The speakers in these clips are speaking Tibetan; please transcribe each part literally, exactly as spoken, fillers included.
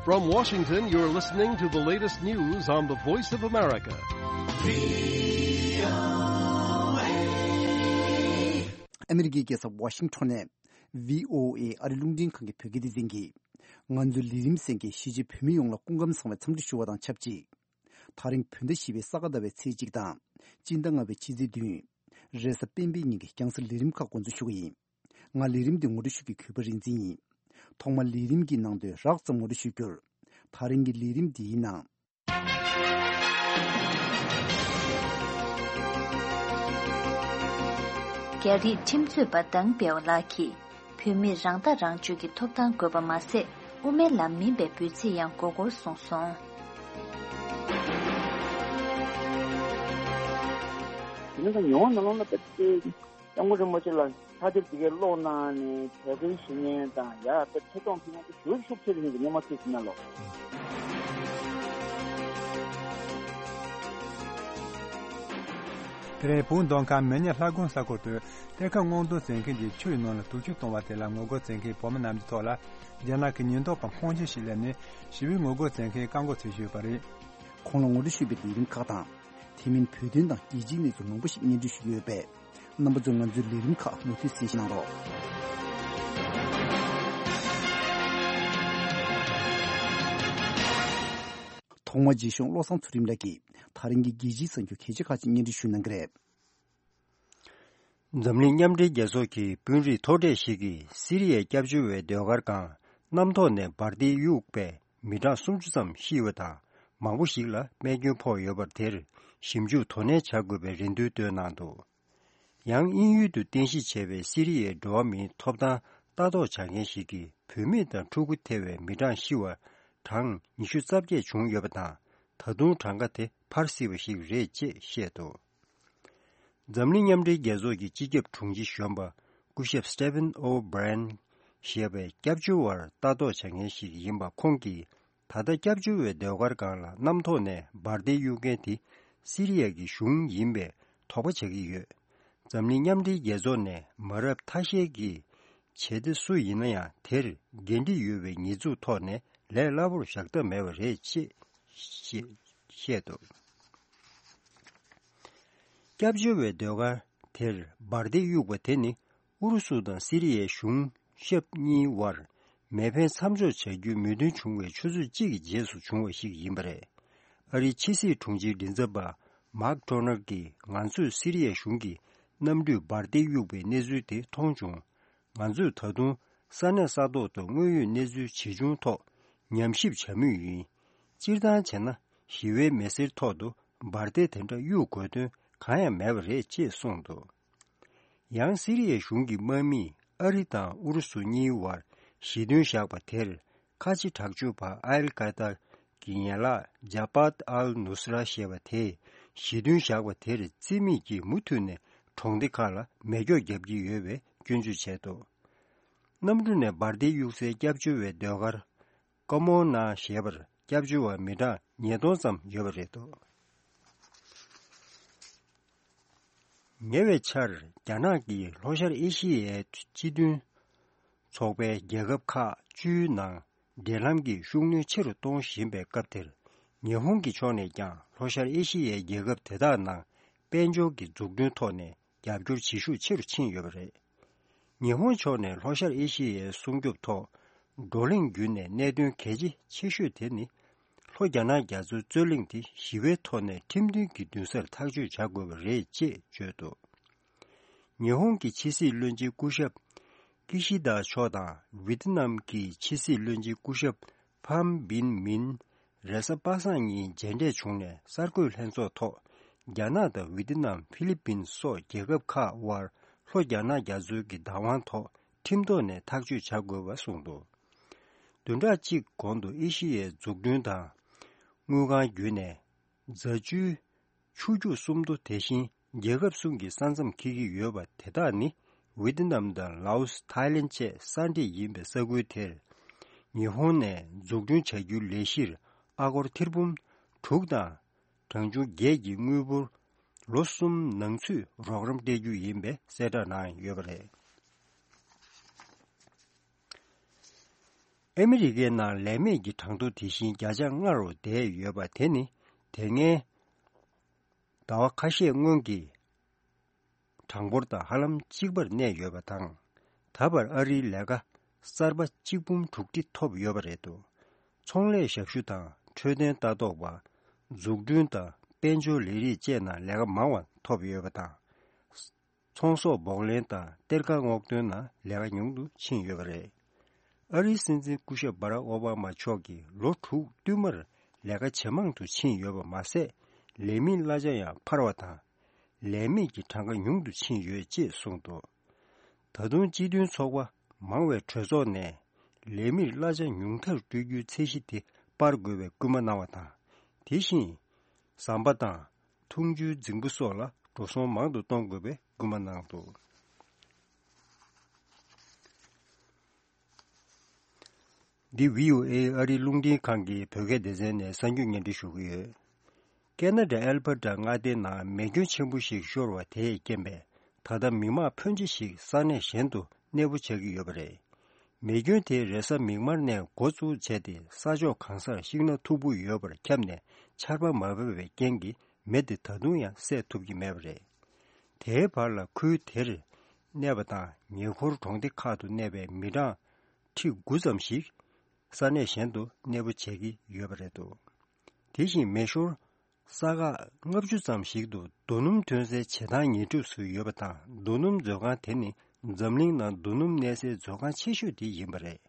From Washington, you're listening to the latest news on the Voice of America. ཨ་མི་རི་ཀའི་རྒྱལ་ས་ཝ་ཤིང་ཊོན་ནས་བྷི་ཨོ་ཨེ་ཨ་རི་རླུང་འཕྲིན་ཁང་གི་བོད་སྐད་སྡེ་ཚན་གྱིས། ང་ཚོའི་ལས་རིམ་གསན་མཁན་གཞིས་བྱེས་བོད་མི་ཡོངས་ལ་སྐུ་ཁམས་བཟང་བའི་འཚམས་འདྲི་ཞུ་བ་དང་ཆབས་ཅིག་དེ་རིང་བོད་ཟླ་བཞི་པའི་ས་ག་ཟླ་བའི་ཚེས་གཅིག་དང་། སྤྱི་ཟླ་ལྔ་པའི་ཕྱི་ཚེས་བདུན། རེས་གཟའ་སྤེན་པའི་ཉིན་གྱི་རྒྱང་སྲིང་ལས་རིམ་ཁག་འགོ་འཛུགས་ཞུ་གི་ཡིན། ང་ལས་རིམ་འདི་ངོ་སྤྲོད་ཞུ་མཁན་གུས་པ་རིག་འཛིན་ཡིན། ཐོག་མར་ལས་རིམ་གྱི་ནང་དོན་རགས་ཙམ་ངོ་སྤྲོད་ཞུ་རྒྱུར། དེ་རིང་གི་ལས་རིམ་འདིའི་ནང་། རྒྱ་རིགས་ཁྲིམས་རྩོད་པ་དང་པའོ་ལགས་ཀྱིས། བོད་མིར་རང་ཐག་རང་གཅོད་ཀྱི་ཐོབ་ཐང་དགོས་པ་མ་ཟད། དབུ་མའི་ལམ་མིན་པའི་འབོད་ཚིག་ཡང་དགོས་སྐོར་གསུངས་སོང་། དེ་ནི་ད་ཉོ་བ་ནང་ལོགས་ལ་དཔེ་སྐྱབས་མགོན་རིན་པོ་ཆེ་ལ་ཕྱག་དེབ་དེ་གའི་ཀློག་གནང་ནས་དད་གུས་ཞུ་མཁན་དང་ཡ་དཔེ་ཐད་གཏོང་ཕུལ་མཁན་དེ་ཞེ་པོ་ཤུགས་ཆེ་རེད་ཟེར་ནས་སྔོན་མ་ཚོས་ཟིན་ན་ལོ། དེ་རིང་བོད་མདོ་ཁམས་མི་ཉག་ལྷ་སྒང་ས་ཁུལ་དུ་གཏེར་ཁ་སྔོག་འདོན་བྱེད་མཁན་གྱིས་ཆུའི་ནང་ལ་དུག་ཆུ་གཏོང་བ་དེ་ལ་ངོ་རྒོལ་བྱེད་མཁན་བོད་མི་རྣམས་ཀྱི་ཐོག་ལ་རྒྱ་ནག་གི་ཉེན་རྟོག་པ་ཁོང་ཆུང་ཞིག་སླེབས་ནས་ཞི་བའི་ངོ་རྒོལ་བྱེད་མཁན་བཀག་འགོག་བྱེད་བཞིན་ཡོད་པ་རེད། ཁོང་ལ་ངོ་སྤྲོད་ཞུས་པའི་ལས་རིམ་ཁག་དང་། དེ་མིན་བོད་དོན་དང་རྒྱལ་སྤྱིའི་གནས་ཚུལ་མང་པོ་ཞིག་སྙན་སྒྲོན་ཞུ་གི་ཡོད་པས། རྣམ་པ་ཚོས་ང་ཚོའི་ལས་རིམ་ཁག་མུ་མཐུད་གསན་བཞེས་གནང་རོགས། ཐོག་མར་རྗེ་གཞུང་བློ་བཟང་ཚུལ་ཁྲིམས་ལགས་ཀྱིས་དེ་རིང་གི་རྒྱལ་སྤྱིའི་གསར་འགྱུར་གལ་ཆེ་ཁག་ཅིག་སྙན་སྒྲོན་ཞུ་གནང་གི་རེད། འཛམ་གླིང་མཉམ་འབྲེལ་རྒྱལ་ཚོགས་ཀྱི་དཔོན་རིགས་མཐོ་གྲས་ཤིག་གིས་སི་རི་ཡའི་སྐྱབས་བཅོལ་བའི་ཟློས་གར་ཁང་གནམ་ཐོག་ནས་འབར་མདེལ་གཡུགས་པས་མི་གྲངས་སུམ་ཅུ་ཙམ་ཤི་བ་དང་མང་པོ་ཞིག་ལ་རྨས་སྐྱོན་ཕོག་ཡོད་པར། དེར་ཞིབ་འཇུག་དོ་ནན་བྱ་དགོས་པའི་རེ་འདུན་བཏོན་གནང་འདུག་ཡང་དབྱིན་ཡུལ་དུ་རྟེན་གཞི་བྱས་པའི་སི་རི་ཡའི་འགྲོ་བ་མིའི་ཐོབ་ཐང་ལྟ་རྟོག་བྱ་མཁན་ཞིག་གིས་བུད་མེད་དང་ཕྲུ་གུ་ཐེ་བའི་མི་གྲངས་ཤི་བ་གྲངས་ཉི་ཤུ་རྩ་བརྒྱད་བྱུང་ཡོད་པ་དང་། ད་དུང་གྲངས་ཀ་དེ་འཕར་སྲིད་པ་ཞིག་རེད་ཅེས་བཤད་འདུག་འཛམ་གླིང་མཉམ་འབྲེལ་རྒྱལ་ཚོགས་ཀྱི་སྤྱི་ཁྱབ་དྲུང་ཆེ་གཞོན་པ་སྐུ་ཞབས་Stephen O'Brien ཞེས་པའི་སྐྱབས་བཅོལ་བར་ལྟ་རྟོག་བྱ་མཁན་ཞིག་ཡིན་པ་ཁོང་གིས། ད་ལྟ་སྐྱབས་བཅོལ་བའི་ཟློས་གར་ཁང་ལ་གནམ་ཐོག་ནས་འབར་མདེལ་གཡུག་མཁན་དེ་སི་རི་ཡ་གི་གཞུང་ཡིན་པའི་དོགས་པ་བྱ་གི་ཡོད། འཛམ་གླིང་མཉམ་འབྲེལ་རྒྱལ་ཚོགས་ནས་མ་རབས་ཐ་ཤལ་གྱི་བྱེད་གཏེ་སུ་ཡིན་ན་ཡང་དེར་འགན་འཁྲི་ཡོད་པའི་ཉེས་འཛུགས་ཐོག་ནས་ལས་སླ་པོར་བཞག་ཐབས་མེད་པ་རེད་ཅེས་བཤད་འདུག་སྐྱབས་བཅོལ་བའི་ཟློས་གར་དེར་འབར་མདེལ་གཡུགས་པ་དེ་ནི་ཨུ་རུ་སུ་དང་སི་རི་ཡའི་གཞུང་ཞབས་གཉིས་དབར་མེ་འཕེན་མཚམས་འཇོག་བྱ་རྒྱུའི་མོས་མཐུན་བྱུང་བའི་ཆུ་ཚོད་གཅིག་གི་རྗེས་སུ་བྱུང་བ་ཞིག་ཡིན་པ་རེད། ཨ་རིའི་ཕྱི་སྲིད་དྲུང་ཆེའི་མགྲིན་ཚབ་པ་མཱག་ཊོ་ནར་གྱིས་ང་ཚོས་སི་རི་ཡའི་གཞུང་གིས་གནམ་གྲུས་འབར་མདེལ་གཡུགས་པའི་གནས་ཚུལ་དེ་མཐོང་བྱུང་། ང་ཚོས་ད་དུང་ས་གནས་ས་ཐོག་ཏུ་དངོས་ཡོད་གནས་ཚུལ་ཇི་བྱུང་ཐོག་ཉམས་ཞིབ་བྱ་མུས་ཡིན། སྤྱིར་བཏང་བྱས་ན་ཞི་བའི་མི་སེར་ཐོག་ཏུ་འབར་མདེལ་དེ་འདྲ་གཡུག་དགོས་དོན་གང་ཡང་མེད་པ་རེད་ཅེས་གསུངས་འདུག་ཡང་སི་རི་ཡའི་གཞུང་གི་དམག་མིས་ཨ་རི་དང་ཨུ་རུ་སུ་གཉིས་དབར་ཞི་མཐུན་བཞག་པ་དེར་ཁ་ཆེ་དྲག་སྤྱོད་པ་ཨལ་ཀ་ད་གི་ཡན་ལག་ཇ་པཱཏ་ཨལ་ནུ་སི་ར་ཞེས་པ་དེས་ཞི་མཐུན་བཞག་པ་དེར་རྩིས་མེད་ཀྱིས་མུ་མཐུད་ནས་གྲོང་སྡེ་ཁག་ལ་མེ་སྒྱོགས་བརྒྱབ་ཀྱི་ཡོད་པའི་སྐྱོན་བརྗོད་བྱས་འདུག་གནམ་གྲུ་ནས་འབར་མདེལ་གཡུག་སའི་སྐྱབས་བཅོལ་བའི་ཟློས་གར་ཀ་མོ་ན་ཞེས་པར་སྐྱབས་བཅོལ་བ་མི་གྲངས་ཉིས་སྟོང་ཙམ་ཡོད་པ་རེད་འདུག་ཉེ་བའི་ཆར་རྒྱ་ནག་གིས་ལྷོ་ཤར་ཨེ་ཤི་ཡའི་སྤྱི་མཐུན་ཚོགས་པའི་རྒྱལ་ཁབ་ཁག་བཅུའི་ནང་འབྲེལ་ལམ་གྱི་ཤུགས་སྣོན་ཆེ་རུ་གཏོང་བཞིན་པའི་སྐབས་དེར། ཉི་ཧོང་གི་ཕྱོགས་ནས་ཀྱང་ལྷོ་ཤར་ཨེ་ཤི་ཡའི་རྒྱལ་ཁབ་དེ་དག་ནང་དཔལ་འབྱོར་གྱི་འཛུགས་སྐྲུན་ཐོག་ནས་རྒྱབ་སྐྱོར་བྱེད་ཤུགས་ཆེ་རུ་ཕྱིན་ཡོད་པ་རེད། ཉི་ཧོང་ཕྱོགས་ནས་ལྷོ་ཤར་ཨེ་ཤི་ཡའི་སྲུང་སྐྱོབ་ཐོག་བགྲོ་གླེང་བརྒྱུད་ནས་གནད་དོན་གལ་ཆེ་ཆེ་ཤོས་དེ་ནི། ལྷོ་རྒྱ་ནག་རྒྱ་མཚོའི་རྩོད་གླེང་དེ་ཞི་བའི་ཐོག་ནས་ཁྲིམས་མཐུན་གྱི་འདུན་སར་ཐག་གཅོད་བྱ་དགོས་པ་རེད་ཅེས་བརྗོད་འདུག་ཉི་ཧོང་གི་ཕྱི་སྲིད་བློན་ཆེན་སྐུ་ཞབས་ཀི་ཤི་དཱ་མཆོག་དང་ཝི་ཏི་ནམ་གྱི་ཕྱི་སྲིད་བློན་ཆེན་སྐུ་ཞབས་ཕམ་བིན་མིན་རེས་གཟའ་པ་སངས་ཉིན་མཇལ་འཕྲད་བྱུང་ནས་གསར་འགོད་ལྷན་ཚོགས་ཐོག་རྒྱ་ནག་དང་ཝི་ཏི་ནམ་ཧྥི་ལི་པིན་སོགས་རྒྱལ་ཁབ་ཁག་དབར་ལྷོ་རྒྱ་ནག་རྒྱ་མཚོའི་གི་བདག་དབང་ཐོག་ཁྲིམས་ཐོག་ནས་ཐག་གཅོད་བྱ་དགོས་པ་གསུངས་འདུག་བདུན་ཕྲག་གཅིག་གོང་དུ་ཨེ་ཤི་ཡའི་འཛུགས་སྐྲུན་དང་དངུལ་ཁང་བརྒྱུད་ནས་རྫ་ཆུའི་ཆུ་རྒྱུག་སུམ་མདོ་དེ་བཞིན་རྒྱལ་ཁབ་གསུམ་གྱི་ས་མཚམས་འཁེལ་གྱི་ཡོད་པ་དེ་དག་ནི་ཝི་ཏི་ནམ་དང་ལའོ་སི། ཐའི་ལེན་བཅས་ས་འདྲེས་ཡིན་པའི་ས་ཁུལ་དེར་ཉི་ཧོང་ནས་འཛུགས་སྐྲུན་བྱ་རྒྱུའི་ལས་གཞིར་ཨ་སྒོར་ཐེར་འབུམ་དྲུག་དང་གྲངས་ཆུང་བརྒྱད་ཀྱི་དངུལ་འབོར་ལོ་གསུམ་ནང་ཚུད་རོགས་རམ་སྤྲད་རྒྱུ་ཡིན་པའི་གསལ་བསྒྲགས་གནང་ཡོད་པ་རེད། ཨ་མི་རི་ཀའི་ནང་ལས་མེད་ཀྱི་གྲངས་ཐོ་དེ་བཞིན་བརྒྱ་ཆ་ལྔ་རུ་བསྡད་ཡོད་པ་དེ་ནི་དེ་སྔའི་ཟླ་བ་ཁ་ཤས་སྔོན་གྱི་གྲངས་འབོར་དང་ཧ་ལམ་གཅིག་པར་གནས་ཡོད་པ་དང་། ད་བར་ཨ་རིའི་ལས་ཀ་གསར་པ་གཅིག་འབུམ་དྲུག་ཁྲི་ཐོབ་ཡོད་པ་རེད་འདུག་ཚོང་ལས་ཞབས་ཞུ་དང་འཕྲོད་བསྟེན་ལྟ་རྟོག་པ། འཛུགས་སྐྲུན་དང་དཔལ་འབྱོར་ལས་རིགས་བཅས་ནང་ལས་ཀ་མང་བ་ཐོབ་ཡོད་པ་དང་། ཚོང་ཟོག་སྦོག་ལེན་དང་གཏེར་ཁ་སྔོག་འདོན་ནང་ལས་ཀ་ཉུང་དུ་ཕྱིན་ཡོད་པ་རེད། ཨ་རིའི་སྲིད་འཛིན་སྐུ་ཞབས་བྷ་རག་ཨོ་བྷ་མ་མཆོག་གིས་ལོ་དྲུག་བསྟུད་མར་ལས་ཀ་ཇེ་མང་དུ་ཕྱིན་ཡོད་པ་མ་ཟད། ལས་མིའི་གླ་ཆ་ཡང་འཕར་བ་དང་། ལས་མེད་ཀྱི་གྲངས་ཀ་ཉུང་དུ་ཕྱིན་ཡོད་ཅེས་གསུངས་འདུག་ད་དུང་སྤྱི་མཐུན་ཚོགས་པ་མང་བའི་གྲོས་ཚོགས་ནས་ལས་མིར་གླ་ཆ་ཉུང་མཐར་སྤྲོད་རྒྱུའི་ཚད་གཞི་དེ་སྤར་དགོས་པའི་སྐུལ་མ་གནང་བ་དང་། དེ་བཞིན་ཟམ་པ་དང་འཐུང་ཆུའི་རྫིང་བུ་སོགས་ལ་འགྲོ་སོང་མང་དུ་གཏོང་དགོས་པའི་སྐུལ་མ་གནང་འདུག་འདི་བྷི་ཨོ་ཨེ་ཨ་རིའི་རླུང་འཕྲིན་ཁང་གི་བོད་སྐད་སྡེ་ཚན་ནས་གསར་འགྱུར་སྙན་སྒྲོན་ཞུ་གི་ཡོད། ཁེ་ན་ཌའི་ཨལ་བྷར་ཊ་མངའ་སྡེའི་ནང་མེ་སྐྱོན་ཆེན་པོ་ཞིག་ཤོར་བ་དེས་རྐྱེན་པས། ད་ལྟ་མི་མང་ཕོན་ཆེ་ཞིག་ས་གནས་གཞན་དུ་གནས་སྤོ་བྱ་གི་ཡོད་པ་རེད། མེ་སྐྱོན་དེ་རེས་གཟའ་མིག་དམར་ནས་འགོ་བཙུགས་བྱས་ཏེ། ས་ཕྱོགས་གང་སར་ཤིང་སྣ་མཐུག་པོ་ཡོད་པར་ཁྱབ་ནས། ཆར་པ་མ་བབས་པའི་རྐྱེན་གྱིས་མེ་དེ་ད་དུང་ཡང་སེལ་ཐུབ་ཀྱི་མེད་པ་རེད། དེའི་བར་ལ་ཁུལ་དེར་གནས་པ་དང་ཉེ་འཁོར་གྲོང་སྡེ་ཁག་ཏུ་གནས་པའི་མི་གྲངས་ཁྲི་དགུ་ཙམ་ཞིག་ས་གནས་གཞན་དུ་གནས་སྤོ་བྱེད་ཀྱི་ཡོད་པ་རེད་འདུག་དེ་བཞིན་མེ་ཤོར་ས་ཁག་ལྔ་བཅུ་ཙམ་ཞིག་ཏུ་རྡོ་སྣུམ་ཐོན་སའི་བྱེ་ཐང་ཉེ་གྲིབ་སུ་ཡོད་པ་དང་། རྡོ་སྣུམ་མཛོད་ཁང་དེ་ནི་འཛམ་གླིང་ནང་རྡོ་སྣུམ་གནས་སའི་མཛོད་ཁང་ཆེ་ཤོས་དེ་ཡིན་པ་རེད།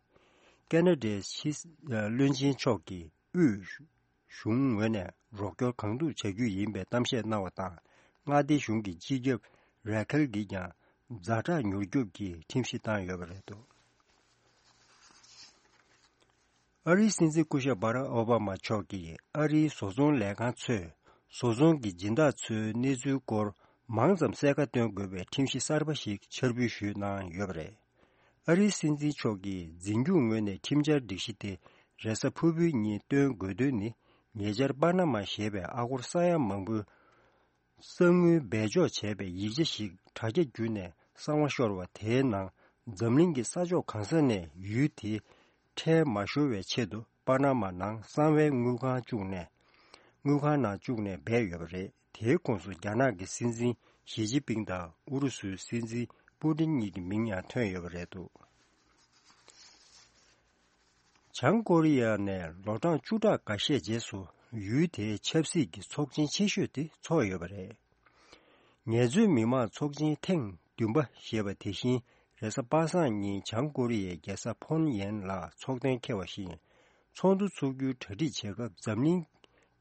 ཁེ་ན་ཌའི་ཕྱི་བློན་ཆེན་མཆོག་གིས་དབུས་གཞུང་ངོས་ནས་རོགས་སྐྱོར་གང་ཐུབ་བྱ་རྒྱུ་ཡིན་པའི་གཏམ་བཤད་གནང་བ་དང་། མངའ་སྡེ་གཞུང་གི་སྤྱི་ཁྱབ་རེ་ཁལ་གྱིས་ཀྱང་ཛ་དྲག་མྱུར་སྐྱོབ་ཀྱི་ཁྲིམས་གཞི་བཏང་ཡོད་པ་རེད་འདུག་ཨ་རིའི་སྲིད་འཛིན་སྐུ་ཞབས་བྷ་རག་ཨོ་བྷ་མ་མཆོག་གིས་ཨ་རིའི་བཟོ་ཚོང་ལས་ཁང་ཚོས་བཟོ་ཚོང་གི་སྦྱིན་བདག་ཚོའི་གནས་ཚུལ་སྐོར་མང་ཙམ་གསལ་ཁ་སྟོན་དགོས་པའི་ཁྲིམས་གཞི་གསར་པ་ཞིག་འཆར་འབུལ་ཞུས་གནང་ཡོད་པ་རེད། ཨ་རིའི་སྲིད་འཛིན་མཆོག་གིས་འཛིན་སྐྱོང་ངོས་ནས་ཁྲིམས་འཆར་སྒྲིག་གཞི་དེ་རེས་གཟའ་ཕུར་བུའི་ཉིན་སྟོན་དགོས་དོན་ནི། ཉེ་ཆར་པ་ན་མ་ཞེས་པའི་ཨ་སྒོར་ས་ཡ་མང་པོའི་གསང་དངུལ་སྦས་འཇོག་བྱས་པའི་ཡིག་ཆ་ཞིག་དྲ་རྒྱ་བརྒྱུད་ནས་གསང་བ་ཤོར་བ་དེའི་ནང་། འཛམ་གླིང་གི་ས་ཕྱོགས་གང་ས་ནས་ཡུལ་དེའི་ཁྲལ་མ་ཤོར་བའི་ཆེད་དུ་པ་ན་མ་ནང་གསང་བའི་དངུལ་ཁང་བཅུག་ནས། དངུལ་ཁང་ནང་བཅུག་ནས་སྦས་ཡོད་པ་རེད། དེའི་ཁོངས་སུ་རྒྱ་ནག་གི་སྲིད་འཛིན་ཞི་ཅིན་ཕིང་དང་ཨུ་རུ་སུའི་སྲིད་འཛིན་པུ་ཏིན་གཉིས་ཀྱི་མིང་ཡང་ཐོན་ཡོད་པ་རེད་འདུག་བྱང་ཀོ་རི་ཡ་ནས་ལོ་གྲངས་བཅུ་ཕྲག་འགའ་ཤས་རྗེས་སུ་ཡུལ་དེའི་ཆབ་སྲིད་ཀྱི་ཚོགས་ཆེན་ཆེ་ཤོས་དེ་ཚོགས་ཡོད་པ་རེད། ངལ་རྩོལ་མི་མང་ཚོགས་ཆེན་ཐེངས་བདུན་པ་ཞེས་པ་དེ་བཞིན་རེས་གཟའ་པ་སངས་ཉིན་བྱང་ཀོ་རི་ཡའི་རྒྱལ་ས་ཕོན་ཡན་ལ་ཚོགས་གཏན་འཁེལ་བ་བཞིན། ཚོགས་འདུ་ཚོགས་རྒྱུའི་གྲ་སྒྲིག་བྱེད་སྐབས་འཛམ་གླིང་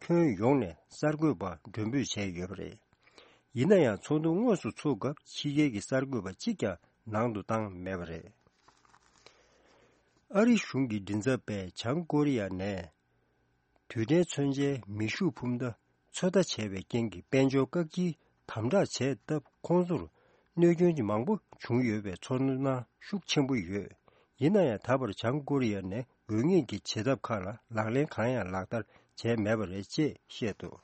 ཁྱོན་ཡོངས་ནས་གསར་འགོད་པ་མགྲོན་འབོད་བྱས་ཡོད་པ་རེད། ཡིན་ན་ཡང་ཚོགས་འདུ་དངོས་སུ་ཚུགས་སྐབས་ཕྱི་རྒྱལ་གྱི་གསར་འགོད་པ་གཅིག་ཀྱང་ནང་དུ་བཏང་མེད་པ་རེད། ཨ་རི་གཞུང་གི་མགྲིན་ཚབ་པས་བྱང་ཀོ་རི་ཡ་ནས་དུས་དྲན་མཚོན་ཆའི་མེ་ཤུགས་འཕུར་མདའ་ཚོད་ལྟ་བྱས་པའི་རྐྱེན་གྱིས་དཔལ་འབྱོར་བཀག་སྐྱིལ་དམ་དྲག་བྱས་སྟབས། ཁོང་ཚོར་གནོད་སྐྱོན་མང་པོ་བྱུང་ཡོད་པའི་ཚོར་སྣང་ཤུགས་ཆེན་པོ་ཡོད། ཡིན་ན་ཡང་ད་བར་བྱང་ཀོ་རི་ཡ་ནས་དགོས་ངེས་ཀྱི་བྱེད་ཐབས་ཁག་ལ་ལག་ལེན་གང་ཡང་ལག་བསྟར་བྱས་མེད་པ་རེད་ཅེས་བཤད་འདུག་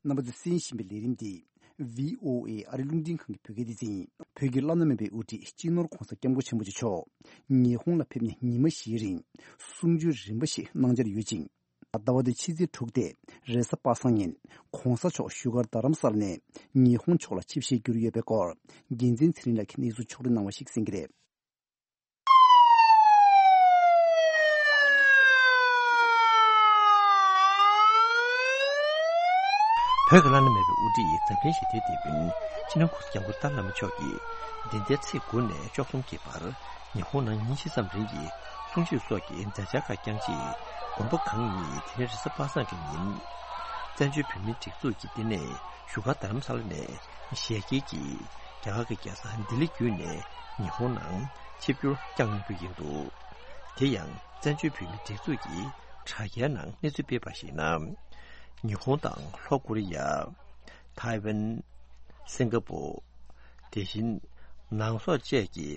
རྣམ་པ་ཚོས་གསན་བཞིན་པའི་ལས་རིམ་འདི་བྷི་ཨོ་ཨེ་ཨ་རི་རླུང་འཕྲིན་ཁང་གི་བོད་སྐད་སྡེ་ཚན་ཡིན། བོད་ཀྱི་བླ་ན་མེད་པའི་དབུ་ཁྲིད་སྤྱི་ནོར་༧གོང་ས་༧སྐྱབས་མགོན་ཆེན་པོ་མཆོག་ཉི་ཧོང་ལ་ཕེབས་ནས་ཉི་མ་བཞིའི་རིང་གསུང་ཆོས་རིམ་པ་ཞིག་གནང་འཆར་ཡོད་ཅིང་། ཟླ་བ་འདིའི་ཕྱི་ཚེས་དྲུག་སྟེ་རེས་གཟའ་པ་སངས་ཉིན་༧གོང་ས་མཆོག་བཞུགས་སྒར་རྡ་རམ་ས་ལ་ནས་ཉི་ཧོང་ཕྱོགས་ལ་ཆིབས་ཞལ་བསྒྱུར་ཡོད་པའི་སྐོར་རྒྱལ་མཚན་ཚེ་རིང་ལགས་ཀྱིས་གནས་ཚུལ་ཕྱོགས་སྒྲིག་གནང་བ་ཞིག་གསན་གྱི་རེད། བོད་ཀྱི་བླ་ན་མེད་པའི་དབུ་ཁྲིད་འཛམ་གླིང་ཞི་བདེའི་དེད་དཔོན་སྤྱི་ནོར་༧གོང་ས་༧སྐྱབས་མགོན་ཏཱ་ལའི་བླ་མ་མཆོག་གིས་འདི་ཟླའི་ཚེས་དགུ་ནས་བཅུ་གསུམ་གྱི་བར་ཉི་ཧོང་ནང་ཉིན་བཞི་ཙམ་རིང་གི་གསུང་ཆོས་སོགས་ཀྱི་མཛད་འཆར་ཁག་བསྐྱངས་རྗེས། དགོན་པ་གང་ཉིད་དེ་རིང་རེས་གཟའ་པ་སངས་ཀྱི་ཉིན་བཙན་བྱོལ་བོད་མིའི་སྒྲིག་འཛུགས་ཀྱི་བསྟི་གནས་བཞུགས་སྒར་རྡ་རམ་ས་ལ་ནས་ཞལ་གྱེས་ཀྱིས་རྒྱ་གར་གྱི་རྒྱལ་ས་ལྡི་ལི་བརྒྱུད་ནས་ཉི་ཧོང་ནང་ཆིབས་བསྒྱུར་བསྐྱངས་གནང་རྒྱུ་ཡིན་འདུག་དེ་ཡང་བཙན་བྱོལ་བོད་མིའི་སྒྲིག་འཛུགས་ཀྱི་དྲ་རྒྱའི་ནང་གནས་ཚུལ་སྤེལ་བར་གཞིགས་ན། ཉི་ཧོང་དང་ལྷོ་ཀོ་རི་ཡ། ཐའེ་ཝན། སིང་ག་པོ། དེ་བཞིན་ནང་སོག་བཅས་ཀྱི་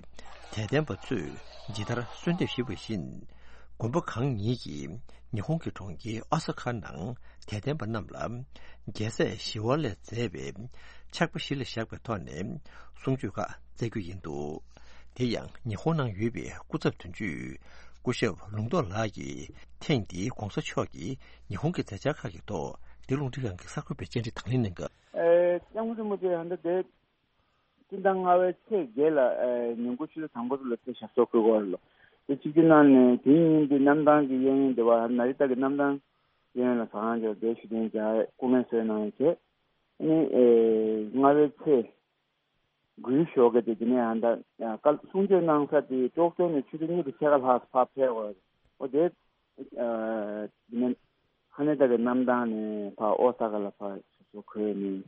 དད་ལྡན་པ་ཚོས་ཇི་ལྟར་གསོལ་འདེབས་ཞུས་པ་བཞིན། མགོན་པོ་གང་ཉིད་ཀྱིས་ཉི་ཧོང་གི་གྲོང་ཁྱེར་ཨོ་ས་ཁ་ནང་དད་ལྡན་པ་རྣམས་ལ་རྒྱལ་སྲས་ཞི་བ་ལྷས་མཛད་པའི་ཕྱག་དཔེ་གཞི་ལ་བཞག་པའི་ཐོག་ནས་གསུང་ཆོས་ཁག་སྩལ་རྒྱུ་ཡིན་འདུག་དེ་ཡང་ཉི་ཧོང་ནང་ཡོད་པའི་སྐུ་ཚབ་དོན་གཅོད་སྐུ་ཞབས་ལུང་རྟོགས་ལགས་ཀྱིས་ཐེངས་འདིའི་གོང་ས་མཆོག་གིས་ཉི་ཧོང་གི་མཛད་འཆར་ཁག་གི་ཐོག་འདི་རླུང་འཕྲིན་ཁང་གི་གསར་འགོད་པའི་བཅར་འདྲི་དང་ལེན་གནང་སྐབས། ཨེ། སྐྱབས་མགོན་རིན་པོ་ཆེ་ཧན་ད་དེ། སྤྱི་ཟླ་ལྔ་པའི་ཚེས་བརྒྱད་ལ་ཨེ་ཉིན་གུང་ཆུ་ཚོད་དང་པོ་ཚོ་ལ་ཚེ་ཞབས་སོར་འཁོད་ཀྱི་ཡོད་རེད་ལོ། དེ་གཅིག་གི་ནང་ནས་དེའི་ཉིན་དེ་གནམ་ཐང་གི་གཡས་གཡོན་དེ་བ་ན་རི་ཏ་གི་གནམ་ཐང་གཡས་གཡོན་ལ་ཟ་ཁང་ཅིག་ལ་འདིར་བཞུགས་གདན་འཇགས་སྐུ་ངལ་གསོ་གནང་ཡོད་བྱས། ཨ་ནི་ཨེ་ལྔ་པའི་ཚེས་དགུའི་ཞོགས་ཀས་དེ་དེ་ནས་ཧན་ད་ཨ་བཀའ་གསུང་ཆོས་གནང་ས་དེ་ཀྲོག་ཀྲོ་ནས་ཆུ་ཚོད་གཉིས་དང་ཕྱེད་ཀ་ལྷག་ཕར་ཕེབས་ཡོད་རེད། འོ་དེ། ཨ་དེ་ནས་ཧ་ནེ་ད་གི་གནམ་ཐང་ནས་ཕར་ཨོ་ས་ཀ་ལ་ཕར་ཞབས་སོར་འཁོད་ནས།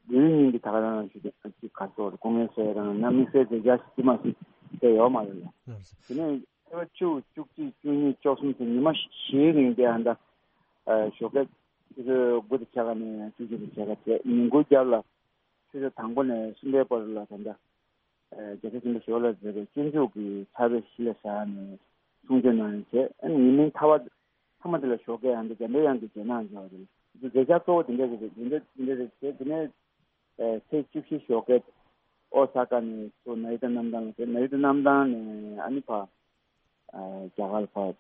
དེའི་ཉིན་གྱི་ད་ག་རང་ཞུ་དེ་ཅིག་ག་ཚོད་སྐུ་ངལ་གསོ་རང་ན་དམིགས་བསལ་མཛད་འཆར་ཞིག་མ་ཞིག་དེ་ཡོད་མ་རེད་ལ། དེ་ནས་ཚེས་པ་བཅུ་བཅུ་གཅིག་བཅུ་གཉིས་བཅུ་གསུམ་ཚེས་ཉི་མ་བཞིའི་རིང་དེ་ཧན་ད་ཞོགས་ཀས་ཆུ་ཚོད་དགུ་དང་ཕྱེད་ཀ་ནས་བཅུ་གཅིག་དང་ཕྱེད་ཀ་བྱས་ཉིན་གུང་རྒྱབ་ལ། ཆུ་ཚོད་དང་པོ་ནས་གསུམ་པའི་བར་ལ་ད་ལྟ། རྒྱལ་སྲས་ཆེན་པོ་ཞི་བ་ལྷས་མཛད་པའི་སྤྱོད་འཇུག་གི་ཕྱག་དཔེ་གཞི་ལ་བཞག་ནས་གསུང་ཆོས་གནང་ཡོད་བྱས། ཨ་ནི་ཉིན་མིན་མཐའ་བ་ཚང་མ་དེ་ལ་ཞོགས་ཀས་ཨ་འདི་འཇམ་པའི་དབྱངས་ཀྱི་རྗེས་གནང་བྱས་པ་རེད། འདི་མཛད་འཆར་གཙོ་བོ་དེ་འདྲ་རེད། དེ་འདྲ་དེ་འདྲ་རེད་བྱས། དེ་ནས་ཚེས་བཅུ་བཞི་ཞོགས་ཀས་ཨོ་ས་ཀ་ནས་ཚུར་ན་རི་ཏ་གནམ་ཐང་ལ་བྱས། ན་རི་ཏ་གནམ་ཐང་ནས་ཨ་ནི་ཕར། ཨ་རྒྱ་གར་ལ་ཕར་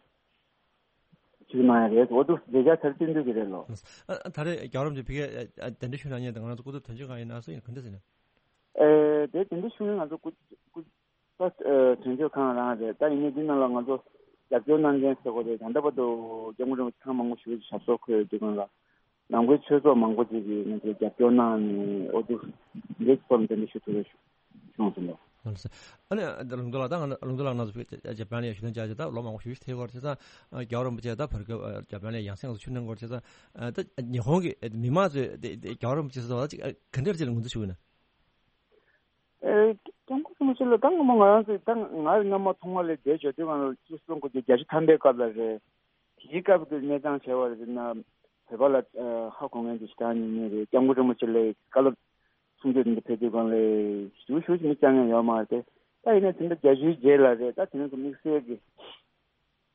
ཕྱིར་མ་ཡ་རེད། འོ་འདུག་མཛད་འཆར་ཚར་བསྟན་འདོད་ཀྱི་རེད་ལོ། ཨ་ད་རེས་རྒྱལ་བ་རིན་པོ་ཆེ་ཕ་གིར་ཨ་གདན་འདྲེན་ཞུ་གནང་མཁན་དང་ང་རང་ཚོ་སྐུ་ཚབ་དོན་གཅོད་ཁང་ཡིན་ན་སུ་ཡིན་ག་འདྲ་ཟེར་ན། ཨེ་དེ་གདན་འདྲེན་ཞུ་མཁན་ང་ཚོ་སྐུ་སྐུ་ཚབ་དོན་གཅོད་ཁང་རང་རེད། ད་ཡིན་ནའི་འདི་ནང་ལ་ང་ཚོ་རྒྱབ་སྐྱོར་གནང་མཁན་ཟེར་དགོས་རེད། ད་ལྟ་བར་དུ་སྐྱབས་མགོན་རིན་པོ་ཆེ་ཐེངས་མང་པོ་ཞིག་ཞབས་སོར་འཁོད་ཡོད་དུས་སྒང་ལ། ནང་པའི་ཆོས་ཚོགས་མང་པོ་ཅིག་གིས་ང་ཚོར་རྒྱབ་སྐྱོར་གནང་ནས་འོ་འདུག་འདི་ཚོར་འདི་འདྲ་ཞུ་ཐུབ་པའི་བྱུང་སོང་ལོ། ཨ་ནི་ལུང་རྟོགས་ལགས་ད་ང་ལུང་རྟོགས་ལགས་ང་ཚོ་བོད་ཇ་པན་ལ་ཞུ་དོན་བྱ་ཆེད་ད་ལོ་མང་པོ་ཞུ་ཞུ་ཐེ་གོ་ཆེ་ས་རྒྱལ་བ་རིན་པོ་ཆེ་ད་བར་སྐབས་ཇ་པན་ལ་ཡང་སེ་ང་ཚོ་ཆུ་ནང་གོ་ཆེ་ས་ད་ཉི་ཧོང་གི་མི་མང་ཚོས་རྒྱལ་བ་རིན་པོ་ཆེ་སོགས་ད་ཅིག་ག་འདྲ་ཅིག་ལ་ངོས་འཛིན་ཞུ་གི་ན། ཨེ། སྐྱབས་མགོན་རིན་པོ་ཆེ་ལ་ད་སྔ་མོ་ང་རང་ཚོས་ད་ང་སྔ་མ་ཐོག་མ་ལ་བསྡད་ཡོད་དུས་སྒང་ལ་ཅིག་སོང་གོ་རྒྱལ་སྤྱི་ཐམ་པའི་སྐབས་ལ་རེད། དེའི་སྐབས་ཀྱི་གནས་སྟངས་བྱས་པ་རེད་ན་བོད་པ་ལ་ཧ་གོ་མཁན་ཅིག་ཞེ་དྲག་ཉུང་ཉུང་རེད། སྐྱབས་མགོན་རིན་པོ་ཆེ་ལ་བཀའ་སློབ་གསུང་ཆོས་འདི་འདྲ་ཕེབས་དུས་སྒང་ལ་ཞུ་ཞུ་ཞིག་མི་བཅར་མཁན་ཡོད་མ་རེད་དེ། ད་ཡིན་ན་དེ་འདྲ་བརྒྱད་ཅུའི་རྗེས་ལ་རེད། ད་དེ་རིང་གི་དམིགས་བསལ་གྱི་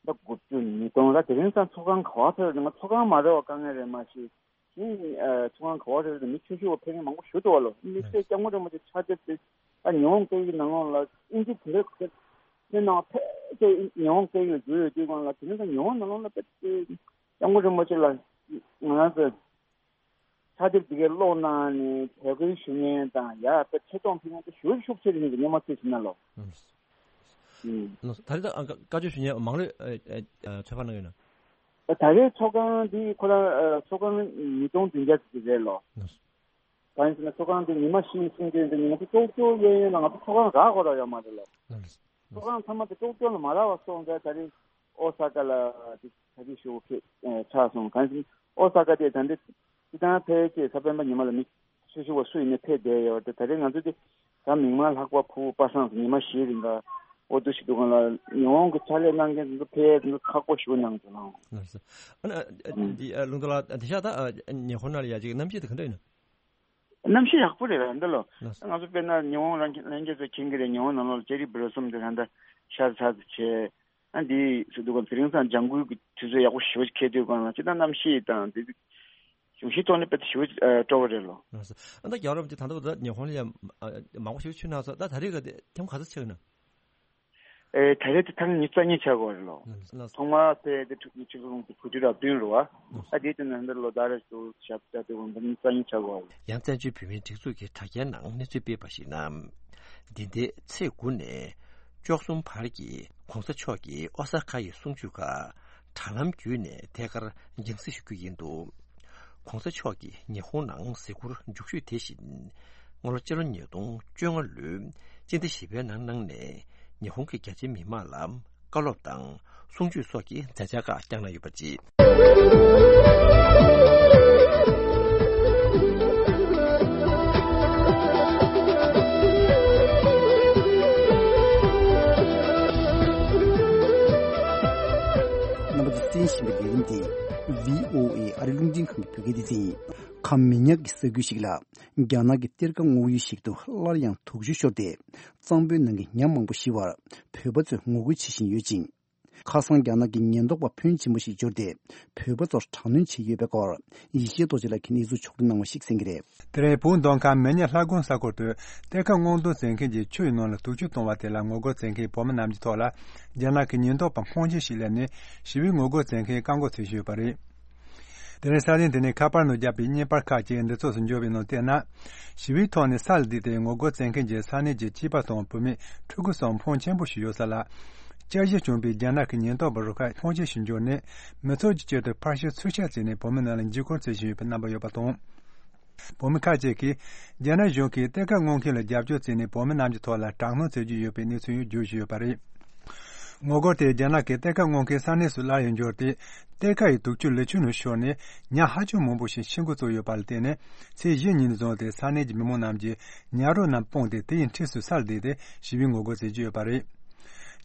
ཟླ་དགུ་བཅུ་ཉིས་སྟོང་ལ་དེ་རིང་སང་ཚོགས་ཁང་ག་པར་ཕེབས་རེད། ང་ཚོགས་ཁང་མ་རེད་པ་དཀའ་ངལ་རེད་མ་གཞི། གཞན་ཚོགས་ཁང་ག་པར་ཕེབས་རེད། མི་ཆོས་ཞུ་བ་ཕེབས་མཁན་མང་པོ་ཞུ་འདུག་བ་ལོ། དམིགས་བསལ་སྐྱབས་མགོན་རིན་པོ་ཆེ་ཕྱག་དེབ་དེ་ད་ཉི་ཧོང་སྐད་ཡིག་ནང་ལོགས་ལ་ཨིན་ཇི་དེ་འདྲ་ཁོ་ཚོའི་ནང་ཕལ་ཆེར་ཉི་ཧོང་སྐད་ཡིག་ལ་བསྒྱུར་ཡོད་དུས་སྒང་ལ་དེ་རིང་སང་ཉི་ཧོང་ནང་ལོགས་ལ་ཕལ་ཆེར་སྐྱབས་མགོན་རིན་པོ་ཆེ་ལ་ང་རང་ཚོས་ཕྱག་དེབ་འདི་གའི་ཀློག་གནང་ནས་དད་གུས་ཞུ་མཁན་དང་ཡ་དཔེ་ཆེ་མཐོང་ཕུལ་མཁན་དེ་ཞེ་པོ་ཤུགས་ཆེ་རེད་ཟེར་གྱི་སྔོན་མ་ཚོད་ཟིན་ན་ལོ། ཨུམ། ཨུམ། ད་རེས་ད་བཀའ་ཆོས་ཞུ་མཁན་མང་རེ་ཚོད་དཔག་གནང་ཡོད་ན། ད་རེས་ཚོགས་ཁང་འདི་ཁོ་རང་ཚོགས་ཁང་ཉིས་སྟོང་བདུན་བརྒྱ་ཙམ་ཞིག་རེད་ལོ། ཨུམ། གང་ཡིན་ཟེར་ན་ཚོགས་ཁང་འདི་ཉི་མ་བཞིའི་གསུང་ཆོས་འདི་ཉི་མ་དེ་ཀྲོག་ཀྲོག་གཡས་གཡོན་ལ་ང་ཚོ་ཚོགས་ཁང་རག་དགོས་ར་ཡོད་མ་རེད་ལོ། ཨུམ། ཚོགས་ཁང་ཚང་མ་དེ་ཀྲོག་ཀྲོག་ལ་མ་རག་པ་སོང་ཙང་ད་རེས་ཨོ་ས་ཀ་ལ་དེ་ད་རེས་ཞུ་ཁེ་ཆགས་སོང་། གང་ཡིན་ཨོ་ས་ཀ་དེ་ད་འདི་སྤྱི་བཏང་ཕལ་ཆེར་གཟའ་སྤེན་པ་ཉི་མ་ལ་མི་སོ་སོ་བ་སུ་ཡིན་ནའི་ཕེབས་བསྡད་ཡོད་དེ། ད་རེས་ང་ཚོ་དེ་གཟའ་མིག་དམར་ལྷག་པ་ཕུ་བོ་པ་སངས་སུ་ཉི་མ་བཞིའི་རིང་ག་ཨོ་འདུག་ཞིག་འདུག་གང་ལ་ཉི་ཧོང་གི་ཕྱག་ལས་གནང་མཁན་ཚོ་ཕེབས་ཚོ་ཁག་པོ་ཞུ་གནང་ཚོ་ལང་། ལགས་སོ། ཨ་ནི་ཨ་ཨ་འདི་ཨ་ལུང་རྟོགས་ལགས་འདི་ཤག་ད་ཨ་ཉི་ཧོང་ནང་ལ་ཡ་ཅིག་གནམ་གཤིས་དེ་ག་འདྲ་ཡིན་ན། གནམ་གཤིས་ཡག་པོ་རེད་ལ་འདི་ལོ། ལགས་སོ། ང་ཚོ་དཔེར་ན་ཉི་ཧོང་ལྷན་རྒྱས་ཚོ་མཁྱེན་གྱི་རེད། ཉི་ཧོང་ནང་ལོགས་ལ་ཅེ་རི་བི་ལོ་སོམ་དེ་ད་ལྟ་ཤར་ཚར་ཚར་བྱས། ཨ་འདི་སུ་འདུག་གམ། དེ་རིང་སང་ལྗང་ཁུའི་གི་དུས་ཚོད་ཡག་པོ་ཞེ་པོ་ཅིག་འཁེལ་དུས་སྒང་ལ་སྤྱིར་བཏང་གནམ་གཤིས་དང་དེ་གཞུང་གཤིས་ཐོག་ནས་དཔེ་སྤྲོ་བོ་རེད་ལོ། ལགས་སོ། ཨ་ད་རྒྱལ་བ་རིན་པོ་ཆེ་ད་ལྟ་བར་དུ་ཉི་ཧོང་ལ་ཡང་མང་པོ་ཞེ་པོ་ཅིག་ཕྱིན་གནང་སོང་། ད་ད་རེས་ག་དེ་ཐེངས་ག་ཚོད་ཕྱིན་ན། ཨེ་ད་རེས་དེ་ཐེངས་ཉི་ཤུ་རྩ་གཉིས་ཆགས་ཀྱི་ཡོད་རེད་ལོ། ལགས་སོ། ཐོག་མར་ཕེབས་དེ་ཆིག་སྟོང་དགུ་བརྒྱ་དྲུག་ཅུ་རེ་བདུན་རེད་བ། ལགས་སོ། ཨ་དེའི་དུས་ནས་འདིར་ལོ་ཟླ་རེ་ཞིག་ཏུ་ཞབས་བཅགས་དེ་དགོངས་པ་ཉི་ཤུ་རྩ་གཉིས་ཆགས་ཀྱི་ཡོད་རེད། ཡང་བཙན་བྱོལ་བོད་མིའི་སྒྲིག་འཛུགས་ཀྱི་དྲ་རྒྱའི་ནང་གནས་ཚུལ་སྤེལ་བ་ཞིག་ན། འདི་ཟླའི་ཚེས་དགུ་ནས་བཅུ་གསུམ་བར་གྱི་གོང་ས་མཆོག་གི་ཨོ་ས་ཁ་ཡི་གསུང་ཆོས་ཁག་དྲ་ལམ་བརྒྱུད་ནས་ཐད་ཀར་རྒྱང་སྲིང་ཞུ་རྒྱུ་ཡིན་འདུག་གོང་ས་མཆོག་གིས་ཉི་ཧོང་ནང་གཟིགས་སྐོར་མཇུག་ཤོས་དེ་བཞིན་སྔ་ལོ་སྤྱི་ལོ་ཉིས་སྟོང་བཅོ་ལྔ་ལོའི་སྤྱི་ཟླ་བཞི་པའི་ནང་གནང་ནས་ཉི་ཧོང་གི་རྒྱ་ཆེའི་མི་མང་ལ་བཀའ་སློབ་དང་གསུང་ཆོས་སོགས་ཀྱི་མཛད་འཆར་ཁག་བསྐྱངས་གནང་ཡོད་པ་རེད། རྣམ་པ་ཚོས་གསན་བཞིན་པའི་ལས་རིམ་དེ་བྷི་ཨོ་ཨེ་ཨ་རི་རླུང་འཕྲིན་ཁང་གི་བོད་སྐད་སྡེ་ཚན་ཡིན། ཁམས་མི་ཉག་གི་ས་ཁུལ་ཞིག་ལ་རྒྱ་ནག་གི་གཏེར་ཁ་སྔོག་ཡུལ་ཞིག་ཏུ་སླར་ཡང་དུག་ཆུ་ཤོར་ཏེ། གཙང་པོའི་ནང་གི་ཉ་མང་པོ་ཤི་བར་བོད་པ་ཚོས་ངོ་རྒོལ་བྱེད་བཞིན་ཡོད་ཅིང་། ཁ་སང་རྒྱ་ནག་གི་ཉེན་རྟོག་པ་ཕོན་ཆེན་པོ་ཞིག་འབྱོར་ཏེ། བོད་པ་ཚོར་དྲག་གནོན་བྱས་ཡོད་པའི་སྐོར། ཡེ་ཤེས་རྡོ་རྗེ་ལགས་ཀྱིས་གནས་ཚུལ་ཕྱོགས་བསྒྲིགས་གནང་བ་ཞིག་གསན་གྱི་རེད། དེ་རིང་བོད་མདོ་ཁམས་མི་ཉག་ལྷ་དགོན་ས་ཁུལ་དུ་གཏེར་ཁ་སྔོག་འདོན་མཛད་མཁན་གྱིས་ཆུ་ཡི་ནང་ལ་དུག་ཆུ་བཏང་བ་དེ་ལ་ངོ་རྒོལ་མཛད་མཁན་བོད་མི་རྣམས་ཀྱི་ཐོག་ལ། རྒྱ་ནག་གི་ཉེན་རྟོག་པ་ཁུངས་སྐྱེལ་ཞིག་སླེབས་ནས་ཞི་བའི་ངོ་རྒོལ་མཛད་མཁན་བཀག་འགོག་བྱེད་བཞིན་ཡོད་པ་རེད། དེ་རིང་ས་གནས་དེ་ནས་ཁ་པར་ནང་བརྒྱབ་པའི་བརྙན་པར་ཁག་ཅིག་འདི་ཚོགས་སུ་འབྱོར་བའི་ནང་བལྟས་ན། ཞི་བའི་ཐོག་ནས་ས་ལ་བསྡད་དེ་ངོ་རྒོལ་མཛད་མཁན་གྱི་ས་གནས་ཀྱི་སྐྱེས་པ་དང་བུད་མེད་ཕྲུ་གུ་སོགས་ཕོན་ཆེན་པོ་ཞིག་ཡོད་ས་ལ། བསྐྱར་ཞིབ་བྱུང་བའི་རྒྱ་ནག་གི་ཉེན་རྟོག་པ་རུ་ཁག་ཁུངས་སྐྱེལ་ཞིག་འབྱོར་ནས། མི་ཚོགས་ཀྱི་དཀྱིལ་དུ་ཕར་ཤོད་ཚུར་ཤོད་བྱས་ནས་བོད་མི་རྣམས་ལ་འཇིགས་སྐུལ་བྱེད་བཞིན་ཡོད་པའི་རྣམ་པ་ཡོད་པ་དང་། བོད་མི་ཁག་ཅིག་གིས་རྒྱ་ནག་གཞུང་གིས་གཏེར་ཁ་སྔོག་མཁན་ལ་རྒྱབ་སྐྱོར་བྱས་ནས་བོད་མི་རྣམས་ཀྱི་ཐོག་ལ་དྲག་གནོན་བྱེད་ཀྱི་ཡོད་པའི་གནས་ཚུལ་ཡང་བརྗོད་བཞིན་ཡོད་པ་རེད། ངོ་རྒོལ་དེ་རྒྱ་ནག་གི་གཏེར་ཁ་སྔོག་མཁན་ས་གནས་སུ་སླར་ཡང་འབྱོར་ཏེ། གཏེར་ཁ་ཡི་དུག་ཆུ་ལི་ཆུ་ནང་ཤོར་ནས་ཉ་ཧ་ཅང་མང་པོ་ཞིག་ཤི་འགོ་བཙུགས་ཡོད་པ་ལ་བརྟེན་ནས། ཚེས་བཞི་ཉིན་ནས་བཟུང་སྟེ་ས་གནས་ཀྱི་མི་མང་རྣམས་ཀྱིས་ཉ་རོ་རྣམས་སྤུངས་ཏེ་དེ་ཡི་འཁྲིས་སུ་ས་ལ་བསྡད་དེ་ཞི་བའི་ངོ་རྒོལ་བྱེད་ཀྱི་ཡོད་པ་རེད།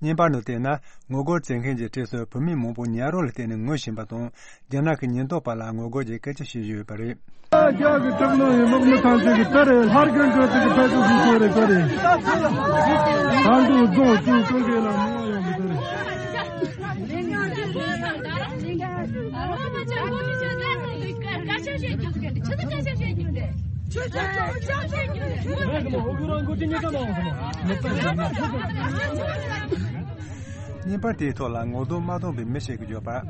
བརྙན་པར་ནང་བལྟས་ན། ངོ་རྒོལ་མཛད་མཁན་གྱི་གྲས་སུ་བུད་མེད་མང་པོ་ཉ་རོ་ལ་བརྟེན་ནས་ངུ་བཞིན་པ་དང་། རྒྱ་ནག་གི་ཉེན་རྟོག་པ་ལ་ངོ་རྒོལ་གྱི་སྐད་ཆ་བཤད་བཞིན་ཡོད་པ་རེད། རྒྱ་གི་དྲག་གནོན་ཡིན་ལོག་མི་ཐང་ཆད་ཀྱི་ད་རེད། ལྷར་གྱོན་གྱོན་ཚིག་གི་ཕད་ཚུགས་ཤིག་ཤོར་རེད་ག་རེད། ད་འདུག་རྫོང་ཆུང་ཆུང་གི་ལ་མི་ཡོང་གི་ད་རེད། བརྙན་པར་དེའི་ཐོག་ལ་ངོ་གདོང་མ་མཐོང་པའི་མི་ཞིག་གིས་བརྗོད་པར།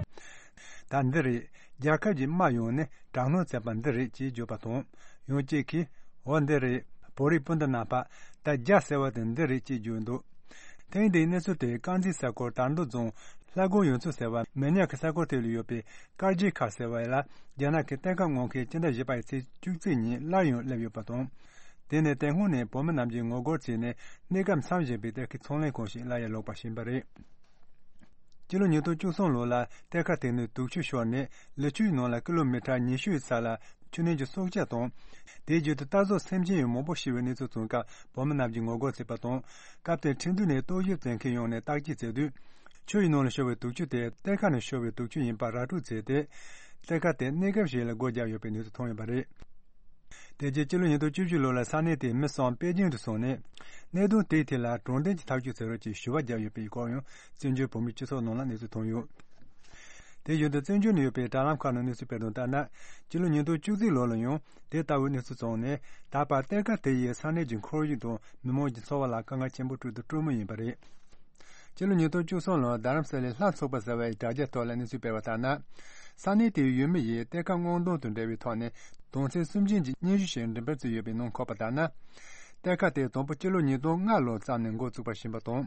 ད་འདི་རེད། རྒྱལ་ཁབ་ཀྱི་དམག་ཡོང་ནས་དྲག་གནོན་བྱས་པ་འདི་རེད་ཅེས་བརྗོད་པ་དང་། ཡང་གཅིག་གིས། འོ་འདི་རེད། བོད་རིགས་སྤུན་ཟླ་རྣམ་པ། ད་རྒྱ་ཟེར་བ་དེ་འདི་རེད་ཅེས་བརྗོད་འདུག་ཐེངས་འདིའི་གནས་ཚུལ་དེ་དཀར་མཛེས་ས་ཁུལ་དར་མདོ་རྫོང་ལྷ་སྒོ་ཡུལ་ཚོ་ཟེར་བ་མི་ཉག་གི་ས་ཁུལ་དེ་ལ་ཡོད་པའི་དཀར་རྗེ་མཁར་ཟེར་བ་ལ་རྒྱ་ནག་གི་གཏེར་ཁ་སྔོག་མཁན་སྤྱི་ཟླ་བཞི་པའི་ཚེས་བཅུ་གཅིག་ཉིན་སླར་ཡང་སླེབས་ཡོད་པ་དང་། དེ་ནས་དེ་སྔོན་ནས་བོད་མི་རྣམས་ཀྱིས་ངོ་རྒོལ་བྱས་ནས་གནས་སྐབས་མཚམས་བཞག་པའི་གཏེར་ཁའི་ཚོང་ལས་ཁང་ཞིག་སླར་ཡང་ལོག་པར་ཕྱིན་པ་རེད། སྤྱི་ལོ་ཉིས་སྟོང་བཅུ་གསུམ་ལོ་ལ་གཏེར་ཁ་དེ་ནས་དུག་ཆུ་ཤོར་ནས་ལི་ཆུའི་ནང་ལ་ཀི་ལོ་མི་ཊར་ཉི་ཤུའི་ས་ལ་ཆུ་ནན་གྱི་སྲོག་ཆགས་དང་། དེའི་རྒྱུད་དུ་རྟ་ཟོག་སེམས་ཅན་ཡང་མང་པོ་ཤི་བའི་གནས་ཚུལ་བྱུང་སྐབས་བོད་མི་རྣམས་ཀྱིས་ངོ་རྒོལ་བྱས་པ་དང་། སྐབས་དེར་ཁྲིན་ཏུའུ་ནས་རྟོག་ཞིབ་མཛད་མཁན་ཡོང་ནས་བརྟག་དཔྱད་བྱས་དུས། ཆུ་ཡི་ནང་ལ་ཤོར་བའི་དུག་ཆུ་དེ་གཏེར་ཁ་ནས་ཤོར་བའི་དུག་ཆུ་ཡིན་པ་ར་སྤྲོད་བྱས་ཏེ། གཏེར་ཁ་དེ་གནས་སྐབས་ཤིག་ལ་སྒོ་བརྒྱབ་ཡོད་པའི་གནས་ཚུལ་ཐོན་ཡོད་པ་རེད། དེ་རྗེས་སྤྱི་ལོ་ཉིས་སྟོང་བཅུ་བཞི་ལོ་ལ་ས་གནས་དེའི་མི་གསུམ་པེ་ཅིང་དུ་སོང་ནས། གནད་དོན་དེའི་ཐད་ལ་དྲང་བདེན་གྱི་ཐག་གཅོད་བྱེད་རོགས་ཅེས་ཞུ་བ་བརྒྱབ་ཡོད་པའི་སྐོར་ཡང་བཙན་བྱོལ་བོད་མིའི་སྤྱི་ཚོགས་ནང་ལ་གནས་ཚུལ་ཐོན་ཡོད། དེ་བཞིན་དུ་བཙན་བྱོལ་ནང་ཡོད་པའི་དྲ་ལམ་ཁག་ནང་གནས་ཚུལ་སྤེལ་དོན་ལྟར་ན། སྤྱི་ལོ་ཉིས་སྟོང་བཅུ་གཅིག་ལོ་ལ་ཡང་དེ་ལྟ་བུའི་གནས་ཚུལ་བྱུང་ནས། ད་བར་གཏེར་ཁ་དེ་ཡིས་ས་གནས་ཀྱི་ཁོར་ཡུག་དང་མི་མང་གི་འཚོ་བ་ལ་དཀའ་ངལ་ཆེན་པོ་སྤྲོད་དུ་སྤྲོད་མུས་ཡིན་པ་རེད། སྤྱི་ལོ་ཉིས་སྟོང་བཅུ་གསུམ་ལོར་རྡ་རམ་ས་ལའི་ལྷ་ཚོགས་པ་ཟེར་བའི་དྲ་རྒྱའི་ཐོག་ལ་གནས་ཚུལ་སྤེལ་བ་ལྟར་ན། ས་གནས་དེའི་ཡུལ་མི་ཡིས་གཏེར་ཁ་སྔོག་འདོན་དང་འབྲེལ་བའི་ཐོག་ནས་དོན་ཚན་སུམ་ཅུ་ཡི་སྙན་ཞུ་ཞིག་འགྲེམས་སྤེལ་བྱས་ཡོད་པའི་ནང་འཁོད་པ་ལྟར་ན། གཏེར་ཁ་དེ་དང་པོ་སྤྱི་ལོ་ཉིས་སྟོང་ལྔ་ལོར་བརྩམས་ནས་འགོ་བཙུགས་པ་ཞིག་ཡིན་པ་དང་།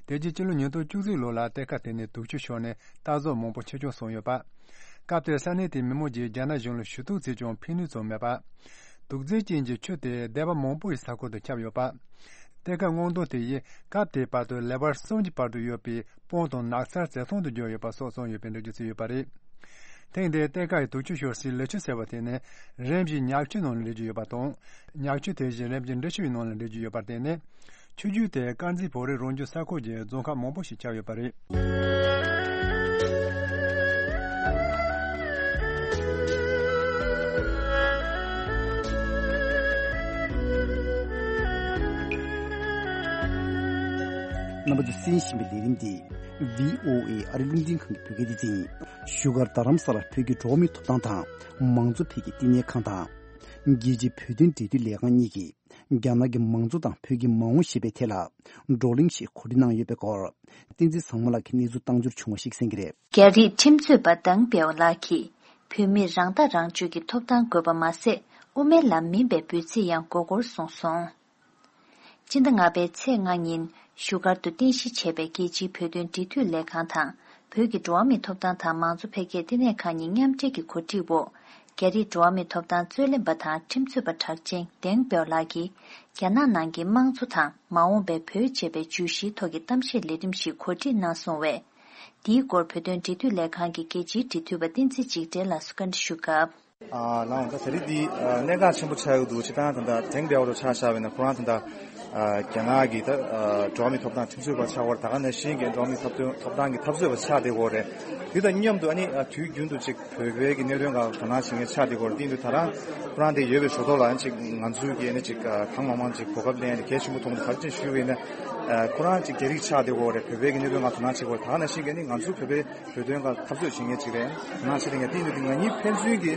དེ་རྗེས་སྤྱི་ལོ་ཉིས་སྟོང་བཅུ་གཅིག་ལོ་ལ་གཏེར་ཁ་དེ་ནས་དུག་ཆུ་ཤོར་ནས་རྟ་ཟོག་མང་པོ་འཆི་སྐྱོན་སོང་ཡོད་པ། སྐབས་དེར་ས་གནས་དེའི་མི་མང་གིས་རྒྱ་ནག་གཞུང་ལ་ཞུ་གཏུག་བྱས་ཀྱང་ཕན་ནུས་ཙམ་མེད་པ། དུག་རྫས་ཅན་གྱི་ཆུ་དེ་སྡེ་བ་མང་པོ་ཡི་ས་ཁུལ་དུ་ཁྱབ་ཡོད་པ། གཏེར་ཁ་སྔོག་འདོན་དེ་ཡིས་སྐབས་དེའི་བར་དུ་ལེ་བར་གསུམ་གྱི་བར་དུ་ཡོད་པའི་སྤང་དང་ནགས་ཚལ་བྱེ་ཐང་དུ་གྱུར་ཡོད་པ་སོགས་གསུངས་ཡོད་པའི་འགྲེལ་བརྗོད་བྱས་ཡོད་པ་རེད། ཐེངས་འདིའི་གཏེར་ཁ་ཡི་དུག་ཆུ་ཤོར་སའི་ལི་ཆུ་ཟེར་བ་དེ་ནི་རིམ་བཞིན་ཉག་ཆུའི་ནང་ལ་འདྲེས་ཀྱི་ཡོད་པ་དང་། ཉག་ཆུ་དེ་བཞིན་རིམ་བཞིན་འབྲི་ཆུའི་ནང་ལ་འདྲེས་ཀྱི་ཡོད་པར་བརྟེན་ནས། ཆུ་རྒྱུད་དེ་དཀར་མཛེས་བོད་རིགས་རང་སྐྱོང་ས་ཁུལ་གྱི་རྫོང་ཁག་མང་པོ་ཞིག་ཁྱབ་ཡོད་པ་རེད། རྣམ་པ་ཚོས་གསན་བཞིན་པའི་ལས་རིམ་འདི་བྷི་ཨོ་ཨེ་ཨ་རི་རླུང་འཕྲིན་ཁང་གི་བོད་སྐད་སྡེ་ཚན་ཡིན། བཞུགས་སྒར་རྡ་རམ་ས་ལར་བོད་ཀྱི་འགྲོ་བ་མིའི་ཐོབ་ཐང་དང་མང་གཙོ་འཕེལ་རྒྱས་བསྟི་གནས་ཁང་དང་། རྒྱལ་སྤྱིའི་བོད་དོན་འབྲེལ་མཐུད་ལས་ཁང་གཉིས་ཀྱིས་རྒྱ་ནག་གི་མང་གཙོ་དང་བོད་ཀྱི་མ་འོངས་ཞེས་པའི་ཐད་ལ་བགྲོ་གླེང་ཞིག་གོ་སྒྲིག་གནང་ཡོད་པའི་སྐོར། བསྟན་འཛིན་བཟང་མོ་ལགས་ཀྱིས་གནས་ཚུལ་བཏང་འབྱོར་བྱུང་བ་ཞིག་གསན་གྱི་རེད། རྒྱ་རིགས་ཁྲིམས་རྩོད་པ་ཌང་པེའོ་ལགས་ཀྱིས་བོད་མིར་རང་ཐག་རང་གཅོད་ཀྱི་ཐོབ་ཐང་དགོས་པ་མ་ཟད། དབུ་མའི་ལམ་མིན་པའི་འབོད་ཚིག་ཡང་མགོ་སྐོར་གསུངས་སོང་། སྤྱི་ཟླ་ལྔ་པའི་ཚེས་ལྔ་ཉིན་བཞུགས་སྒར་དུ་རྟེན་གཞི་བྱས་པའི་རྒྱལ་སྤྱིའི་བོད་དོན་འབྲེལ་མཐུད་ལས་ཁང་དང་། བོད་ཀྱི་འགྲོ་བ་མིའི་ཐོབ་ཐང་དང་མང་གཙོ་འཕེལ་རྒྱས་བསྟི་གནས་ཁང་གཉིས་མཉམ་འབྲེལ་གྱི་གོ་སྒྲིག་འོག་རྒྱ་རིགས་འགྲོ་བ་མིའི་ཐོབ་ཐང་རྩོད་ལེན་པ་དང་ཁྲིམས་རྩོད་པ་གྲགས་ཅན་ཌེང་པེའོ་ལགས་ཀྱིས། རྒྱ་ནག་ནང་གི་དམངས་གཙོ་དང་མ་འོངས་པའི་བོད་ཅེས་པའི་བརྗོད་གཞིའི་ཐོག་གི་གཏམ་བཤད་ལས་རིམ་ཞིག་གོ་སྒྲིག་གནང་སོང་བས། འདིའི་སྐོར་བོད་དོན་འབྲེལ་མཐུད་ལས་ཁང་གི་རྒྱལ་སྤྱིའི་འབྲེལ་མཐུད་པ་བསྟན་འཛིན་འཇིགས་བྲལ་ལགས་སུ་བཀའ་འདྲི་ཞུ་སྐབས། ཨ་ལའང་ད་ད་རེས་འདི་ཨ་གནད་འགག་ཆེན་པོ་ཆགས་ཡོད་འདུག་སྤྱིར་བཏང་ད་ལྟ་ཏེང་པའོ་ལོ་ཆ་བཞག་པ་ཡིན་ན་ཁོ་རང་ད་ལྟ་ཨ་རྒྱ་ནག་གི་ད་ཨ་འགྲོ་བ་མིའི་ཐོབ་ཐང་ཁྲིམས་རྩོད་པ་ཆགས་པར་ད་ག་ནང་བཞིན་གྱི་འགྲོ་བ་མིའི་ཐོབ་ཐང་ཐོབ་ཐང་གི་འཐབ་རྩོད་པ་ཆགས་བསྡད་ཡོད་རེད། དེ་དང་མཉམ་དུ་ཨ་ནི་ཨ་དུས་རྒྱུན་དུ་ཅིག་བོད་པའི་གི་གནད་དོན་སྒང་དོ་སྣང་བྱེད་མཁན་ཆགས་བསྡད་ཡོད་རེད། དེ་ཡིན་དུས་ད་རང་ཁོ་རང་དེ་ཡོད་པའི་ཞོར་ཐོག་ལ་ཨ་ནི་ཅིག་ང་ཚོའི་གི་ཨ་ནི་ཅིག་ཨ་གང་མང་མང་ཅིག་གོ་སྐབས་ལེན་ཡ་དེ་གལ་ཆེན་པོ་མཐོང་གི་འདུག་ག་རེ་བྱས་ཞུས་པ་ཡིན་ན་ཨ་ཁོ་རང་ཅིག་རྒྱ་རིགས་ཆགས་བསྡད་ཡོད་རེད། བོད་པའི་གི་གནད་དོན་སྒང་དོ་སྣང་བྱེད་ཀྱི་ཡོད་རེད། ད་ག་ནང་བཞིན་གི་ཨ་ནི་ང་ཚོའི་བོད་པའི་བོད་དོན་སྒང་འཐབ་རྩོད་བྱེད་མཁན་ཅིག་རེད། ང་ཆེ་དེ་ངས་བལྟས་ཡོང་དུས་ང་གཉིས་ཕན་ཚུན་གྱི་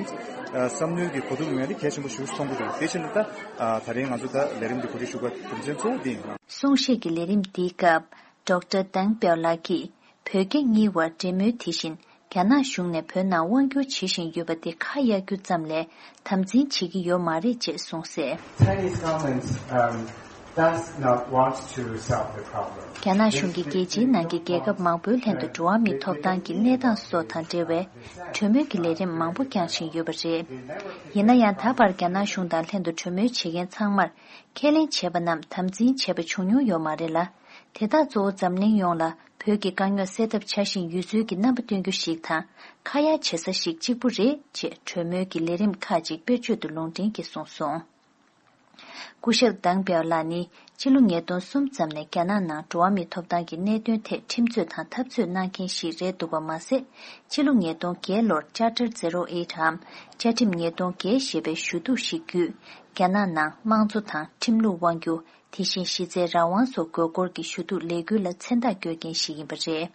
ཨ་བསམ་བློའི་གི་གོ་བསྡུར་ཡོང་ཡ་དེ་གལ་ཆེན་པོ་ཞིག་མཐོང་གི་འདུག་དེ་བཞིན་དུ་ད་ཨ་ད་རེས་ང་ཚོ་ད་ལས་རིམ་འདི་གོ་སྒྲིག་ཞུ་དགོས་རྒྱུ་མཚན་གཙོ་བོ་དེ་ཡིན། གསུང་བཤད་ཀྱི་ལས་རིམ་འདིའི་སྐབས་ཌོག་ཊར་ཏེང་པའོ་ལགས་ཀྱིས་བོད་རྒྱ་གཉིས་བར་འབྲེལ་མོལ་དེ་བཞིན་རྒྱ་ནག་གཞུང་ནས་བོད་ནང་དབང་བསྒྱུར་བྱེད་བཞིན་ཡོད་པ་དེ་ཁ་གཡར་རྒྱུ་ཙམ་ལས་དམ་འཛིན་བྱེད་ཀྱི་ཡོད་མ་རེད་ཅེས་གསུངས་གསལ། Chinese government, um, does not want to solve the problem. རྒྱ་ནག་གཞུང་གིས་རྒྱལ་སྤྱིའི་ནང་གི་རྒྱལ་ཁབ་མང་པོའི་ལྷན་དུ་འགྲོ་བ་མིའི་ཐོབ་ཐང་གི་གནས་སྟངས་སོགས་དང་འབྲེལ་བའི་གྲོས་མོལ་གྱི་ལས་རིམ་མང་པོ་བསྐྱངས་བཞིན་ཡོད་པ་རེད། ཡིན་ན་ཡང་ད་བར་རྒྱ་ནག་གཞུང་དང་ལྷན་དུ་གྲོས་མོལ་བྱེད་མཁན་ཚང་མར་ཁས་ལེན་བྱས་པ་རྣམས་དམ་འཛིན་བྱས་པ་བྱུང་མྱོང་ཡོད་མ་རེད་ལ། དེ་དག་གཙོ་བོ་འཛམ་གླིང་ཡོངས་ལ་བོད་ཀྱི་དཀའ་རྙོག་སེལ་ཐབས་བྱ་བཞིན་ཡོད་ཚུལ་གྱི་རྣམ་པ་སྟོན་རྒྱུ་ཞིག་དང་ཁ་གཡར་བྱེད་ས་ཞིག་གཅིག་པུ་རེད་ཅེས་གྲོས་མོལ་གྱི་ལས་རིམ་ཁག་ཅིག་དཔེར་བརྗོད་དུ་ལུང་འདྲེན་གྱིས་གསུངས་སོང་། སྐུ་ཞབས་ཏེང་པའོ་ལགས་ནི་ཕྱི་ལོ་ཉིས་སྟོང་གསུམ་ཙམ་ནས་རྒྱ་ནག་ནང་འགྲོ་བ་མིའི་ཐོབ་ཐང་གི་གནད་དོན་ཐད་ཁྲིམས་རྩོད་དང་འཐབ་རྩོད་གནང་མཁན་ཞིག་རེད་འདུག་པ་མ་ཟད། ཕྱི་ལོ་ཉིས་སྟོང་བརྒྱད་ལོར་Charter Zero Eight འམ་བཅའ་ཁྲིམས་ཉིས་སྟོང་བརྒྱད་ཞེས་པའི་ཞུ་གཏུག་ཞིག་བརྒྱུད། རྒྱ་ནག་ནང་དམངས་གཙོ་དང་ཁྲིམས་ལུགས་དབང་སྒྱུར། དེ་བཞིན་གཞི་རྩའི་རང་དབང་སོགས་དགོས་སྐོར་གྱི་ཞུ་གཏུག་ལས་འགུལ་ལ་མཚན་རྟགས་བཀོད་མཁན་ཞིག་ཡིན་པ་རེད།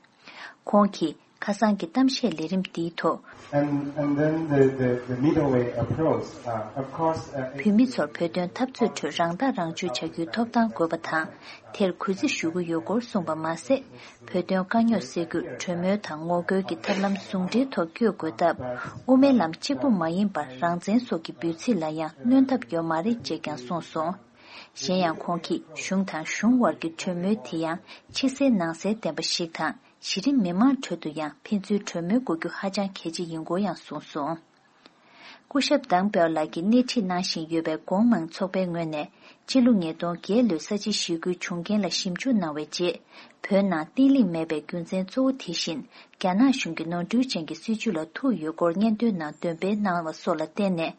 ཁོང་གིས་ཁ་སང་གི་གཏམ་བཤད་ལས་རིམ་འདིའི་ཐོག And, and then the, the, the middle way approach, uh, of course, uh, བོད་མི་ཚོར་བོད་དོན་འཐབ་རྩོད་ཁྲོད་རང་ཐག་རང་གཅོད་བྱ་རྒྱུའི་ཐོབ་ཐང་དགོས་པ་དང་། དེར་གུས་བརྩི་ཞུ་གི་ཡོད་སྐོར་གསུངས་པ་མ་ཟད། བོད་དོན་དཀའ་རྙོག་སེལ་རྒྱུར་གྲོས་མོལ་དང་ངོ་རྒོལ་གྱི་ཐབས་ལམ་ཟུང་འབྲེལ་ཐོག་བསྐྱོད་དགོས་སྟབས། དབུ་མའི་ལམ་གཅིག་པུ་མ་ཡིན་པར་རང་བཙན་སོགས་ཀྱི་འབོད་ཚིག་ལ་ཡང་གནོན་ཐབས་ཡོད་མ་རེད་ཅེས་ཀྱང་གསུངས་སོང་། གཞན་ཡང་ཁོང་གིས་གཞུང་དང་གཞུང་དབར་གྱི་གྲོས་མོལ་དེ་ཡང་ཕྱི་གསལ་ནང་གསལ་ལྡན་པ་ཞིག་དང་གཞི་རིམ་མི་མང་ཁྲོད་དུ་ཡང་ཕན་ཚུན་གྲོས་མོལ་དགོས་རྒྱུ་ཧ་ཅང་གལ་ཆེ་ཡིན་སྐོར་ཡང་གསུངས་སོང་། སྐུ་ཞབས་ཏེང་པའོ་ལགས་ཀྱིས་སྣེ་ཁྲིད་གནང་བཞིན་ཡོད་པའི་གོང་མང་ཚོགས་པའི་ངོས་ནས་ཕྱི་ལོ་ཉིས་སྟོང་བརྒྱད་ལོའི་ས་བྱི་ཞི་རྒོལ་བྱུང་རྐྱེན་ལ་ཞིབ་འཇུག་གནང་བའི་རྗེས། བོད་ནང་བརྟན་ལྷིང་མེད་པའི་རྒྱུ་མཚན་གཙོ་བོ་དེ་བཞིན་རྒྱ་ནག་གཞུང་གི་ནོར་འཁྲུལ་ཅན་གྱི་སྲིད་བྱུས་ལ་ཐུག་ཡོད་སྐོར་སྙན་ཐོའི་ནང་འདོན་སྤེལ་གནང་བ་སོགས་ལ་བརྟེན་ནས།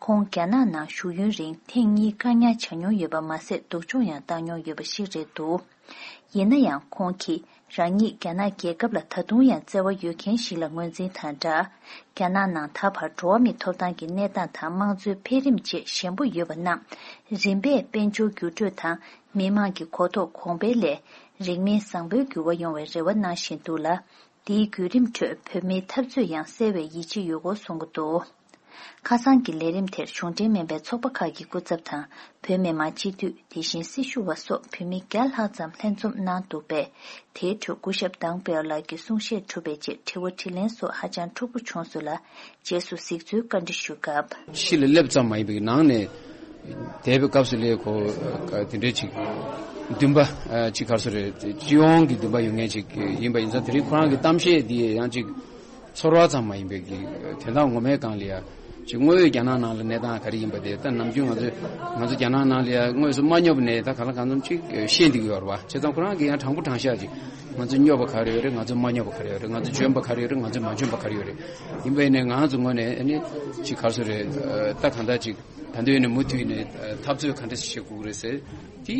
ཁོང་རྒྱ་ནག་ནང་བཞུགས་ཡུན་རིང་ཐེངས་གཉིས་བཀག་ཉར་བྱ་མྱོང་ཡོད་པ་མ་ཟད། སྡུག་སྦྱོང་ཡང་བཏང་མྱོང་ཡོད་པ་ཞིག་རེད་འདུག་ཡིན་ན་ཡང་ཁོང་གིས་རང་ཉིད་རྒྱ་ནག་རྒྱལ་ཁབ་ལ་ད་དུང་ཡང་བརྩེ་བ་ཡོད་མཁན་ཞིག་ལ་ངོས་འཛིན་དང་སྦྲགས། རྒྱ་ནག་ནང་ད་བར་འགྲོ་བ་མིའི་ཐོབ་ཐང་གི་གནས་སྟངས་དང་དམངས་གཙོའི་འཕེལ་རིམ་བཅས་ཞན་པོ་ཡོད་པ་རྣམས་རིམ་པས་དཔལ་འབྱོར་འགྱུར་འགྲོས་དང་མི་དམངས་ཀྱི་གོ་རྟོགས་གོང་འཕེལ་ལས་རིང་མིན་བཟང་པོའི་འགྱུར་བ་ཡོང་བའི་རེ་བ་གནང་བཞིན་འདུག་ལ། འདིའི་བརྒྱུད་རིམ་ཁྲོད་བོད་མིའི་འཐབ་རྩོད་ཡང་གསལ་བའི་ཡིད་ཆེས་ཡོད་སྐོར་གསུང་གི་འདུག་ཁ་སང་གི་ལས་རིམ་དེར་གཞུང་འབྲེལ་མིན་པའི་ཚོགས་པ་ཁག་གི་སྐུ་ཚབ་དང་། བོད་མི་མང་སྤྱི་འཐུས། དེ་བཞིན་སྲི་ཞུ་བ་སོགས་བོད་མི་བརྒྱ་ལྷག་ཙམ་ལྷན་འཛོམས་གནང་འདུག་པས། དེའི་ཁྲོད་སྐུ་ཞབས་ཏེང་པའོ་ལགས་ཀྱི་གསུང་བཤད་གྲུབ་པའི་རྗེས་དྲི་བ་དྲིས་ལན་སོགས་ཧ་ཅང་འཁྲུག་པོ་བྱུང་སོང་ལ། རྗེས་སུ་གཟིགས་ཚུལ་བཀའ་འདྲི་ཞུ་སྐབས། ཕྱི་ལ་སླེབས་ཙམ་མ་ཡིན་པའི་ནང་ནས་བསྡད་པའི་སྐབས་སུ་ལས་ཁོ་དེ་འདྲའི་ཅིག་འདུན་པ་ཅིག་ག་རེ་ཟེར་རེད། སྤྱི་ཡོངས་ཀྱི་འདུན་པ་ཡོད་མཁན་ཅིག་ཡིན་པ་ཡིན་ཙང་། དེ་རིང་ཁོ་རང་གི་གཏམ་བཤད་འདི་ཡང་ཅིག་ཚོར་བ་ཙམ་མ་ཡིན་པའི་གི་དོན་དག་ངོ་མའི་སྒང་ལ་ཡ་ཅིག་དངོས་ཡོད་རྒྱ་ནག་ནང་ལ་གནས་སྟངས་ག་རེ་ཡིན་པ་དེ། ད་ནམ་རྒྱུན་ང་ཚོ་ང་ཚོ་རྒྱ་ནག་ནང་ལ་ཡ་དངོས་སུ་མ་སྙོབ་ནས་ད་གང་ལ་གང་འཚམ་ཅིག་ཤེས་འདི་གི་ཡོད་རེད་བ། བྱས་ཙང་ཁོ་རང་གི་ཡང་དྲང་པོ་དྲང་བཞག་ཅིག་ང་ཚོ་སྙོབ་པ་ག་རེ་ཡོད་རེད། ང་ཚོ་མ་སྙོབ་པ་ག་རེ་ཡོད་རེད། ང་ཚོ་འཇོན་པ་ག་རེ་ཡོད་རེད། ང་ཚོ་མ་འཇོན་པ་ག་རེ་ཡོད་རེད། ཡིན་པ་ཡིན་ནའི་ང་ཚོ་ངོས་ནས་ཨ་ནི་ཅིག་ག་རེ་ཟེར་རེད། ད་གང་ལྟར་ཅིག་ད་འདོད་ནས་མུ་མཐུད་ནས་འཐབ་རྩོད་ག་འདྲ་ཞིག་བྱེད་དགོས་རེད་ཟེར་དེ་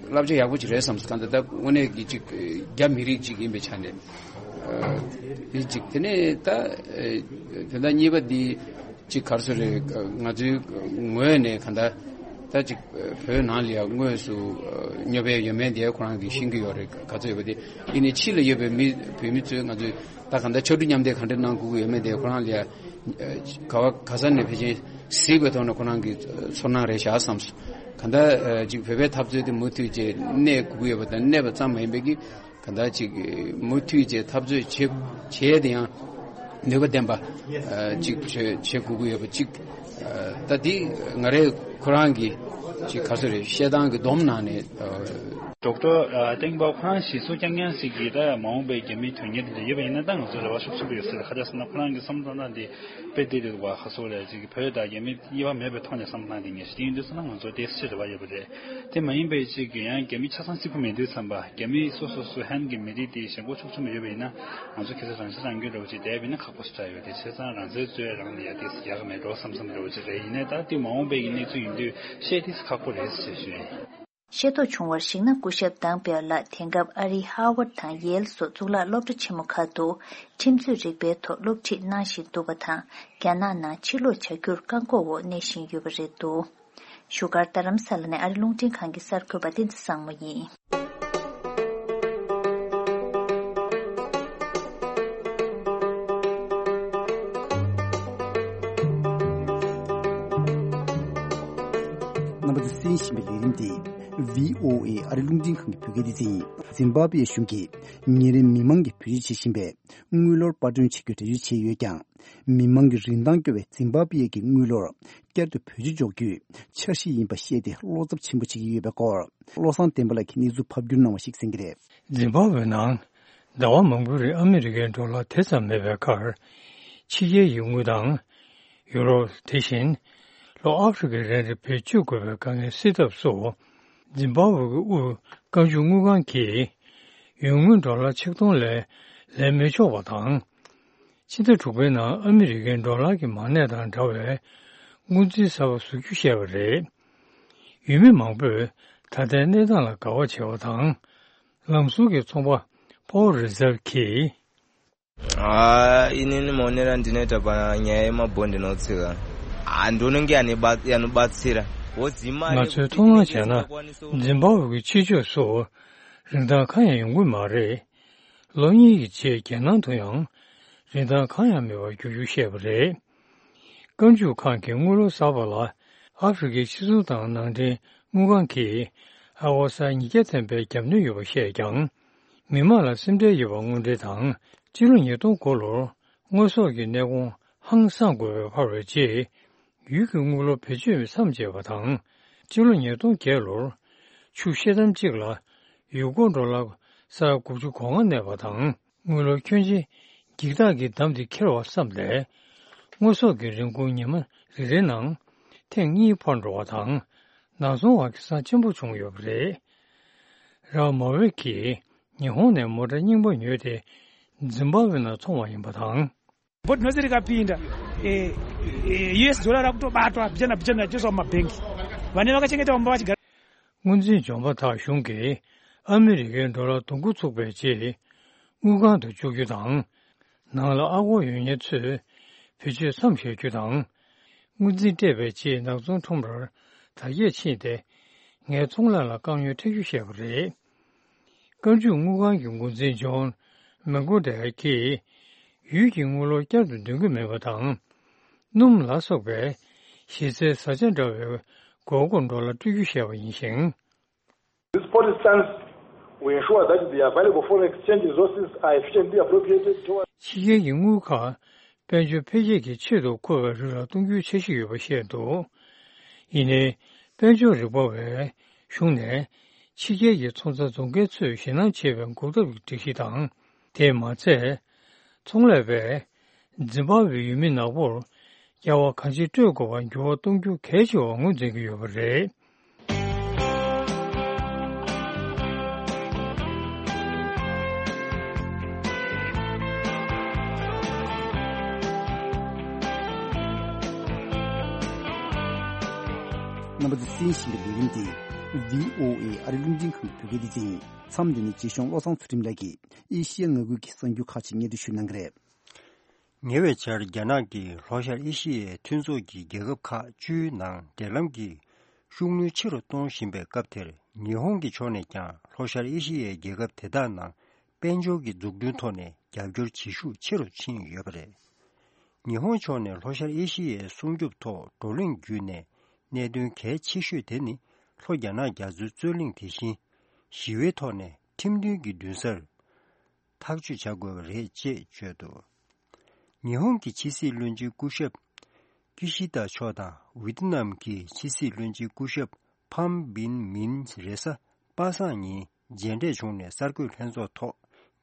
བསླབ་བྱ་ཡག་པོ་ཅིག་རེད་བསམ་སོང་། གང་ལྟར་ད་དངོས་གནས་ཀྱི་ཅིག་རྒྱ་མི་རིགས་ཅིག་ཡིན་པའི་ཆ་ནས། དེ་གཅིག་དེ་ནས་ད་དོན་དག་གཉིས་པ་འདི་ཅིག་ག་རེ་ཟེར་རེད། ང་ཚོའི་ངོས་ནས་གང་ལྟར་ད་ཅིག་བོད་ནང་ལ་ཡང་དངོས་སུ་སྙོབ་ཡས་ཡོད་མེད་དེ་ཁོ་རང་གིས་ཤེས་ཀྱི་ཡོད་རེད། ག་ཚོད་ཡོད་པ་དེ་ཡིན་ནའི་ཕྱི་ལ་ཡོད་པའི་མི་བོད་མི་ཚོས་ང་ཚོས་ད་གང་ལྟར་ཕྱར་གྲུ་མཉམ་འདེགས་ག་འདྲ་གནང་དགོས་ཀྱི་ཡོད་མེད་དེ་ཁོ་རང་ལ་ཡང་ག་བ་ག་ས་ནས་ཕལ་ཆེར་གཟིགས་པའི་ཐོག་ནས་ཁོ་རང་གི་ཚོར་སྣང་རེད་བཞག་བསམ་སོང་། གང་ལྟར་ཅིག་བོད་པའི་འཐབ་རྩོད་དེ་མུ་མཐུད་བྱས་གནས་དགོས་ཀྱི་ཡོད་པ་དང་། གནས་པ་ཙམ་མ་ཡིན་པའི་གི་གང་ལྟར་ཅིག་མུ་མཐུད་བྱས་འཐབ་རྩོད་བྱེད་བྱས་དེ་ཡང་ནུས་པ་ལྡན་པ་ཅིག་བྱེད་བྱེད་དགོས་ཀྱི་ཡོད་པ་ཅིག་ད་དེ་ང་རའི་ཁོ་རང་གི་ཅིག་ག་ཚོད་རེད། བཤད་སྟངས་ཀྱི་སྡོམ་ནང་ནས་ ཌོག་ཊར་ཨ་ཏེང་པའོ་ཁོ་རང་གཞི་བཟུང་རྐྱང་རྐྱང་ཞིག་གིས་ད་མ་འོངས་པའི་རྒྱ་མིའི་དོན་གཉེར་དེ་འདྲ་ཡོད་པ་ཡིན་ན་ད་ང་ཚོ་རེ་བ་ཤུགས་ཆེན་པོ་ཡོད་ཟེར། ཁ་ཆག་སོང་ན་ཁོ་རང་གི་བསམ་བློ་བཏང་སྟངས་དེ་དཔེ་བདེ་འདུག་བ། ཁ་སོ་ལས་ཅིག་བོད་དང་རྒྱ་མི་དབྱེ་བ་མེད་པའི་ཐོག་ནས་བསམ་བློ་བཏང་དེ་ངེས་ཤེས་དེ་ཡིན་དུས་ཙམ་ན་ང་ཚོ་ཏོག་ཙམ་རེ་བ་ཡོད་པ་རེད། དེ་མ་ཡིན་པའི་ཅིག་གི་ཡང་རྒྱ་མི་ཆ་ཚང་གཅིག་པུ་མེད་དུས་ཙམ་པ་རྒྱ་མི་སོ་སོ་སོ་ཧན་གྱི་མི་རིགས་དེ་ཞེན་ཁོག་ཕྱོགས་ཆུང་མ་ཡོད་པ་ཡིན་ན་ང་ཚོ་གལ་སྲིད་རང་ཤེད་རང་སྐྱོན་འདྲ་བོ་ཅིག་བསྡད་པ་ཡིན་ན་ཁག་པོ་ཞེ་དྲག་ཡོད་དེ། བྱས་ཙང་རང་བཙན་རྩོད་ཡ་རང་ལ་ཡ་ཏོག་ཙམ་ཡག་གི་མེད་འགྲོ་བསམ་བསམ་འདྲ་བོ་ཅིག་རེད། ཡིན་ནའི་ད་དེ་མ་འོངས་པའི་གནས་ཚུལ་ཡིན་དུས་བཤད་ཏོག་ཙམ་ཁག་པོ་རེད་ཟེར་ཞུ་ཡིན། ཤེས་རྟོགས་བྱུང་བར་གཞིགས་ན་སྐུ་ཞབས་དང་པེ་ལགས་དེང་སྐབས་ཨ་རིའི་ཧར་ཝརཌ་དང་ཡེལ་སོགས་གཙུག་ལག་སློབ་གྲྭ་ཆེན་མོ་ཁག་ཏུ་ཁྲིམས་རྩོད་རིག་པའི་ཐོག་སློབ་ཁྲིད་གནང་བཞིན་འདུག་པ་དང་རྒྱ་ནག་ནང་ཕྱིར་ལོག་བྱ་རྒྱུར་བཀག་འགོག་འོག་གནས་བཞིན་ཡོད་པ་རེད་འདུག་བཞུགས་སྒར་རྡ་རམ་ས་ལ་ནས་ཨ་རི་རླུང་འཕྲིན་ཁང་གི་གསར་འགོད་པ་བསྟན་འཛིན་བཟང་མོ་ཡིན། རྣམ་པ་ཚོས་གསན་བཞིན་པའི་ལས་རིམ་དེ་བྷི་ཨོ་ཨེ་ཨ་རི་རླུང་འཕྲིན་ཁང་གི་བོད་སྐད་སྡེ་ཚན་ཡིན། ཛིམ་བྷ་བྷེ་གཞུང་གིས་ཉེ་རིང་མི་མང་གིས་བེད་སྤྱོད་བྱེད་བཞིན་པའི་དངུལ་ལོར་པར་སྐྲུན་བྱེད་རྒྱུར་འགྲེལ་བརྗོད་བྱས་ཡོད་ཀྱང་། མི་མང་གི་རིན་ཐང་སྐྱོ་བའི་ཛིམ་བྷ་བྷེ་གི་དངུལ་ལོར་བསྐྱར་དུ་བེད་སྤྱོད་འཇོག་རྒྱུའི་འཆར་གཞི་ཡིན་པ་བཤད་དེ་བློ་འཚབ་ཆེན་པོ་བྱེད་ཀྱི་ཡོད་པའི་སྐོར། བློ་བཟང་བསྟན་པ་ལགས་ཀྱིས་གནས་ཚུལ་ཕབ་བསྒྱུར་གནང་བ་ཞིག་གསན་གྱི་རེད། ཛིམ་བྷ་བྷེ་ནང་ཟླ་བ་མང་པོའི་རིང་ཨ་མི་རི་ཀའི་ཌོ་ལར་དེ་ཙམ་མེད་པའི་ཁར། ཕྱི་རྒྱལ་གྱི་དངུལ་དང་། ཡུ་རོབ། དེ་བཞིན་ལྷོ་ཨ་ཧྥེ་རི་ཀའི་རིན་རིལ་བེད་སྤྱོད་དགོས་པའི་དཀའ་ངལ་སེལ་ཐབས་སུ། ཛིམ་བྷ་བྷེ་གི་དབུས་བཀའ་འཇུག་དངུལ་ཁང་གིས་ཡོང་དངུལ་ཌོ་ལར་ཆིག་སྟོང་ལས་ལེན་མི་ཆོག་པ་དང་། ཕྱི་ཟླ་དྲུག་པའི་ནང་ཨ་མི་རི་ཀའི་ཌོ་ལར་གྱི་མ་གནས་དང་འདྲ་བའི་དངུལ་རྩིས་གསར་པ་བཟོ་རྒྱུ་བཤད་པ་རེད། ཡུལ་མི་མང་པོས་ད་ལྟའི་གནས་སྟངས་ལ་དགའ་བ་བྱས་པ་དང་། ལམ་ཟུར་གྱི་ཚོང་པ་Paul Reserve གིས། ཨ་ཨི་ནི་ནི་མོ་ནི་ར་འདི་ནས་གྲྭ་པ་ཉ་ཡེ་མ་བོ་འདི་ནོ་ཚི་ག་ཨ་འགྲོ་ནི་གི་ཨ་ནི་པ་ཡ་ནི་པ་ཚི་ར་འོ་ཛི་མ་ང་ཚོས་མཐོང་སྣང་བྱས་ན་ཛིམ་བྷ་ཝེ་གི་ཕྱི་ཕྱོགས་སུ་རིན་ཐང་གང་ཡང་ཡོང་གི་མ་རེད། ལོ་གཉིས་ཀྱི་རྗེས་རྒྱལ་ནང་དུ་ཡང་རིན་ཐང་གང་ཡང་མེད་པར་འགྱུར་རྒྱུ་བཤད་པ་རེད། བཀའ་འཇུག་ཁང་གི་དངུལ་ལོར་གསར་པ་ལ་ཨ་ཧྥེ་རི་ཁའི་ཕྱི་སྲུང་དང་ནང་འདྲེན་དངུལ་ཁང་གིས་ཨ་ཝ་སར་ཉིས་བརྒྱ་ཐམ་པའི་རྒྱབ་སྣོན་ཡོད་པ་བཤད་ཀྱང་། མི་མང་ལ་སེམས་ཁྲལ་ཡོད་པ་དངོས་འབྲེལ་དང་། སྤྱི་ལོ་ཉིས་སྟོང་དགུ་ལོར་དངོས་ཟོག་གི་གནས་གོང་ཧང་སངས་དགོས་པའི་འཕར་བའི་རྗེས། ཡུལ་གྱི་དངུལ་ལོར་བེད་སྤྱོད་མཚམས་བཅད་པ་དང་། སྤྱི་ལོ་ཉིས་སྟོང་བརྒྱད་ལོར་ཆུ་ཤེལ་དམ་གཅིག་ལ་ཡུལ་སྒོར་ཌོ་ལར་ས་ཡ་དགུ་བཅུ་གོ་ལྔ་གནས་པ་དང་། དངུལ་ལོར་ཁྱོན་ཆེ་འགྱིག་ཐག་གི་འདམ་དེ་འཁྱེར་བར་བསམས་ཏེ། དངོས་ཟོག་གི་རིན་གོང་ཉི་མ་རེ་རེའི་ནང་ཐེངས་གཉིས་འཕར་འགྲོ་བ་དང་། ནག་ཚོང་བ་གི་སང་ཆེན་པོ་བྱུང་ཡོད་པ་རེད། ར་མ་ཝེ་གིས་ཉི་ཧོང་ནས་མོ་ཊ་རྙིང་པ་ཉོས་ཏེ་ཛིམ་བྷ་ཝེ་ནང་འཚོང་བ་ཡིན་པ་དང་། Bot no sirika pinda eh, eh, U S dollar akuto batwa bijana bijana jeso mabengi. Vane vakachegetwa mbachi gar. དངུལ་འཛིན་ལྗོན་པ་དག་གཞུང་གིས་ཨ་མི་རི་ཀའི་ཌོ་ལར་གདུང་རྒྱུད་ཚུགས་པའི་རྗེས་དངུལ་ཁང་དུ་བཅུག་རྒྱུ་དང་། ནང་ལ་ཨ་སྒོར་ཡོད་མཁན་ཚོས་བེད་སྤྱོད་མཚམས་བཞག་རྒྱུ་དང་། དངུལ་འཛིན་སྤྲད་པའི་རྗེས་ནག་ཚོང་ཁྲོམ་རར་དར་རྒྱས་ཕྱིན་ཏེ། ངའི་ཚོང་ལས་ལ་དཀའ་ངལ་འཕྲད་རྒྱུ་བཤད་པ་རེད། བཀའ་འཇུག་དངུལ་ཁང་གི་འགོ་འཛིན་ཇོན་མེག་གོ་ཌེལ་གྱིས། ཡུལ་གྱི་དངུལ་ལོར་བསྐྱར་དུ་འདོན་གྱི་མེད་པ་དང་། སྣུམ་ལ་སོགས་པའི་གཞི་རྩའི་བཟའ་བཅའ་འདྲ་བའི་དགོས་མཁོར་ཌོ་ལར་སྤྲོད་རྒྱུ་བཤད་པ་ཡིན་ཞིང་། This policy stance will ensure that the available foreign exchange resources are efficiently appropriated towards ཕྱི་རྒྱལ་གྱི་དངུལ་ཁག་དཔལ་འབྱོར་འཕེལ་རྒྱས་ཀྱི་ཆེད་དུ་མཁོ་བའི་རིགས་ལ་གཏོང་རྒྱུའི་འཆར་གཞི་ཡོད་པ་བཤད་འདུག་ཡིན་ནའི། དཔལ་འབྱོར་རིག་པ་བའི་གཞུང་ནས་ཕྱི་རྒྱལ་གྱི་ཚོང་རྫས་བཟོ་མཁན་ཚོས་ཞེད་སྣང་བྱེད་པའི་འགོག་ཐབས་ཀྱི་སྒྲིག་གཞི་དང་། དེས་མ་ཚད། ཚོང་ལས་པས་ཛིམ་བྷ་ཝེའི་ཡུལ་མི་ནག་པོར་རྒྱལ་བ་གང་ཅི་སྤྲོད་དགོས་པར་འགྱུར་བ་གཏོང་རྒྱུ་གལ་ཆེ་བར་ངོས་འཛིན་གྱི་ཡོད་པ་རེད། རྣམ་པ་ཚོས་གསན་བཞིན་པའི་ལས་རིམ་འདི་བྷི་ཨོ་ཨེ་ཨ་རི་རླུང་འཕྲིན་ཁང་གི་བོད་སྐད་སྡེ་ཚན་ཡིན། མཚམས་འདི་ནས་རྗེ་གཞུང་བློ་བཟང་ཚུལ་ཁྲིམས་ལགས་ཀྱིས་ཨེ་ཤི་ཡ་མངའ་ཁུལ་གྱི་གསར་འགྱུར་ཁག་ཅིག་སྙན་སྒྲོན་ཞུ་གནང་གི་རེད། ཉེ་བའི་ཆར་རྒྱ་ནག་གིས་ལྷོ་ཤར་ཨེ་ཤི་ཡའི་མཐུན་ཚོགས་ཀྱི་རྒྱལ་ཁབ་ཁག་བཅུའི་ནང་འབྲེལ་ལམ་གྱི་ཤུགས་སྣོན་ཆེ་རུ་གཏོང་བཞིན་པའི་སྐབས་དེར། ཉི་ཧོང་གི་ཕྱོགས་ནས་ཀྱང་ལྷོ་ཤར་ཨེ་ཤི་ཡའི་རྒྱལ་ཁབ་དེ་དག་ནང་དཔལ་འབྱོར་གྱི་འཛུགས་སྐྲུན་ཐོག་ནས་རྒྱབ་སྐྱོར་བྱེད་ཤུགས་ཆེ་རུ་ཕྱིན་ཡོད་པ་རེད། ཉི་ཧོང་ཕྱོགས་ནས་ལྷོ་ཤར་ཨེ་ཤི་ཡའི་སྲུང་སྐྱོབ་ཐོག་བགྲོ་གླེང་བརྒྱུད་ནས་གནད་དོན་གལ་ཆེ་ཤོས་དེ་ནི་ལྷོ་རྒྱ་ནག་རྒྱ་མཚོའི་རྩོད་གླེང་དེ་བཞིན་ཞི་བའི་ཐོག་ནས་ཁྲིམས་མཐུན་གྱི་མདུན་སར་ཐག་གཅོད་བྱ་དགོས་པ་རེད་ཅེས་བརྗོད་འདུག་ཉི་ཧོང་གི་ཕྱི་སྲིད་བློན་ཆེན་སྐུ་ཞབས་ཀི་ཤི་ད་མཆོག་དང་ཝི་ཏི་ནམ་གྱི་ཕྱི་སྲིད་བློན་ཆེན་སྐུ་ཞབས་ཕམ་བིན་མིན་རེས་གཟའ་ པ་སངས་ཉིན་མཇལ་འཕྲད་བྱུང་ནས་གསར་འགོད་ལྷན་ཚོགས་ཐོག་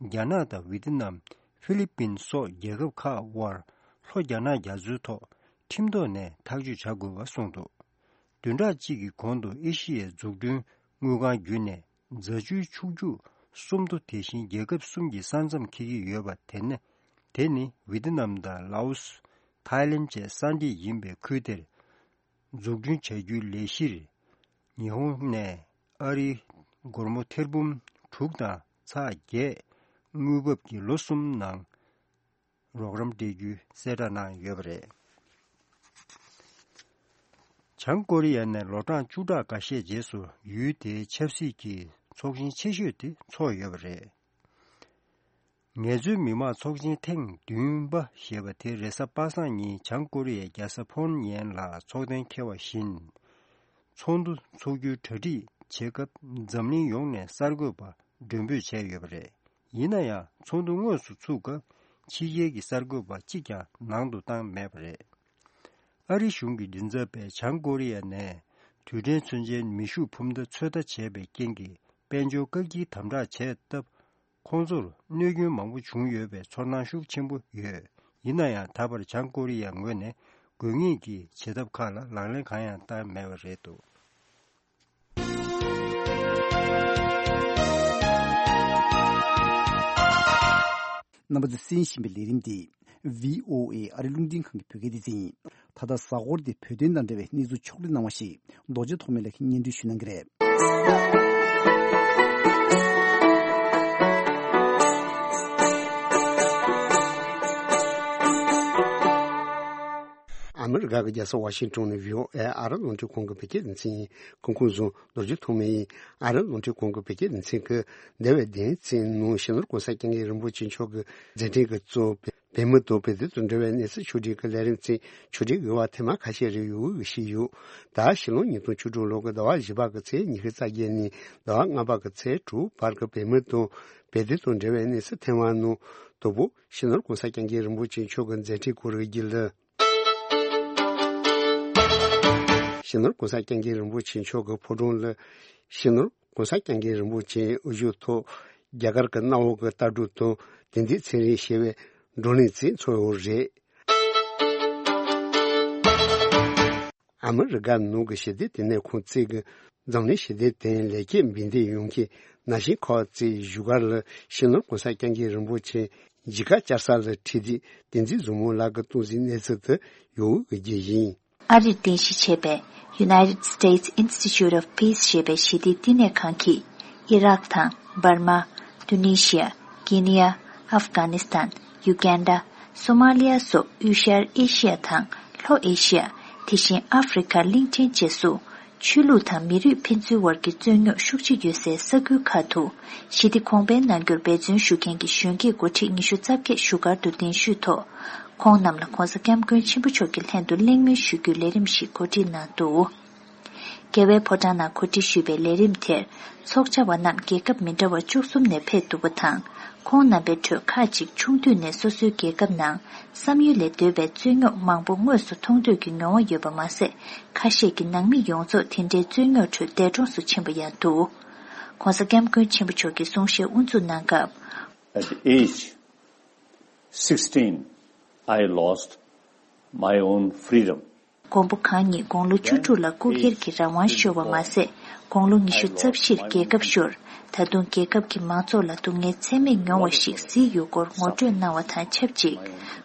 རྒྱ་ནག་དང་ཝི་ཏི་ནམ། ཧྥི་ལི་པིན་སོགས་རྒྱལ་ཁབ་ཁག་དབར་ལྷོ་རྒྱ་ནག་རྒྱ་མཚོའི་ཐོག་ཁྲིམས་ཐོག་ནས་ཐག་གཅོད་བྱ་དགོས་པ་གསུངས་འདུག་བདུན་ཕྲག་གཅིག་གི་གོང་དུ་ཨེ་ཤི་ཡའི་འཛུགས་སྐྲུན་དངུལ་ཁང་བརྒྱུད་ནས་རྫ་ཆུའི་ཕྱུགས་རྒྱུད་སུམ་མདོ་དེ་བཞིན་རྒྱལ་ཁབ་གསུམ་གྱི་ས་མཚམས་འཁེལ་གྱི་ཡོད་པ་དེ་ནི་དེ་ནི་ཝི་ཏི་ནམ་དང་ལའོ་སི། ཐའི་ལེན་བཅས་ས་འདྲེས་ཡིན་པའི་ཁུལ་དེར་འཛུགས་སྐྲུན་བྱ་རྒྱུའི་ལས་གཞིར་ཉི་ཧོང་ནས་ཨ་རིའི་སྒོར་མོ་ཐེར་འབུམ་དྲུག་དང་ཚེག་བརྒྱད་དངུལ་འབབ་ཀྱིས་ལོ་གསུམ་ནང་རོགས་རམ་སྤྲད་རྒྱུའི་གསལ་བསྒྲགས་གནང་ཡོད་པ་རེད། བྱང་ཀོ་རི་ཡ་ནས་ལོ་གྲངས་བཅུ་ཕྲག་འགའ་ཤས་རྗེས་སུ་ཡུལ་དེའི་ཆབ་སྲིད་ཀྱི་ཚོགས་ཆེན་ཆེ་ཤོས་དེ་ཚོགས་ཡོད་པ་རེད། ངལ་རྩོལ་མི་མང་ཚོགས་ཆེན་ཐེངས་བདུན་པ་ཞེས་པ་དེ་རེས་གཟའ་པ་སངས་ཉིན་བྱང་ཀོ་རི་ཡའི་རྒྱལ་ས་ཕོན་ཡན་ལ་ཚོགས་གཏན་འཁེལ་བ་བཞིན། ཚོགས་འདུ་འཚོགས་རྒྱུའི་གྲ་སྒྲིག་བྱེད་སྐབས་འཛམ་གླིང་ཡོངས་ནས་གསར་འགོད་པ་མགྲོན་འབོད་བྱས་ཡོད་པ་རེད། ཡིན་ན་ཡང་ཚོགས་འདུ་དངོས་སུ་ཚུགས་སྐབས་ཕྱི་རྒྱལ་གྱི་གསར་འགོད་པ་གཅིག་ཀྱང་ནང་དུ་བཏང་མེད་པ་རེད། ཨ་རི་གཞུང་གི་མགྲིན་ཚབ་པས་བྱང་ཀོ་རི་ཡ་ནས་དུས་དྲན་ཚུན་ཆད་མེ་ཤུགས་འཕུར་མདའ་ཚོད་ལྟ་བྱས་པའི་རྐྱེན་གྱིས་དཔལ་འབྱོར་བཀག་སྐྱིལ་དམ་དྲག་བྱས་སྟབས། ཁོང་ཚོར་གནོད་སྐྱོན་མང་པོ་བྱུང་ཡོད་པའི་ཚོར་སྣང་ཤུགས་ཆེན་པོ་ཡོད། ཡིན་ན་ཡང་ད་བར་བྱང་ཀོ་རི་ཡ་ངོས་ནས་དགོས་ངེས་ཀྱི་བྱེད་ཐབས་ཁག་ལ་ལག་ལེན་གང་ཡང་བསྟར་མེད་པ་རེད་འདུག་རྣམ་པ་ཚོས་གསན་བཞིན་པའི་ལས་རིམ་འདི་བྷི་ཨོ་ཨེ་ཨ་རི་རླུང་འཕྲིན་ཁང་གི་བོད་སྐད་སྡེ་ཚན་ཡིན། ད་ལྟ་གཟའ་འཁོར་འདི་བོད་དོན་དང་འབྲེལ་བའི་གནས་ཚུལ་ཕྱོགས་བསྒྲིགས་གནང་བ་ཞིག་རྡོ་རྗེ་ཐོགས་མེད་ལགས་ཀྱིས་སྙན་སྒྲོན་ཞུ་གནང་གི་རེད། ཨ་མི་རི་ཀ་གི་རྒྱལ་ས་ཝ་ཤིང་ཏོན་ནས་བྷི་ཨོ་ཨེ་ཨ་རི་རླུང་འཕྲིན་ཁང་གི་བོད་སྐད་སྡེ་ཚན་ཡིན། སྐུ་ཁམས་བཟང་། རྡོ་རྗེ་ཐོགས་མེད་ཡིན། ཨ་རི་རླུང་འཕྲིན་ཁང་གི་བོད་སྐད་སྡེ་ཚན་གྱིས་འདས་པའི་བདུན་ཕྲག་ནང་སྤྱི་ནོར་གོང་ས་སྐྱབས་མགོན་རིན་པོ་ཆེ་མཆོག་གི་མཛད་འཕྲིན་གྱི་གཙོ་བོ་བོད་མི་དང་བོད་དོན་དང་འབྲེལ་བའི་གནས་ཚུལ་ཕྱོགས་བསྒྲིགས་ཀྱི་ལས་རིམ་ཚན་ཕྱོགས་བསྒྲིགས་ཡོད་པ་ཐེངས་མ་ཁ་ཤས་རེ་ཡོད་ཞུས་ཡོད། ད་ཕྱི་ལོ་ཉིས་སྟོང་བཅུ་དྲུག་ལོ་གི་ཟླ་བ་བཞི་པ་གི་ཚེས་ཉི་ཤུ་རྩ་བརྒྱད་ནས་ཟླ་བ་ལྔ་པ་གི་ཚེས་དྲུག་བར་གྱི་བོད་མི་དང་བོད་དོན་དང་འབྲེལ་བའི་གནས་ཚུལ་ཐེངས་མ་ནང་དང་པོ་སྤྱི་ནོར་གོང་ས་སྐྱབས་མགོན་རིན་པོ་ཆེ་མཆོག་གི་མཛད་འཕྲིན་སྐོར་གྱི་ལ། སྤྱི་ནོར་གོང་ས་སྐྱབས་མགོན་རིན་པོ་ཆེ་མཆོག་གི་ཕོ་བྲང་ལ་སྤྱི་ནོར་གོང་ས་སྐྱབས་མགོན་རིན་པོ་ཆེའི་དབུ་བཞུགས་ཐོག་རྒྱ་གར་གྱི་གནམ་འོག་གི་ལྟ་གྲུབ་དང་དེང་དུས་ཚན་རིག་ཞེས་པའི་བགྲོ་གླེང་ཚིག་འཚོགས་ཡོད་རེད། ཨ་མི་རི་ཀ་ནང་གི་ཞི་བདེ་ལྟེ་གནས་ཁང་བཅས་ཀྱིས་འཛམ་གླིང་ཞི་བདེ་དང་ལེགས་སྐྱེས་འབུལ་འདེད་ཡོང་མཁན་ན་གཞོན་ཁག་བཅས་བཞུགས་སྒར་ལ་སྤྱི་ནོར་གོང་ས་སྐྱབས་མགོན་རིན་པོ་ཆེ་མཇལ་ཁ་བཅར་ས་ལ་ཁྲིད་དེ་བསྟན་འཛིན་བཟང་མོ་ལགས་ཀྱིས་གཏོང་གཟིགས་གནས་ཚུལ་དུ་ཡོད་འོས་ཀྱི་ཡིན། ཨ་རིར་རྟེན་གཞི་བྱས་པའི་United States Institute of Peace ཞེས་པའི་ཞི་བདེའི་བསྟི་གནས་ཁང་གིས་ཨི་རག་དང་འབར་མ། ཏུ་ནི་ཤི་ཡ། ཀེ་ནི་ཡ། ཨབ་གྷ་ནི་སི་ཐན། ཡུ་གན་ཌ། སོ་མ་ལི་ཡ་སོགས་དབུས་ཤར་ཨེ་ཤི་ཡ་དང་ལྷོ་ཨེ་ཤི་ཡ། དེ་བཞིན་ཨ་ཧྥེ་རི་ཁ་གླིང་ཕྲན་བཅས་སུ། ཆོས་ལུགས་དང་མི་རིགས་ཕན་ཚུན་བར་གྱི་རྩོད་རྙོག་ཤུགས་ཆེ་ཡོད་སའི་ས་ཁུལ་ཁག་ཏུ་ཞི་བདེ་གོང་འཕེལ་གནང་རྒྱུར་འབད་བརྩོན་ཞུ་མཁན་གྱི་གཞོན་སྐྱེས་འགོ་ཁྲིད་ཉི་ཤུ་རྩ་བརྒྱད་བཞུགས་སྒར་དུ་གདན་ཞུས་ཐོག་ཁོང་རྣམས་ལ་གོང་ས་སྐྱབས་མགོན་ཆེན་པོ་མཆོག་གི་ལྷན་དུ་གླེང་མོལ་ཞུ་རྒྱུའི་ལས་རིམ་ཞིག་གོ་སྒྲིག་གནང་འདུག་རྒྱལ་བའི་ཕོ་བྲང་ནང་གོ་སྒྲིག་ཞུས་པའི་ལས་རིམ་དེར་ཚོགས་བཅར་བ་རྣམས་རྒྱལ་ཁབ་མི་འདྲ་བ་བཅུ་གསུམ་ནས་ཕེབས་འདུག་པ་དང་། ཁོང་རྣམ་པའི་ཁྲོད་ཁག་ཅིག་ཆུང་དུས་ནས་སོ་སོའི་རྒྱལ་ཁབ་ནང་བསམ་ཡུལ་ལས་འདས་པའི་རྩོད་རྙོག་མང་པོ་དངོས་སུ་མཐོང་འདོད་ཀྱི་མྱོང་བ་ཡོད་པ་མ་ཟད། ཁ་ཤས་ཀྱི་ནང་མི་ཡོངས་རྫོགས་དེ་འདྲའི་རྩོད་རྙོག་ཁྲོད་འདས་གྲོངས་སུ་ཕྱིན་པ་ཡང་འདུག ༸གོང་ས་༸སྐྱབས་མགོན་ཆེན་པོ་མཆོག་གིས་གསུང་བཤད་དབུ་འཛུགས་གནང་སྐབས། At age sixteen, I lost my own freedom. མགོན་པོ་གང་ཉིད་དགུང་ལོ་བཅུ་དྲུག་ལ་སྐུ་སྒེར་གྱི་རང་དབང་ཤོར་བ་མ་ཟད། དགུང་ལོ་ཉི་ཤུ་རྩ་བཞིར་རྒྱལ་ཁབ་ཤོར། ད་དུང་རྒྱལ་ཁབ་ཀྱི་མང་ཚོགས་ལ་སྡུག་བསྔལ་ཚད་མེད་མྱོང་བ་ཞིག་གཟིགས་ཡོད་སྐོར་ངོ་སྤྲོད་གནང་བ་དང་ཆབས་ཅིག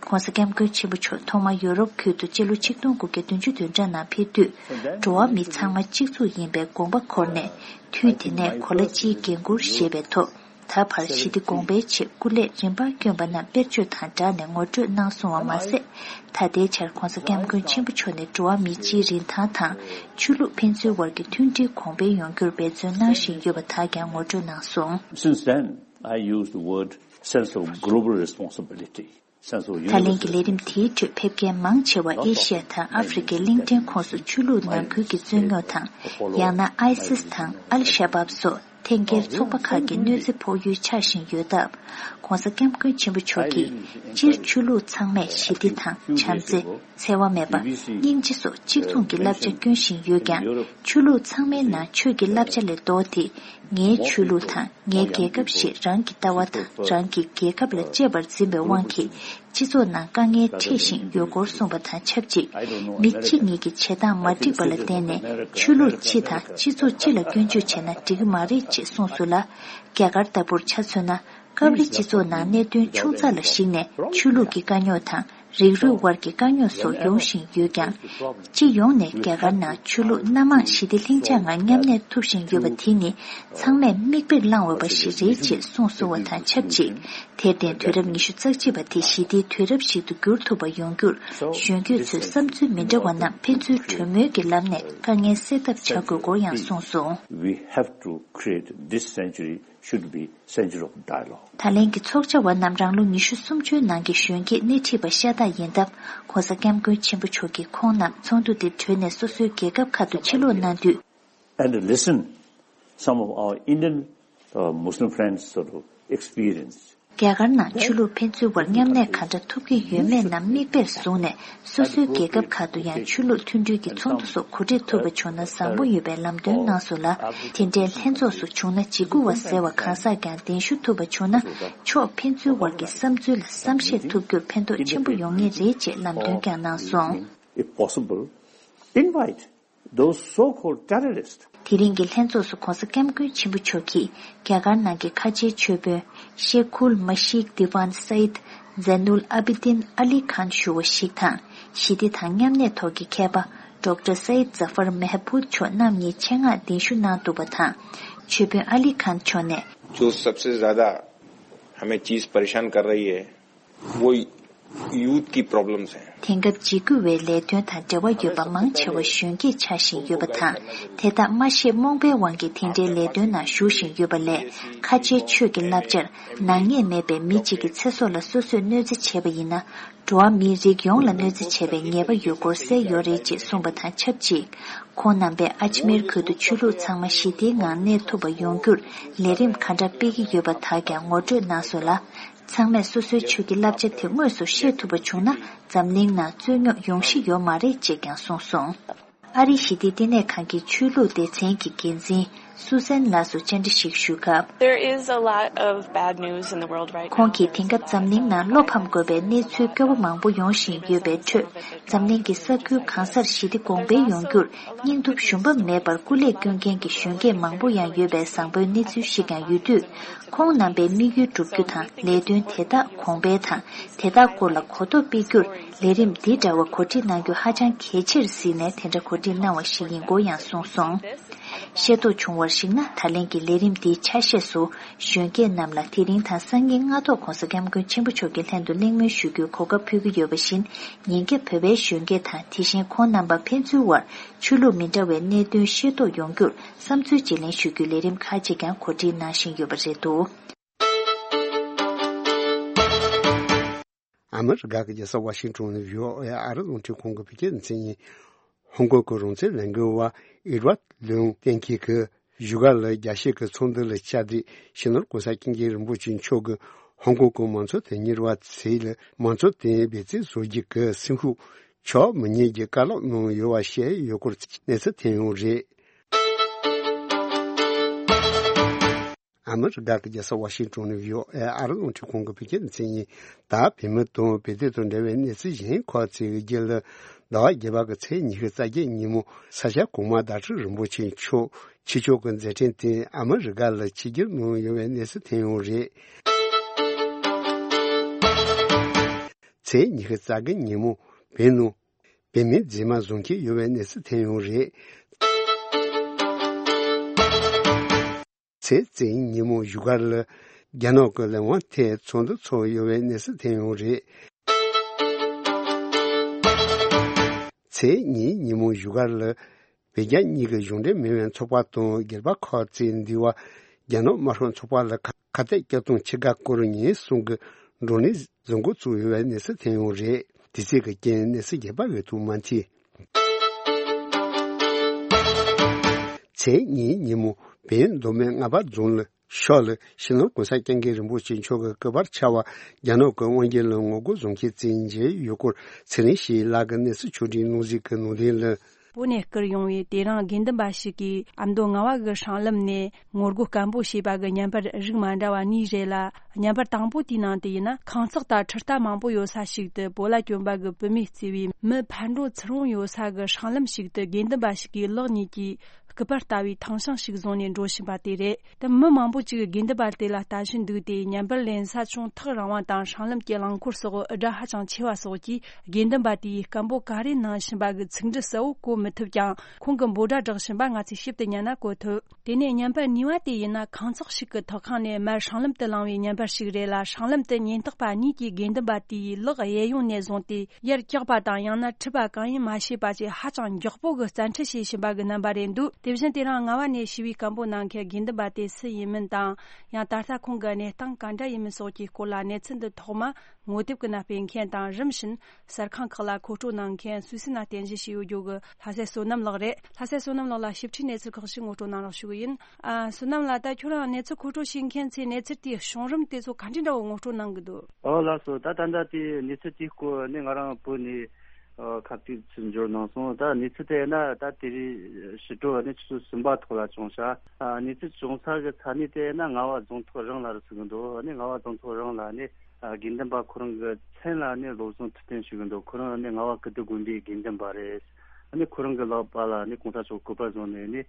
༸གོང་ས་༸སྐྱབས་མགོན་ཆེན་པོ་མཆོག་ཐོག་མར་ཡོ་རོབ་ཁུལ་དུ་སྤྱི་ལོ་ཆིག་སྟོང་དགུ་བརྒྱ་བདུན་ཅུ་དོན་གྲངས་ནང་ཕེབས་དུས། འགྲོ་བ་མི་ཚང་མ་གཅིག་མཚུངས་ཡིན་པའི་དགོངས་པ་འཁོར་ནས། དུས་དེ་ནས་གོ་ལ་སྤྱིའི་འགན་འཁུར་བཞེས་པའི་ཐོག་ད་བར་ཞི་བདེ་གོང་འཕེལ་ཆེད་སྐུ་ལས་རིམ་པར་བསྐྱོན་པ་རྣམས་དཔེར་བརྗོད་དང་སྦྲགས་ནས་ངོ་སྤྲོད་གནང་སོང་བ་མ་ཟད། ད་ལྟའི་ཆར་༸གོང་ས་༸སྐྱབས་མགོན་ཆེན་པོ་མཆོག་ནས་འགྲོ་བ་མིའི་སྤྱིའི་རིན་ཐང་དང་ཆོས་ལུགས་ཕན་ཚུན་བར་གྱི་མཐུན་སྒྲིལ་གོང་འཕེལ་ཡོང་རྒྱུར་འབད་བརྩོན་གནང་བཞིན་ཡོད་པ་དག་ཀྱང་ངོ་སྤྲོད་གནང་སོང་། Since then, I used the word sense of global responsibility. ད་ལན་གྱི་ལས་རིམ་དེའི་ཁྲོད་ཕེབས་མཁན་མང་ཆེ་བ་ཨེ་ཤི་ཡ་དང་ཨ་ཧྥེ་རི་ཀའི་གླིང་ཕྲན་ཁོངས་སུ་ཆོས་ལུགས་ནང་ཁུལ་གྱི་རྩོད་རྙོག་དང་། ཡང་ན་ཨའི་སིས་དང་ཨལ་ཤ་བབ་སོགས། ལྷན་སྒེར་ཚོགས་པ་ཁག་གི་གནོད་འཚེ་ཕོག་ཡུལ་ཆགས་བཞིན་ཡོད་སྟབས། ༸གོང་ས་༸སྐྱབས་མགོན་ཆེན་པོ་མཆོག་གིས་སྤྱིར་ཆོས་ལུགས་ཚང་མས་ཞི་བདེ་དང་བྱམས་བརྩེ། འཚེ་བ་མེད་པ། སྙིང་རྗེ་སོགས་གཅིག་མཚུངས་ཀྱི་བསླབ་བྱ་སྐྱོན་བཞིན་ཡོད་ཀྱང་། ཆོས་ལུགས་ཚང་མའི་ནང་ཆོས་ཀྱི་བསླབ་བྱ་ལས་ལྡོག་སྟེ། ངའི་ཆོས་ལུགས་དང་ངའི་རྒྱལ་ཁབ་ཞེས་རང་གི་ལྟ་བ་དང་རང་གི་རྒྱལ་ཁབ་ལ་གཅེས་པར་འཛིན་པའི་དབང་གིས། སྤྱི་ཚོགས་ནང་དཀའ་ངལ་འཕྲད་བཞིན་ཡོད་སྐོར་གསུངས་པ་དང་ཆབས་ཅིག། མི་གཅིག་གཉིས་ཀྱི་བྱེད་སྟངས་མ་འགྲིག་པ་ལ་བརྟེན་ནས་ཆོས་ལུགས་སྤྱི་དང་སྤྱི་ཚོགས་སྤྱི་ལ་སྐྱོན་བརྗོད་བྱས་ན་འགྲིག་གི་མ་རེད་ཅེས་གསུངས་སོང་ལ། རྒྱ་གར་ལྟ་བུར་ཆ་མཚོན་ན། སྐབས་རེ་སྤྱི་ཚོགས་ནང་གནད་དོན་ཆུང་ཙག་ལ་གཞིགས་ནས་ཆོས་ལུགས་ཀྱི་དཀའ་རྙོག་དང་། རིགས་རུས་དབར་གྱི་དཀའ་རྙོག་སོགས་ཡོང་བཞིན་ཡོད་ཀྱང་། སྤྱི་ཡོངས་ནས་རྒྱ་གར་ནང་ཆོས་ལུགས་སྣ་མང་ཞི་བདེ་ལྷིང་འཇགས་ངང་མཉམ་གནས་ཐུབ་བཞིན་ཡོད་པ་དེ་ནི་ཚང་མས་མིག་དཔེར་བླངས་འོས་པ་ཞིག་རེད་ཅེས་གསུངས་སོང་བ་དང་ཆབས་ཅིག། དེར་བརྟེན་དུས་རབས་ཉི་ཤུ་རྩ་གཅིག་པ་དེ་ཞི་བདེའི་དུས་རབས་ཤིག་ཏུ་འགྱུར་ཐུབ་པ་ཡོང་རྒྱུར་གཞོན་སྐྱེས་ཚོས་བསམ་ཚུལ་མི་འདྲ་བ་རྣམས་ཕན་ཚུན་གྲོས་མོལ་གྱི་ལམ་ནས་དཀའ་ངལ་སེལ་ཐབས་བྱ་དགོས་སྐོར་ཡང་གསུངས་སོང་། We have to create this century should be century of dialogue. ད་ལན་གྱི་ཚོགས་བཅར་བ་རྣམས་རང་ལོ་ཉི་ཤུ་སུམ་ཅུའི་ནང་གི་གཞོན་སྐྱེས་སྣེ་ཁྲིད་པ་ཤ་སྟག་ཡིན་སྟབས། ༸གོང་ས་༸སྐྱབས་མགོན་ཆེན་པོ་མཆོག་གིས་ཁོང་རྣམས་ཚོགས་འདུ་དེ་གྲོལ་ནས་སོ་སོའི་རྒྱལ་ཁབ་ཁག་ཏུ་ཕྱིར་ལོག་གནང་དུས། And listen some of our Indian, uh, Muslim friends' sort of experience. རྒྱ་གར་ནང་ཆོས་ལུགས་ཕན་ཚུན་བར་མཉམ་གནས་ག་འདྲ་ཐུབ་ཀྱི་ཡོད་མེད་རྣམས་མིག་དཔེར་བཟུང་ནས། སོ་སོའི་རྒྱལ་ཁབ་ཁག་ཏུ་ཡང་ཆོས་ལུགས་མཐུན་སྒྲིལ་གྱི་ཚོགས་འདུ་སོགས་གོ་སྒྲིག་ཐུབ་པ་བྱུང་ན་བཟང་པོ་ཡོད་པའི་ལམ་སྟོན་གནང་སོང་ལ། དེ་འདྲའི་ལྷན་ཚོགས་སུ་བྱུང་ན་འཇིགས་སྐུལ་བ་ཟེར་བ་གང་ཟག་ཀྱང་གདན་ཞུ་ཐུབ་པ་བྱུང་ན། ཕྱོགས་ཕན་ཚུན་བར་གྱི་བསམ་ཚུལ་ལ་བསམ་ཤེས་ཐུབ་རྒྱུར་ཕན་ཐོགས་ཆེན་པོ་ཡོང་ངེས་རེད་ཅེས་ལམ་སྟོན་ཀྱང་གནང་སོང་། If possible, invite those so-called terrorists. དེ་རིང་གི་ལྷན་ཚོགས་སུ་༸གོང་ས་༸སྐྱབས་མགོན་ཆེན་པོ་མཆོག་གིས་རྒྱ་གར་ནང་གི་ཁ་ཆེའི་ཆོས་དཔོན་ཤེ་ཁུལ་མ་ཤིག་དི་ཝན་སའིད་ཛེ་ནུལ་ཨ་བི་དིན་ཨ་ལི་ཁཱན་ཞུ་བ་ཞིག་དང་། ཞི་བདེ་དང་མཉམ་གནས་ཐོག་གི་མཁས་པ་ཌོག་ཊར་སའིད་ཛ་ཧྥར་མེ་ཧ་བུད་མཆོག་རྣམ་གཉིས་ཆེད་མངགས་གདན་ཞུ་གནང་འདུག་པ་དང་། ཆོས་དཔོན་ཨ་ལི་ཁཱན་མཆོག་ནས། जो सबसे ज्यादा हमें चीज परेशान कर रही है, वो यूथ की प्रॉब्लम्स हैं। དེང་སྐབས་འཇིགས་སྐུལ་བའི་ལས་དོན་དང་འབྲེལ་བ་ཡོད་པ་མང་ཆེ་བ་གཞོན་སྐྱེས་ཆགས་བཞིན་ཡོད་པ་དང་། དེ་དག་མ་ཤེས་རྨོངས་པའི་དབང་གིས་དེ་འདྲའི་ལས་དོན་ནང་ཞུགས་བཞིན་ཡོད་པ་ལས། ཁ་ཆེའི་ཆོས་ཀྱི་བསླབ་བྱར་ནག་ཉེས་མེད་པའི་མི་གཅིག་གི་ཚེ་སྲོག་ལ་སོ་སོས་གནོད་འཚེ་བྱས་པ་ཡིན་ན། འགྲོ་བ་མིའི་རིགས་ཡོངས་ལ་གནོད་འཚེ་བྱས་པའི་ཉེས་པ་ཡོད་སྐོར་གསལ་ཡོད་རེད་ཅེས་གསུངས་པ་དང་ཆབས་ཅིག། ཁོང་རྣམ་པས་ཨ་ཇི་མེར་ཁུལ་དུ་ཆོས་ལུགས་ཚང་མ་ཞི་བདེའི་ངང་གནས་ཐུབ་པ་ཡོང་རྒྱུར་ལས་རིམ་ག་འདྲ་སྤེལ་གྱི་ཡོད་པ་དག་ཀྱང་ངོ་སྤྲོད་གནང་སོང་ལ། ཚང་མས་སོ་སོའི་ཆོས་ཀྱི་བསླབ་བྱ་དེ་དངོས་སུ་ཤེས་ཐུབ་པ་བྱུང་ན། འཛམ་གླིང་ནང་རྩོད་རྙོག་ཡོང་གཞི་ཡོད་མ་རེད་ཅེས་ཀྱང་གསུངས་སོང་། ཨ་རིའི་ཞི་བདེའི་བསྟི་གནས་ཁང་གི་ཆོས་ལུགས་སྡེ་ཚན་གྱི་འགན་འཛིན་སུ་སན་ལགས་སུ་བཅར་འདྲི་ཞིག་ཞུས་སྐབས། There is a lot of bad news in the world right now. ཁོང་གིས་དེང་སྐབས་འཛམ་གླིང་ནང་བློ་ཕམ་དགོས་པའི་གནས་ཚུལ་སྐྱོ་བོ་མང་པོ་ཡོང་བཞིན་ཡོད་པའི་ཁྲོད། འཛམ་གླིང་གི་ས་ཁུལ་གང་སར་ཞི་བདེ་གོང་འཕེལ་ཡོང་རྒྱུར་སྙིང་སྟོབས་ཞུམ་པ་མེད་པར་སྐུ་ལས་བསྐྱོན་མཁན་གྱི་གཞོན་སྐྱེས་མང་པོ་ཡང་ཡོད་པའི་བཟང་པོའི་གནས་ཚུལ་ཞིག་ཀྱང་ཡོད་དུས། ཁོང་རྣམ་པའི་དམིགས་ཡུལ་བསྒྲུབ་རྒྱུ་དང་ལས་དོན་དེ་དག་གོང་འཕེལ་དང་དེ་དག་སྐོར་ལ་གོ་རྟོགས་སྤེལ་རྒྱུར་ལས་རིམ་འདི་འདྲ་བ་གོ་སྒྲིག་གནང་རྒྱུ་ཧ་ཅང་གལ་ཆེར་གཟིགས་ནས་དེ་འདྲ་གོ་སྒྲིག་གནང་བ་ཞིག་ཡིན་སྐོར་ཡང་གསུངས་སོང་། ཤེས་རྟོགས་བྱུང་བར་གཞིགས་ན། ད་ལན་གྱི་ལས་རིམ་འདིའི་ཆ་ཤས་སུ་གཞོན་སྐྱེས་རྣམས་ལ་དེ་རིང་དང་སང་ཉིན་སྔ་ཐོག་༸གོང་ས་༸སྐྱབས་མགོན་ཆེན་པོ་མཆོག་གི་ལྷན་དུ་གླེང་མོལ་ཞུ་རྒྱུའི་གོ་སྐབས་ཕུལ་གྱི་ཡོད་པ་བཞིན། ཉིན་རྒྱབ་བོད་པའི་གཞོན་སྐྱེས་དང་དེ་བཞིན་ཁོང་རྣམ་པ་ཕན་ཚུན་དབར་ཆོས་ལུགས་མི་འདྲ་བའི་གནད་དོན་ཤེས་རྟོགས་ཡོང་རྒྱུར་བསམ་ཚུལ་བརྗེ་ལེན་ཞུ་རྒྱུའི་ལས་རིམ་ཁག་ཅིག་ཀྱང་གོ་སྒྲིག་གནང་བཞིན་ཡོད་པ་རེད་འདུག། ཨ་མི་རི་ཀ་གི་རྒྱལ་ས་ཝ་ཤིང་ཊོན་ནས་བྷི་ཨོ་ཨེ་ཨ་རི་རླུང་འཕྲིན་ཁང་གི་བོད་སྐད་སྡེ་ཚན་ཡིན། ཧོང་ཀོང་གི་རང་བཙན་ལས་འགུལ་བ་ཨེ་ཌི་ཝར་ལུང་བསྟན་ཁྱེད་ཀྱིས་བཞུགས་སྒར་ལ་རྒྱལ་སྤྱི་གི་ཚོགས་འདུ་ལ་བཅར་ཏེ། སྤྱི་ནོར་༸གོང་ས་༸སྐྱབས་མགོན་རིན་པོ་ཆེ་མཆོག་གིས་ཧོང་ཀོང་གི་མང་གཙོ་དོན་གཉེར་བ་ཚོས་ལ་མང་གཙོ་དོན་འབད་བརྩོན་བཟོ་རྒྱུ་གི་སེམས་ཤུགས་ཆོག་མི་ཉན་གྱི་བཀའ་སློབ་གནང་ཡོད་པ་བཤད་ཡོད་སྐོར་གནས་ཚུལ་ཐོན་ཡོད་རེད། ཨ་མི་རི་ཀ་གི་རྒྱལ་ས་ཝ་ཤིང་ཊོན་ནས་བྷི་ཨོ་ཨེ་ཨ་རི་རླུང་འཕྲིན་ཁང་གི་བོད་སྐད་སྡེ་ཚན་ཡིན། ད་བོད་མི་དང་བོད་དོན་དང་འབྲེལ་བའི་གནས་ཚུལ་གཞན་ཁག་ཅིག་གི་རྒྱུད་ལ། ཟླ་བ་བརྒྱད་པ་གི་ཚེས་ཉི་ཤུ་རྩ་བརྒྱད་ཉིན་མོ་ས་སྐྱ་གོང་མ་ཟླ་སྒྲོན་རིན་པོ་ཆེ་མཆོག་ཕྱི་ཕྱོགས་ཀྱི་མཛད་འཕྲིན་སྟེང་ཨ་མི་རི་ཀ་ལ་ཆིབས་བསྒྱུར་གནང་ཡོད་པའི་གནས་ཚུལ་ཐོན་ཡོད་རེད། ཚེས་ཉི་ཤུ་རྩ་བརྒྱད་ཉིན་མོ་བོད་ནང་བོད་མིའི་མཛེས་མ་བཟུང་འཁྱེར་ཡོད་པའི་གནས་ཚུལ་ཐོན་ཡོད་རེད། ཚེས་གཅིག་ཉིན་མོ་བཞུགས་སྒར་ལ་རྒྱ་ནག་གི་ལས་དབང་ཐད་ཚོགས་འདུ་ཚོགས་ཡོད་པའི་གནས་ཚུལ་ཐོན་ཡོད་རེད། ཚེས་གཉིས་ཉིན་མོ་བཞུགས་སྒར་ལ་བོད་རྒྱ་གཉིས་ཀྱི་གཞུང་འབྲེལ་མིན་པའི་ཚོགས་པ་དང་སྒེར་པ་ཁག་ཅིག་འདུས་པ་རྒྱ་ནག་དམར་ཤོག་ཚོགས་པ་ལ་ཁ་ཁ་གཏད་བཅག་སྟངས་ཕྱི་དགའ་སྐོར་ཉིན་གསུམ་གྱི་བགྲོ་གླེང་བཟོ་འགོ་བཙུགས་ཡོད་པའི་གནས་ཚུལ་ཐོན་ཡོད་རེད། དེ་ཚོ་གི་རྐྱེན་གནས་ཚུལ་རྒྱས་པ་ཡོད་དུ་མ་མཐུད། ཚེས་གཉིས་ཉིན་མོ་ བན་མདོ་སྨད་རྔ་བ་རྫོང་ལ་ཤོག་ལ་ཕྱི་ནང་གོང་ས་སྐྱབས་མགོན་རིན་པོ་ཆེ་མཆོག་གི་སྐུ་པར་ཕྱར་བ་རྒྱ་ནག་གི་དབང་སྒྱུར་ལ་ངོ་རྒོལ་བཟོ་མཁན་བཙན་འཇལ་ཡུལ་སྐོར་ཚེ་རིང་ཞེས་ལག་གི་གནས་ཚུལ་ཕྱོགས་སྒྲིག་གནང་གཟིགས་ཀྱི་ནང་དོན་ལ། བོད་ནས་བསྐུར་ཡོང་བའི་དེ་རིང་དགེ་འདུན་པ་ཞིག་གིས་ཨ་མདོ་རྔ་བ་གི་སྲང་ལམ་ནས་ངོ་རྒོལ་སྐད་འབོད་བྱས་པ་གི་བརྙན་པར་རིགས་མ་འདྲ་བ་གཉིས་རེད་ལ། བརྙན་པར་དང་པོ་དེའི་ནང་དུ་ཡིན་ན། ཁང་བརྩེགས་དང་ཁྲི་རྟ་མང་པོ་ཡོད་ས་ཞིག་ཏུ་བོད་ལྭ་གྱོན་པ་གི་བུད་མེད་བརྩིས་པའི་མི་ཕར་འགྲོ་ཚུར་འོང་ཡོད་ས་གི་སྲང་ལམ་ཞིག་ཏུ་དགེ་འདུན་པ་ཞིག་གིས་ལག་གཉིས་ཀྱིས་སྐུ་པར་ལྟ་བུའི་ཐང་ཤིང་ཞིག་བཟུང་ནས་འགྲོ་བཞིན་པ་དེ་རེད། དེ་མི་མང་པོ་ཅིག་དགེ་འདུན་པ་དེ་ལ་ལྟ་བཞིན་འདུག་སྟེ། བརྙན་པར་ལེན་ས་ཅུང་ཐག་རིང་བ་དང་སྲང་ལམ་གྱི་རླངས་འཁོར་སོགས་སྒྲ་ཧ་ཅང་ཆེ་བ་སོགས་ཀྱིས་དགེ་འདུན་པ་དེས་སྐད་འབོད་ག་རེ་གནང་བཞིན་པ་གི་ཚིག་འབྲུ་གསལ་བོ་གོ་མི་ཐུབ་ཀྱང་། ཁོང་གིས་འབོད་སྒྲ་བསྒྲགས་བཞིན་པ་ང་ཚོས་ཞིབ་ཏུ་ཉན་ན་གོ་ཐུབ། དེ་ནས་བརྙན་པར་གཉིས་པ་དེ་ཡིན་ན། ཁང་བརྩེགས་ཤིག་གི་ཐོག་ཁང་ནས་མར་སྲང་ལམ་དུ་ལངས་པའི་བརྙན་པར་ཞིག་རེད་ལ། སྲང་ལམ་དུ་ཉེན་རྟོག་པ་གཉིས་ཀྱིས་དགེ་འདུན་པ་དེའི་ལག་གཡས་གཡོན་ནས་བཟུང་སྟེ་ཡར་བཀྱགས་པ་དང་། ཡང་ན་འཁྲིད་པ་གང་ཡིན་མ་ཤེས་པ་བཅས་ཧ་ཅང་མགྱོགས་པོ་གི་བཙན་ཁྲིད་བྱེད་བཞིན་པ་གི་རྣམ་པ་རེད་འདུག་དེ་བཞིན་དེ་རིང་རྔ་བ་ནས་ཞི་བའི་སྐད་འབོད་གནང་མཁན་དགེ་འདུན་པ་དེ་སུ་ཡིན་མིན་དང་། ཡང་ད་ལྟ་ཁོང་གི་གནས་སྟངས་ག་འདྲ་ཡིན་མིན་སོགས་ཀྱི་སྐོར་ལ་གནས་ཚུལ་འདི་ཐོག་མ་ངོ་དེབ་ཀྱི་ནང་སྤེལ་མཁན་དང་། རིམ་བཞིན་གསར་ཁང་ཁག་ལ་མཁོ་སྤྲོད་གནང་མཁན་སུད་སི་ནང་རྟེན་གཞི་བྱས་ཡོད་རྒྱུ་གི་ལྷ་སྲས་བསོད་ནམས་ལགས་རེད། ལྷ་སྲས་བསོད་ནམས་ལགས་ལ་ཞིབ་ཕྲའི་གནས་ཚུལ་ཁག་ཞིག་ངོ་སྤྲོད་གནང་རོགས་ཞུ་གི་ཡིན། ཨ། བསོད་ནམས་ལགས། ད་ཁྱོད་རང་གནས་ཚུལ་མཁོ་སྤྲོད་བྱེད་མཁན་ཚོས་གནས་ཚུལ་དེའི་བྱུང་རིམ་དེ་ཚོ་ག་འདྲ་འདྲ་བོ་ངོ་སྤྲོད་གནང་གི་འདུག་ཨོ་ལགས་སོ། ད་ད་ལྟ་དེ་གནས་ཚུལ་དེའི་སྐོར་ནི་ང་རང་བོད་ནས་ཨ་ཁ་གཏད་ཚུར་འབྱོར་གནང་སོང་། ད་གནས་ཚུལ་དེ་ཡིན་ན། ད་དེ་རིང་ཕྱི་དྲོ་ནི་ཆུ་ཚོད་གསུམ་པ་ཐོག་ལ་བྱུང་ཤག་ཨ། གནས་ཚུལ་བྱུང་ས་གི་ས་གནས་དེ་ཡིན་ན་རྔ་བ་རྫོང་ཐོག་རང་ལ་རེད་ཟེར་གི་འདུག་ཨ་ནི་རྔ་བ་རྫོང་ཐོག་རང་ལ་ནི་ཨ་དགེ་འདུན་པ་ཁོ་རང་གི་མཚན་ལ་ནི་སློབ་སྦྱོང་ཐུབ་བསྟན་ཞུ་གི་འདུག་ཁོ་རང་ནི་རྔ་བ་ཀིརྟི་དགོན་པའི་དགེ་འདུན་པ་རེད། ཨ་ནི་ཁོ་རང་གི་ལག་པ་ལ་ནི་གོང་ས་མཆོག་སྐུ་པར་བཟུང་ནས་ནི་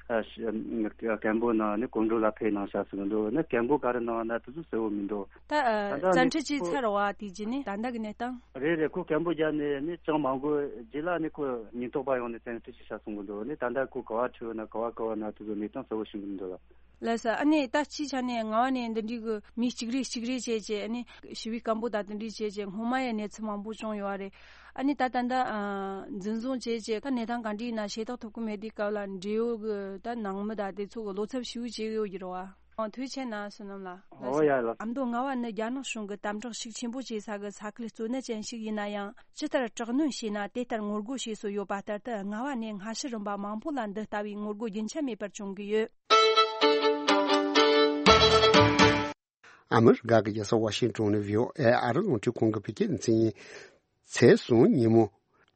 ཨ་ཤ་སྐད་འབོད་གནང་། ནི་གོམ་བགྲོད་ལ་ཕེབས་གནང་ཤག་ཟེར་གི་འདུག་ནི་སྐད་འབོད་ག་རེ་གནང་ན་དེ་ཚོ་གསལ་བོ་མི་འདུག་ད་ཨ་ད་ལྟ་བཙན་ཁྲིད་བྱས་ཚར་བ་དེ་རྗེས་ནི་ད་ལྟ་གི་གནས་སྟངས། རེད་རེད། ཁོ་སྐད་འབོད་བརྒྱབ་ནས་ནི་ཅང་མ་འགོར་རྗེས་ལ་ནི་ཁོ་ཉེན་རྟོག་པ་ཡོང་ནས་བཙན་ཁྲིད་བྱས་ཤག་གསུང་གི་འདུག་ནི་ད་ལྟ་ཁོ་ག་བ་ཁྲིད་ཡོད་ན་ག་བ་ག་བ་ན་དེ་ཚོ་གནས་སྟངས་གསལ་བོ་ཤེས་གི་མི་འདུག་ལ། ལགས་སོ། ཨ་ནི་ད་སྤྱིའི་ཆ་ནས་རྔ་བ་ནས་འདི་འདྲའི་གི་མི་གཅིག་རེ་གཅིག་རེ་བྱས་བྱས། ཨ་ནི་ཞི་བའི་སྐད་འབོད་དང་དེ་འདྲའི་བྱས་བྱས་སྔོན་མ་ཡང་གནས་ཚུལ་མང་པོ་བྱུང་ཡོད་རེད། ཨ་ནི་ད་ད་ལྟ་ཨ་འཛིན་བཟུང་བྱས་བྱས་ད་གནས་སྟངས་ག་འདྲ་ཡིན་ན་ཤེས་རྟོགས་ཐུབ་ཀྱི་མེད་དུས་སྐབས་ལ། འབྲེལ་ཡོད་གི་ད་ནང་མི་དང་དེ་ཚོ་གི་བློ་འཚབ་ཞེ་པོ་བྱེད་ཀྱི་ཡོད་ཀྱི་རེད་བ། ཨ། ཐུགས་རྗེ་ཆེ་གནང་། བསོད་ནམས་ལགས། ཨོ་ཡ་ལགས། ཨ་མདོ་རྔ་བ་ནི་རྒྱ་ནག་གཞུང་གིས་དམ་དྲག་ཤུགས་ཆེན་པོ་བྱེད་ས་གི་ས་ཁུལ་གཙོ་གནད་ཅན་ཞིག་ཡིན་ན་ཡང་། ཇི་ལྟར་དྲག་གནོན་བྱས་ན་དེ་ལྟར་ངོ་རྒོལ་བྱེད་སྲོལ་ཡོད་པ་ལྟར་དུ། རྔ་བ་ནས་སྔ་ཕྱི་རིམ་པ་མང་པོ་ལ་འདི་ལྟ་བུའི་ངོ་རྒོལ་རྒྱུན་ཆད་མེད་པར་བྱུང་གི་ཡོད། ཨ་མི་རི་ཀ་གི་རྒྱལ་ས་ཝ་ཤིང་ཏོན་ནས་བྷི་ཨོ་ཨེ་ཨ་རི་རླུང་འཕྲིན་ཁང་གི་བོད་སྐད་སྡེ་ཚན་ཡིན། ཚེས་གསུམ་ཉིན་མོ།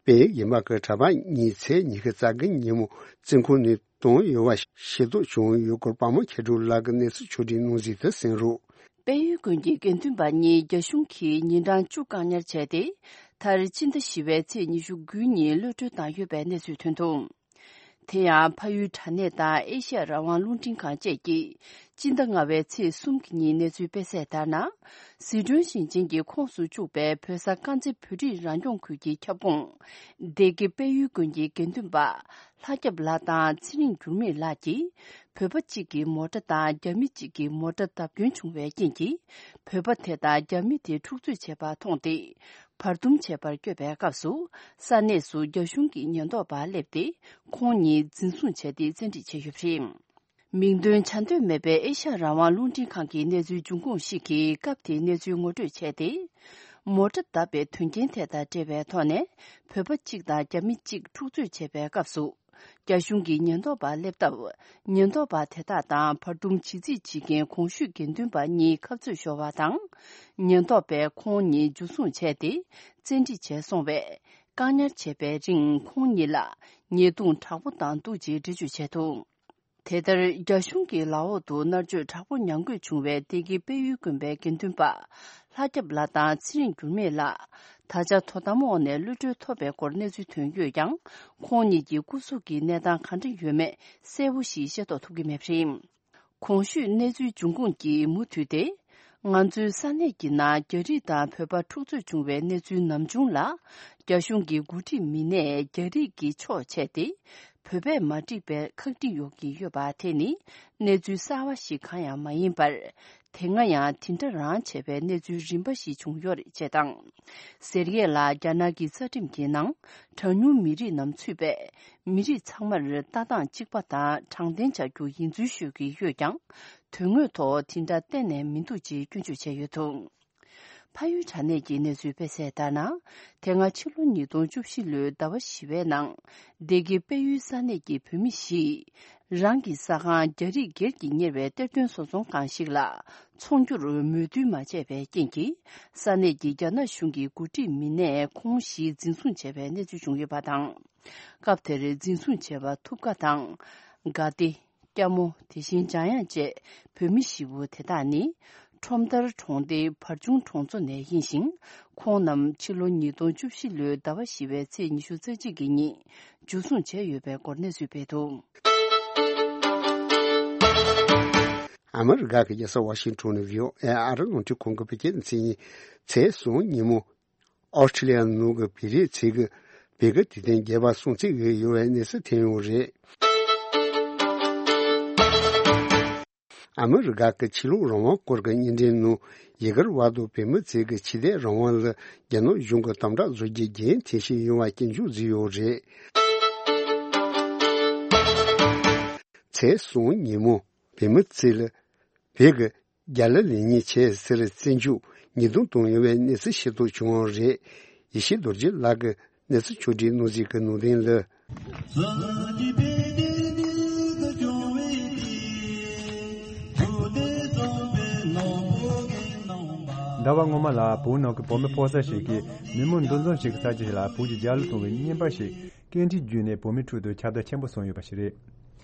དཔལ་ཡུལ་རྒྱལ་འབངས་ཀྱི་གྲྭ་པ་གཉིས་ཚེས་ཉི་ཤུ་རྩ་དགུ་ཉིན་མོ་བཙོན་ཁང་ནས་བཏང་ཡོད་པ་ཤེས་རྟོགས་བྱུང་ཡོད་སྐོར་པདྨ་མཁས་གྲུབ་ལགས་ཀྱིས་གནས་ཚུལ་ཕྱོགས་སྒྲིག་གནང་གཟིགས་དུ་གསན་རོགས། དཔལ་ཡུལ་དགོན་གྱི་དགེ་འདུན་པ་གཉིས་རྒྱ་གཞུང་གིས་ཉིན་གྲངས་བཅུ་བཀག་ཉར་བྱས་ཏེ། མཐར་སྤྱི་ཟླ་བཞི་པའི་ཚེས་ཉི་ཤུ་དགུ་ཉིན་གློད་གྲོལ་བཏང་ཡོད་པའི་གནས་ཚུལ་ཐོན་འདུག་དེ་ཡང་། ཕ་ཡུལ་དྲ་གནས་དང་ཨེ་ཤ་ཡ་རང་དབང་རླུང་འཕྲིན་ཁང་བཅས་ཀྱིས་སྤྱི་ཟླ་ལྔ་པའི་ཚེས་གསུམ་གྱི་ཉིན་གནས་ཚུལ་སྤེལ་གསལ་ལྟར་ན། ཟི་ཁྲོན་ཞིང་ཆེན་གྱི་ཁོངས་སུ་བཅུག་པའི་བོད་ས་དཀར་མཛེས་བོད་རིགས་རང་སྐྱོང་ཁུལ་གྱི་ཁྱབ་ཁོངས་སྡེ་དགེ་དཔལ་ཡུལ་དགོན་གྱི་དགེ་འདུན་པ་ལྷ་སྐྱབས་ལགས་དང་ཚེ་རིང་འགྱུར་མེད་ལགས་ཀྱིས། བོད་པ་གཅིག་གི་མོ་ཊ་དང་རྒྱ་མི་གཅིག་གི་མོ་ཊ་བརྡབ་སྐྱོན་བྱུང་བའི་རྐྱེན་གྱིས། བོད་པ་དེ་དང་རྒྱ་མི་དེ་འཁྲུག་རྩོད་བྱས་པ་མཐོང་སྟེ། བར་འདུམ་བྱེད་པར་བསྐྱོད་པའི་སྐབས་སུ། ས་གནས་སུ་རྒྱ་གཞུང་གི་ཉེན་རྟོག་པ་སླེབས་ཏེ། ཁོང་གཉིས་འཛིན་བཟུང་བྱས་ཏེ་བཙན་ཁྲིད་བྱས་ཡོད་པ་རེད། མིང་འདོན་བྱ་འདོད་མེད་པའི་ཨེ་ཤ་ཡ་རང་དབང་རླུང་འཕྲིན་ཁང་གི་གནས་ཚུལ་འབྱུང་ཁུངས་ཤིག་གིས་སྐབས་དེའི་གནས་ཚུལ་ངོ་སྤྲོད་བྱས་ཏེ། མོ་ཊ་བརྡབས་པའི་དོན་རྐྱེན་དེ་དང་འབྲེལ་བའི་ཐོག་ནས། བོད་པ་གཅིག་དང་རྒྱ་མི་གཅིག་འཁྲུག་རྩོད་བྱེད་པའི་སྐབས་སུ། རྒྱ་གཞུང་གི་ཉེན་རྟོག་པ་སླེབས་སྟབས། ཉེན་རྟོག་པ་དེ་དག་དང་བར་འདུམ་བྱེད་རྩིས་བྱེད་མཁན་གོང་ཞུས་དགེ་འདུན་པ་གཉིས་ཁ་རྩོད་ཤོར་བ་དང་། ཉེན་རྟོག་པས་ཁོང་གཉིས་འཇུ་བཟུང་བྱས་ཏེ། བཙན་ཁྲིད་བྱས་སོང་བས། བཀག་ཉར་བྱས་པའི་རིང་ཁོང་གཉིས་ལ་ཉེས་རྡུང་དྲག་པོ་བཏང་འདུག་ཅེས་འགྲེལ་བརྗོད་བྱས་འདུག་དེ་ལྟར། རྒྱ་གཞུང་གི་ལག་འོག་ཏུ་མནར་གཅོད་དྲག་པོ་མྱངས་དགོས་བྱུང་བའི་སྡེ་དགེ་དཔལ་ཡུལ་དགོན་པའི་དགེ་འདུན་པ་ལྷ་སྐྱབས་ལགས་དང་ཚེ་རིང་འགྱུར་མེད་ལགས། ད་ཆ་དོ་དམ་འོག་ནས་གློད་གྲོལ་ཐོབ་པའི་སྐོར་གནས་ཚུལ་ཐོན་ཡོད་ཀྱང་། ཁོང་གཉིས་ཀྱི་སྐུ་གཟུགས་ཀྱི་གནས་སྟངས་ག་འདྲ་ཡོད་མེད་གསལ་པོ་ཞིག་ཤེས་རྟོགས་ཐུབ་ཀྱི་མེད་པ་རེད། གོང་ཞུས་གནས་ཚུལ་འབྱུང་ཁུངས་ཀྱིས་མུ་མཐུད་དེ། ང་ཚོའི་ས་གནས་ཀྱི་ནང་རྒྱ་རིགས་དང་བོད་པ་འཁྲུག་རྩོད་བྱུང་བའི་གནས་ཚུལ་ནམ་བྱུང་ལ། རྒྱ་གཞུང་གི་འགོ་ཁྲིད་མི་སྣས་རྒྱ་རིགས་ཀྱི་ཕྱོགས་ཕྱེས་ཏེ། བོད་པས་མ་འགྲིག་པའི་ཁག་དཀྲི་ཡོང་གི་ཡོད་པ་དེ་ནི་གནས་ཚུལ་གསར་བ་ཞིག་གང་ཡང་མ་ཡིན་པར། དེ་སྔ་ཡང་དེ་འདྲ་རང་བྱས་པའི་གནས་ཚུལ་རིམ་པ་ཞིག་བྱུང་ཡོད་རེད་ཅེས་དང་། ཟེར་ཡས་ལ་རྒྱ་ནག་གི་རྩ་ཁྲིམས་ཀྱི་ནང་གྲངས་ཉུང་མི་རིགས་རྣམས་ཚུད་པས། མི་རིགས་ཚང་མར་ལྟ་སྟངས་གཅིག་པ་དང་དྲང་བདེན་བྱ་རྒྱུ་ཡིན་ཚུལ་ཤོད་ཀྱི་ཡོད་ཀྱང་། དོན་དངོས་ཐོག་དེ་འདྲ་གཏན་ནས་མི་འདུག་ཅེས་སྐྱོན་བརྗོད་བྱས་ཡོད་འདུག་ཕ་ཡུལ་དྲ་གནས་ཀྱི་གནས་ཚུལ་སྤེལ་གསལ་ལྟར་ན། དེ་སྔ་ཕྱི་ལོ་ཉིས་སྟོང་བཅུ་བཞི་ལོའི་ཟླ་བ་བཞི་པའི་ནང་། སྡེ་དགེ་དཔལ་ཡུལ་ས་གནས་ཀྱི་བོད་མི་བཞིས། རང་གི་ས་ཁང་རྒྱ་རིགས་སྒེར་གྱིས་གཉེར་བའི་གཏེར་སྟོན་བཟོ་ཚོང་ཁང་ཞིག་ལ། འཚོང་རྒྱུར་མོས་མཐུན་མ་བྱས་པའི་རྐྱེན་གྱིས། ས་གནས་ཀྱི་རྒྱ་ནག་གཞུང་གི་འགོ་ཁྲིད་མི་སྣས་ཁོང་བཞི་འཛིན་བཟུང་བྱས་པའི་གནས་ཚུལ་བྱུང་ཡོད་པ་དང་། སྐབས་དེར་འཛིན་བཟུང་བྱས་པ་ཐུབ་དགའ་དང་། དགའ་བདེ། སྐྱ་མོ། དེ་བཞིན་འཇམ་དབྱངས་བཅས་བོད་མི་བཞི་པོ་དེ་དག་ནི། ཁྲོམ་མདར་གྲོང་སྡེའི་བར་ཆུང་གྲོང་ཚོ་ནས་ཡིན་ཞིང་། ཁོང་རྣམས་ཕྱི་ལོ་ཉིས་སྟོང་བཅུ་བཞི་ལོའི་ཟླ་བ་བཞི་པའི་ཚེས་ཉི་ཤུ་རྩ་གཅིག་གི་ཉིན་འཇུ་བཟུང་བྱས་ཡོད་པའི་སྐོར་གནས་ཚུལ་སྤེལ་འདུག་ཨ་མི་རི་ཀ་གི་རྒྱལ་ས་ཝ་ཤིང་ཊོན་ནས་བྷི་ཨོ་ཨེ་ཨ་རི་རླུང་འཕྲིན་ཁང་གི་བོད་སྐད་སྡེ་ཚན་ཡིན། ཚེས་གསུམ་ཉིན་མོ། ཨོ་སི་ཁྲི་ལི་ཡ་ནང་གི་བོད་རིགས་ཚོས་ཀྱི་བོད་ཀྱི་དུས་སྟོན་རྒྱས་པ་སྲུང་བརྩི་ཡོད་པའི་གནས་ཚུལ་ཐོན་ཡོད་རེད། ཨ་མི་རི་ཀ་གི་ཆོས་ལུགས་རང་དབང་སྐོར་གྱི་བརྙན་འཕྲིན་ནང་ཡི་གེར་བར་དུ་བོད་མི་ཚོས་ཀྱི་ཆོས་དད་རང་དབང་ལ་རྒྱ་ནག་གཞུང་གིས་དམ་དྲག་བཟོ་རྒྱུའི་འགན་འཁྱེར་བཞིན་ཡོད་པ་སྐྱོན་བརྗོད་བཟོས་ཡོད་རེད། ཚེས་གསུམ་ཉིན་མོ་བོད་མི་ཚོས་ལ་བོད་ཀྱི་རྒྱ་གླུ་ལེན་ཉིན་བྱས་ཟེར་བཙན་འཇུག་ཉེས་རྡུང་བཏང་ཡོད་པའི་གནས་ཚུལ་ཤེས་རྟོགས་བྱུང་བ་རེད། ཡེ་ཤེས་རྡོ་རྗེ་ལགས་ཀྱིས་གནས་ཚུལ་ཕྱོགས་སྒྲིག་གནང་གཟིགས་ཀྱི་ནང་དོན་ལ། ཟླ་བ་སྔོན་མ་ལ་བོད་ནང་གི་བོད་མི་ཕོ་གསར་ཞིག་གིས་མི་མང་འདུ་འཛོམས་བྱེད་ཀྱི་ས་ཆ་ཞིག་ལ་བོད་ཀྱི་རྒྱལ་གླུ་གཏོང་བའི་བརྙན་པར་ཞིག་སྐད་འཕྲིན་བརྒྱུད་ནས་བོད་མིའི་ཁྲོད་དུ་ཁྱབ་བརྡལ་ཆེན་པོ་སོང་ཡོད་པ་ཞིག་རེད།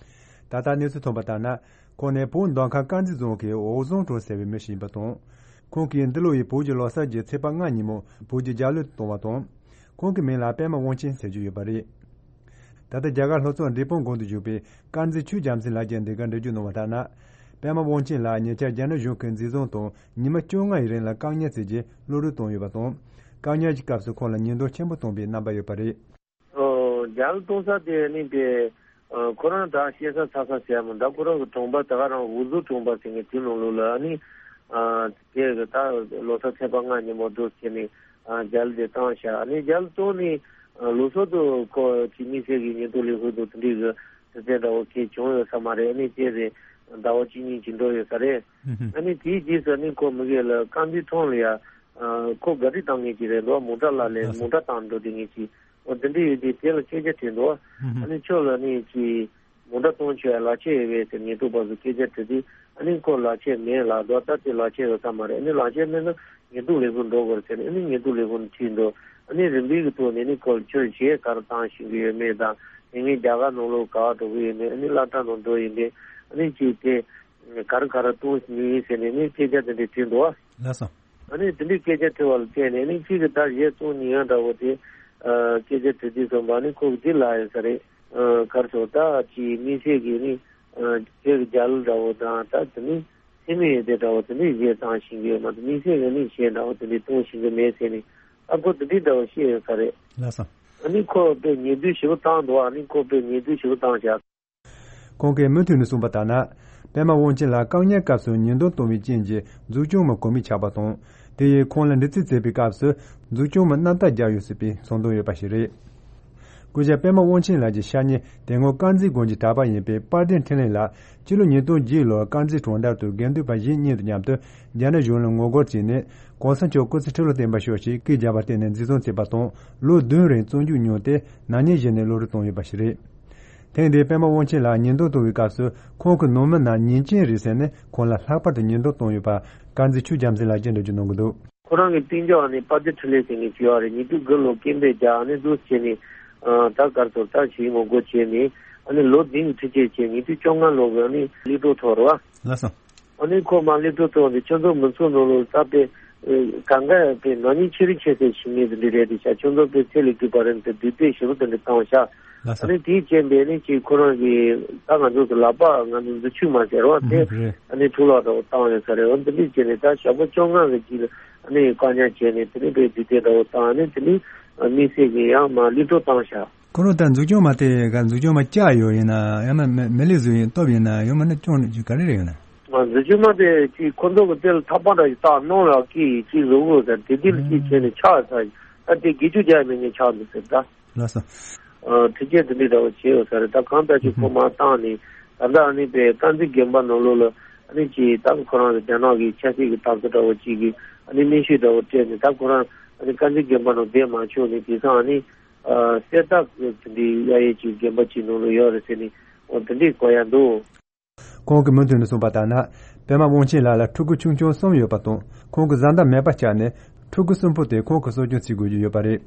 ད་ལྟ་གནས་ཚུལ་ཐོན་པ་ལྟར་ན། ཁོང་ནི་བོད་མདོ་ཁམས་དཀར་མཛེས་རྫོང་གི་འོག་རྫོང་གྲོང་ཟེར་བའི་མི་ཞིག་ཡིན་པ་དང་། ཁོང་གིས་འདི་ལོ་ཡི་བོད་ཀྱི་ལོ་གསར་གྱི་ཚེས་པ་ལྔ་ཉིན་མོ་བོད་ཀྱི་རྒྱལ་གླུ་གཏོང་བ་དང་། ཁོང་གི་མིང་ལ་པད་མ་དབང་ཆེན་ཟེར་གྱི་ཡོད་པ་རེད། ད་ལྟ་རྒྱ་གར་ལྷོ་ཕྱོགས་འབྲས་སྤུངས་དགོན་དུ་བཞུགས་པའི་དཀར་མཛེས་ཆོས་རྒྱལ་མཚན་ལགས་ཀྱིས་འདི་གར་འགྲེལ་བརྗོད་གནང་བ་ལྟར་ན། པད་མ་དབང་ཆེན་ལགས་ཉེ་ཆར་རྒྱ་ནག་གཞུང་གིས་འཛིན་བཟུང་དང་ཉི་མ་བཅོ་ལྔ་ཡི་རིང་ལ་བཀག་ཉར་བྱས་རྗེས་གློད་གྲོལ་བཏང་ཡོད་པ་དང་། བཀག་ཉར་གྱི་སྐབས་སུ་ཁོང་ལ་ཉེས་རྡུང་ཆེན་པོ་བཏང་པའི་རྣམ་པ་ཡོད་པ་རེད། ཨོ། རྒྱ་གླུ་གཏོང་ས་དེ་ནི་དེ། ཨ། ཁོ་རང་ད་བཤད་ས་ཚ་ས་ཟེར་མོ་འདྲ། ཁོ་རང་གི་གྲོང་པ་ད་ག་རང་འུ་ཟུ་གྲོང་པ་ཟེར་མཁན་དེ་ནང་ལོགས་ལ་ཨ་ནི། ཨ། དེ་གི་ད་ལོ་གསར་ཚེས་པ་ལྔ་ཉིན་མོ་འདུག་ཟེར་ནས། ཨ། རྒྱ་གླུ་དེ་བཏང་ཤག་ཨ་ནི་རྒྱ་གླུ་གཏོང་ནི། ཨ། ལོ་སོ་དུ་ཁོ་ཅི་མི་སེར་གི་ཉེན་རྟོག་ལས་ཁུངས་དུ་དེ་འདྲའི་གི་དེ་ཚེ་འདྲ་བོ་ཁེ་བྱུང་ཡོད་ས་མ་རེད། ཨ་ནི་དེ་རེད། ཟླ་བ་གཅིག་གཉིས་ཅིག་འགྲོ་ཡོད་ས་རེད། ཨ་ནི་དེའི་རྗེས་སུ་ཨ་ནི་ཁོ་མི་གེ་ལ་རྐང་འཛིན་ཐོང་ལ་ཡ། ཨ། ཁོ་ག་རི་བཏང་མཁན་ཅིག་རེད་འདུག་མོ་ཊ་ལ་ལས་མོ་ཊ་བཏང་འགྲོ་དེ་ངེས་ཅིག་འོ་དེ་འདྲ་ཡོད་དུས་དེ་ལ་སྐད་ཆ་དྲིས་འདུག་ཨ་ནི་ཁྱོད་ལ་ནི་ཅི་མོ་ཊ་གཏོང་ཆོག་ཡ་ལག་ཁྱེར་ཡོད་པས་ཟེར་ཉེན་རྟོག་པ་ཚོས་སྐད་ཆ་དྲིས་དུས་ཨ་ནི་ཁོ་ལག་ཁྱེར་མེད་ལབ་འདུག་ད་དེ་ལག་ཁྱེར་ཡོད་ས་མ་རེད། ཨ་ནི་ལག་ཁྱེར་མེད་ན་ཉེན་རྟོག་ལས་ཁུངས་འགྲོ་དགོས་རེད་ཟེར་ནས་ཨ་ནི་ཉེན་རྟོག་ལས་ཁུངས་ཁྲིད་འདུག་ཨ་ནི་རིམ་པའི་གི་ཐོག་ནས་ནི་ཁོ་ལ་ཁྱོད་གཞས་ག་རེ་བཏང་ཤེས་ཀྱི་ཡོད་མེད་དང་དེ་ངས་རྒྱ་གར་ནང་ལོགས་ག་པར་འགྲོ་གི་ཡོད་མེད་ཨ་ནི་སློབ་གྲྭ་ནང་འགྲོ་ཡིན་པས་ཨ་ནི་ཅིག་དེ་ག་རེ་ག་རེ་གཏོང་ནི་ཡིན་ཟེར་ནས་ནི་སྐད་ཆ་དེ་འདྲ་དྲིས་འདུག་ལགས་སོ། ཨ་ནི་དེ་འདྲའི་སྐད་ཆ་དྲི་བ་ལ་བརྟེན་ནས་ནི་གཅིག་གི་ད་གཞས་གཏོང་ནི་ཡང་འདྲ་བོ་དེ། ཨ། སྐད་ཆ་དྲི་དུས་ཙམ་པ་ནི་ཁོ་གི་འདི་ལ་ཡོད་ས་རེད། ཨ། ག་རེ་ཟེར་ད་ཅིག་མི་སེར་གྱི་ནི། ཨ། ཁྱེད་ཀྱི་རྒྱ་གླུ་འདྲ་བོ་དང་ད་དེ་ནི་སེམས་ཡོད་དེ་འདྲ་བོ་དེ་འདྲའི་གཞས་བཏང་ཤེས་ཀྱི་ཡོད་མ་གཏོགས་མི་སེར་གྱི་ནི་གཞས་འདྲ་བོ་དེ་འདྲའི་གཏོང་ཤེས་ཀྱི་མེད་ཟེར་ནས་ཨ་ཁོ་དེ་འདྲའི་འདྲ་བོ་བཤད་ཡོད་ས་རེད། ལགས་སོ། ཨ་ནི་ཁོ་དཔེ་ཉེས་རྡུང་ཞེ་པོ་བཏང་འདུག་ཨ་ནི་ཁོ་དཔེ་ཉེས་རྡུང་ཞེ་པོ་བཏང་བཞག་ཁོང་གིས་མུ་མཐུད་ནས་གསུངས་པ་ལྟར་ན། པད་མ་དབང་ཆེན་ལགས་བཀག་ཉར་སྐབས་སུ་ཉེན་རྡུང་གཏོང་བའི་རྐྱེན་གྱིས་མཛུབ་གཅོང་མ་གོ་མི་ཆགས་པ་དང་། དེ་ཡིས་ཁོང་ལ་འདྲི་རྩད་བྱས་པའི་སྐབས་སུ་མཛུབ་གཅོང་མ་རྣམ་དག་བརྒྱབ་ཡོད་སྲིད་པའི་ཚོར་འདུ་ཡོད་པ་ཞིག་རེད། སྐུ་ཞབས་པད་མ་དབང་ཆེན་ལགས་ཀྱི་ཤ་ཉེ་དེ་སྔོན་དཀར་མཛེས་དགོན་གྱི་གྲྭ་པ་ཡིན་པའི་དཔལ་ལྡན་འཕྲིན་ལས་ལགས་སྤྱི་ལོ་ཉིས་སྟོང་བརྒྱད་ལོར་དཀར་མཛེས་གྲོང་རྡལ་དུ་དགེ་འདུན་པ་གཞན་གཉིས་དང་མཉམ་དུ་རྒྱ་ནག་གཞུང་ལ་ངོ་རྒོལ་བྱས་ནས་གོང་ས་མཆོག་སྐུ་ཚེ་ཁྲི་ལོ་བརྟན་པར་ཤོག་ཅེས་སྐད་བརྒྱབ་པར་བརྟེན་ནས་འཛིན་བཟུང་བྱས་པ་དང་ལོ་བདུན་རིང་བཙོན་འཇུག་མྱོང་སྟེ་ན་ནིང་གཞི་ནས་གློད་གྲོལ་བཏང་ཡོད་པ་ཞིག་རེད། ཐེངས་འདིའི་པད་མ་དབང་ཆེན་ལགས་ཉེན་རྡུང་གཏོང་བའི་སྐབས་སུ་ཁོང་གི་ནང་མི་རྣམས་ཉེས་ཅན་རེད་ཟེར་ནས་ཁོང་ལ་ལྷག་པར་དུ་ཉེན་རྡུང་བཏང་ཡོད་པ་དཀར་མཛེས་ཆོས་རྒྱལ་མཚན་ལགས་ཀྱིས་འགྲེལ་བརྗོད་གནང་གི་འདུག་ཁོ་རང་གི་གཏན་འཇགས་ནི་དཔལ་ལྡན་འཕྲིན་ལས་ཟེར་མཁན་ཅིག་ཡོད་རེད། ཉིས་སྟོང་དགུ་ལོ་སྐད་འབོད་རྒྱག་ནི་འདུག་བྱས་ནས་ད་གར་ཚོར་ལྟ་ཞིག་ངོ་རྒོལ་བྱས་ནས་ཨ་ནི་ལོ་བདུན་གྱི་ཁྲི་ཆད་བྱས་ཉིས་སྟོང་བཅོ་ལྔ་ལོ་གི་ཨ་ནི་གློད་གྲོལ་ཐོབ་རེད་བ། ལགས་སོ། ཨ་ནི་ཁོ་མར་གློད་གྲོལ་ཐོབ་ནས་ཁྱོད་ཚོ་མི་ཚོགས་ནང་ལོགས་ས་པའི་གང་ག་པའི་ནག་ཉེས་ཆེ་རིགས་ཆེ་སའི་ཞིག་ངེས་དེ་འདྲ་རེད་དེ་ཤ་ཁྱོད་ཚོ་པའི་ཚེ་ལས་སྒྲུབ་པ་རེད་དེ་སྡུག་དེ་ཞེ་པོ་དེ་འདྲ་བཏང་བཞག་ལགས་སོ། ཨ་ནི་དེའི་རྐྱེན་པས་ནི་ཅིག་ཁོ་རང་གིས་ད་ང་ཚོ་གི་ལག་པ་ང་ཚོ་མཛུབ་ཆུ་མ་ཟེར་བ་དེ་ཨ་ནི་འཁྲུ་ལག་འདྲ་བོ་བཏང་ཡོད་ས་རེད། འོ་འདི་འདྲའི་རྐྱེན་ནས་ད་ཞག་པོ་བཅོ་ལྔ་གི་རྗེས་ལ་ཨ་ནི་བཀག་ཉར་བྱས་ནས་དེ་ནི་དཔེ་སྡུག་དེ་འདྲ་བོ་བཏང་ནས་དེ་ནི་དམིགས་བསལ་གྱི་ཡང་མ་གློད་གྲོལ་བཏང་བཞག་ཁོ་རང་ད་མཛུབ་གཅོང་མ་དེ་ག་མཛུབ་གཅོང་མ་བཅག་ཡོད་ཡིན་ན་ཡང་མ་མི་ལི་བཟོས་ཡིན་སྟོབས་ཡིན་ན་ཡང་མིན་ན་གཅོང་ག་རེ་རེད་ཡོད་ན། མཛུབ་གཅོང་མ་དེ་ཅིག་ཁོ་ཚོ་གི་དེ་ལ་ཐག་པ་འདྲ་ཞིག་བཏགས་གནང་ལ་ཀི་ཅིག་བཟོ་དགོས་ཟེར་དེ་དེ་ལ་ཅིག་བྱས་ནས་ཆག་ཟེར་ད་དེ་དགེ་ཆོས་རྒྱག་མི་ཉན་ཆག་འདུག་ཟེར་ད། ལགས་སོ། ཨ། ཁྲི་ཆད་དེ་འདྲའི་འདྲ་བོ་བྱས་ཡོད་ས་རེད། ད་གང་ལྟར་ཅིག་ཁོ་མར་བཏང་ནས་ད་ལྟ་ཨ་ནི་པའི་དཀར་མཛེས་དགོན་པ་ནང་ལོགས་ལ་ཨ་ནི་ཅིག་ད་ཁོ་རང་གི་རྒྱ་ནག་གི་ཆབ་སྲིད་ཀྱི་འཐབ་རྩོད་འདྲ་བོ་ཅིག་གི་ ཨ་ནི་གནོན་ཤུགས་འདྲ་བོ་སྤྲད་ནས། ད་ཁོ་རང་ཨ་ནི་བཀའ་འཛིན་དགོན་པ་ནང་བསྡད་མ་བཅུག་ནས། དེང་སང་ཨ་ནི་ཨ་གསེར་རྟ་དེ་འདྲའི་གཡར་ཡས་ཀྱི་དགོན་པ་ཅིག་ནང་ལ་ཡོད་རེད་ཟེར་ནས། འོ་དེ་འདྲའི་གོ་ཡ་འདུག། ཁོང་གིས་མུ་མཐུད་ནས་གསུངས་པ་ལྟར་ན། པད་མ་དབང་ཆེན་ལགས་ལ་ཕྲུ་གུ་ཆུང་ཆུང་གསུམ་ཡོད་པ་དང་། ཁོང་གི་བཟའ་ཟླ་མེད་པ་ཆགས་ནས། ཕྲུ་གུ་གསུམ་པོ་དེ་ཁོང་གིས་གསོ་སྐྱོང་བྱེད་དགོས་ཀྱི་ཡོད་པ་རེད།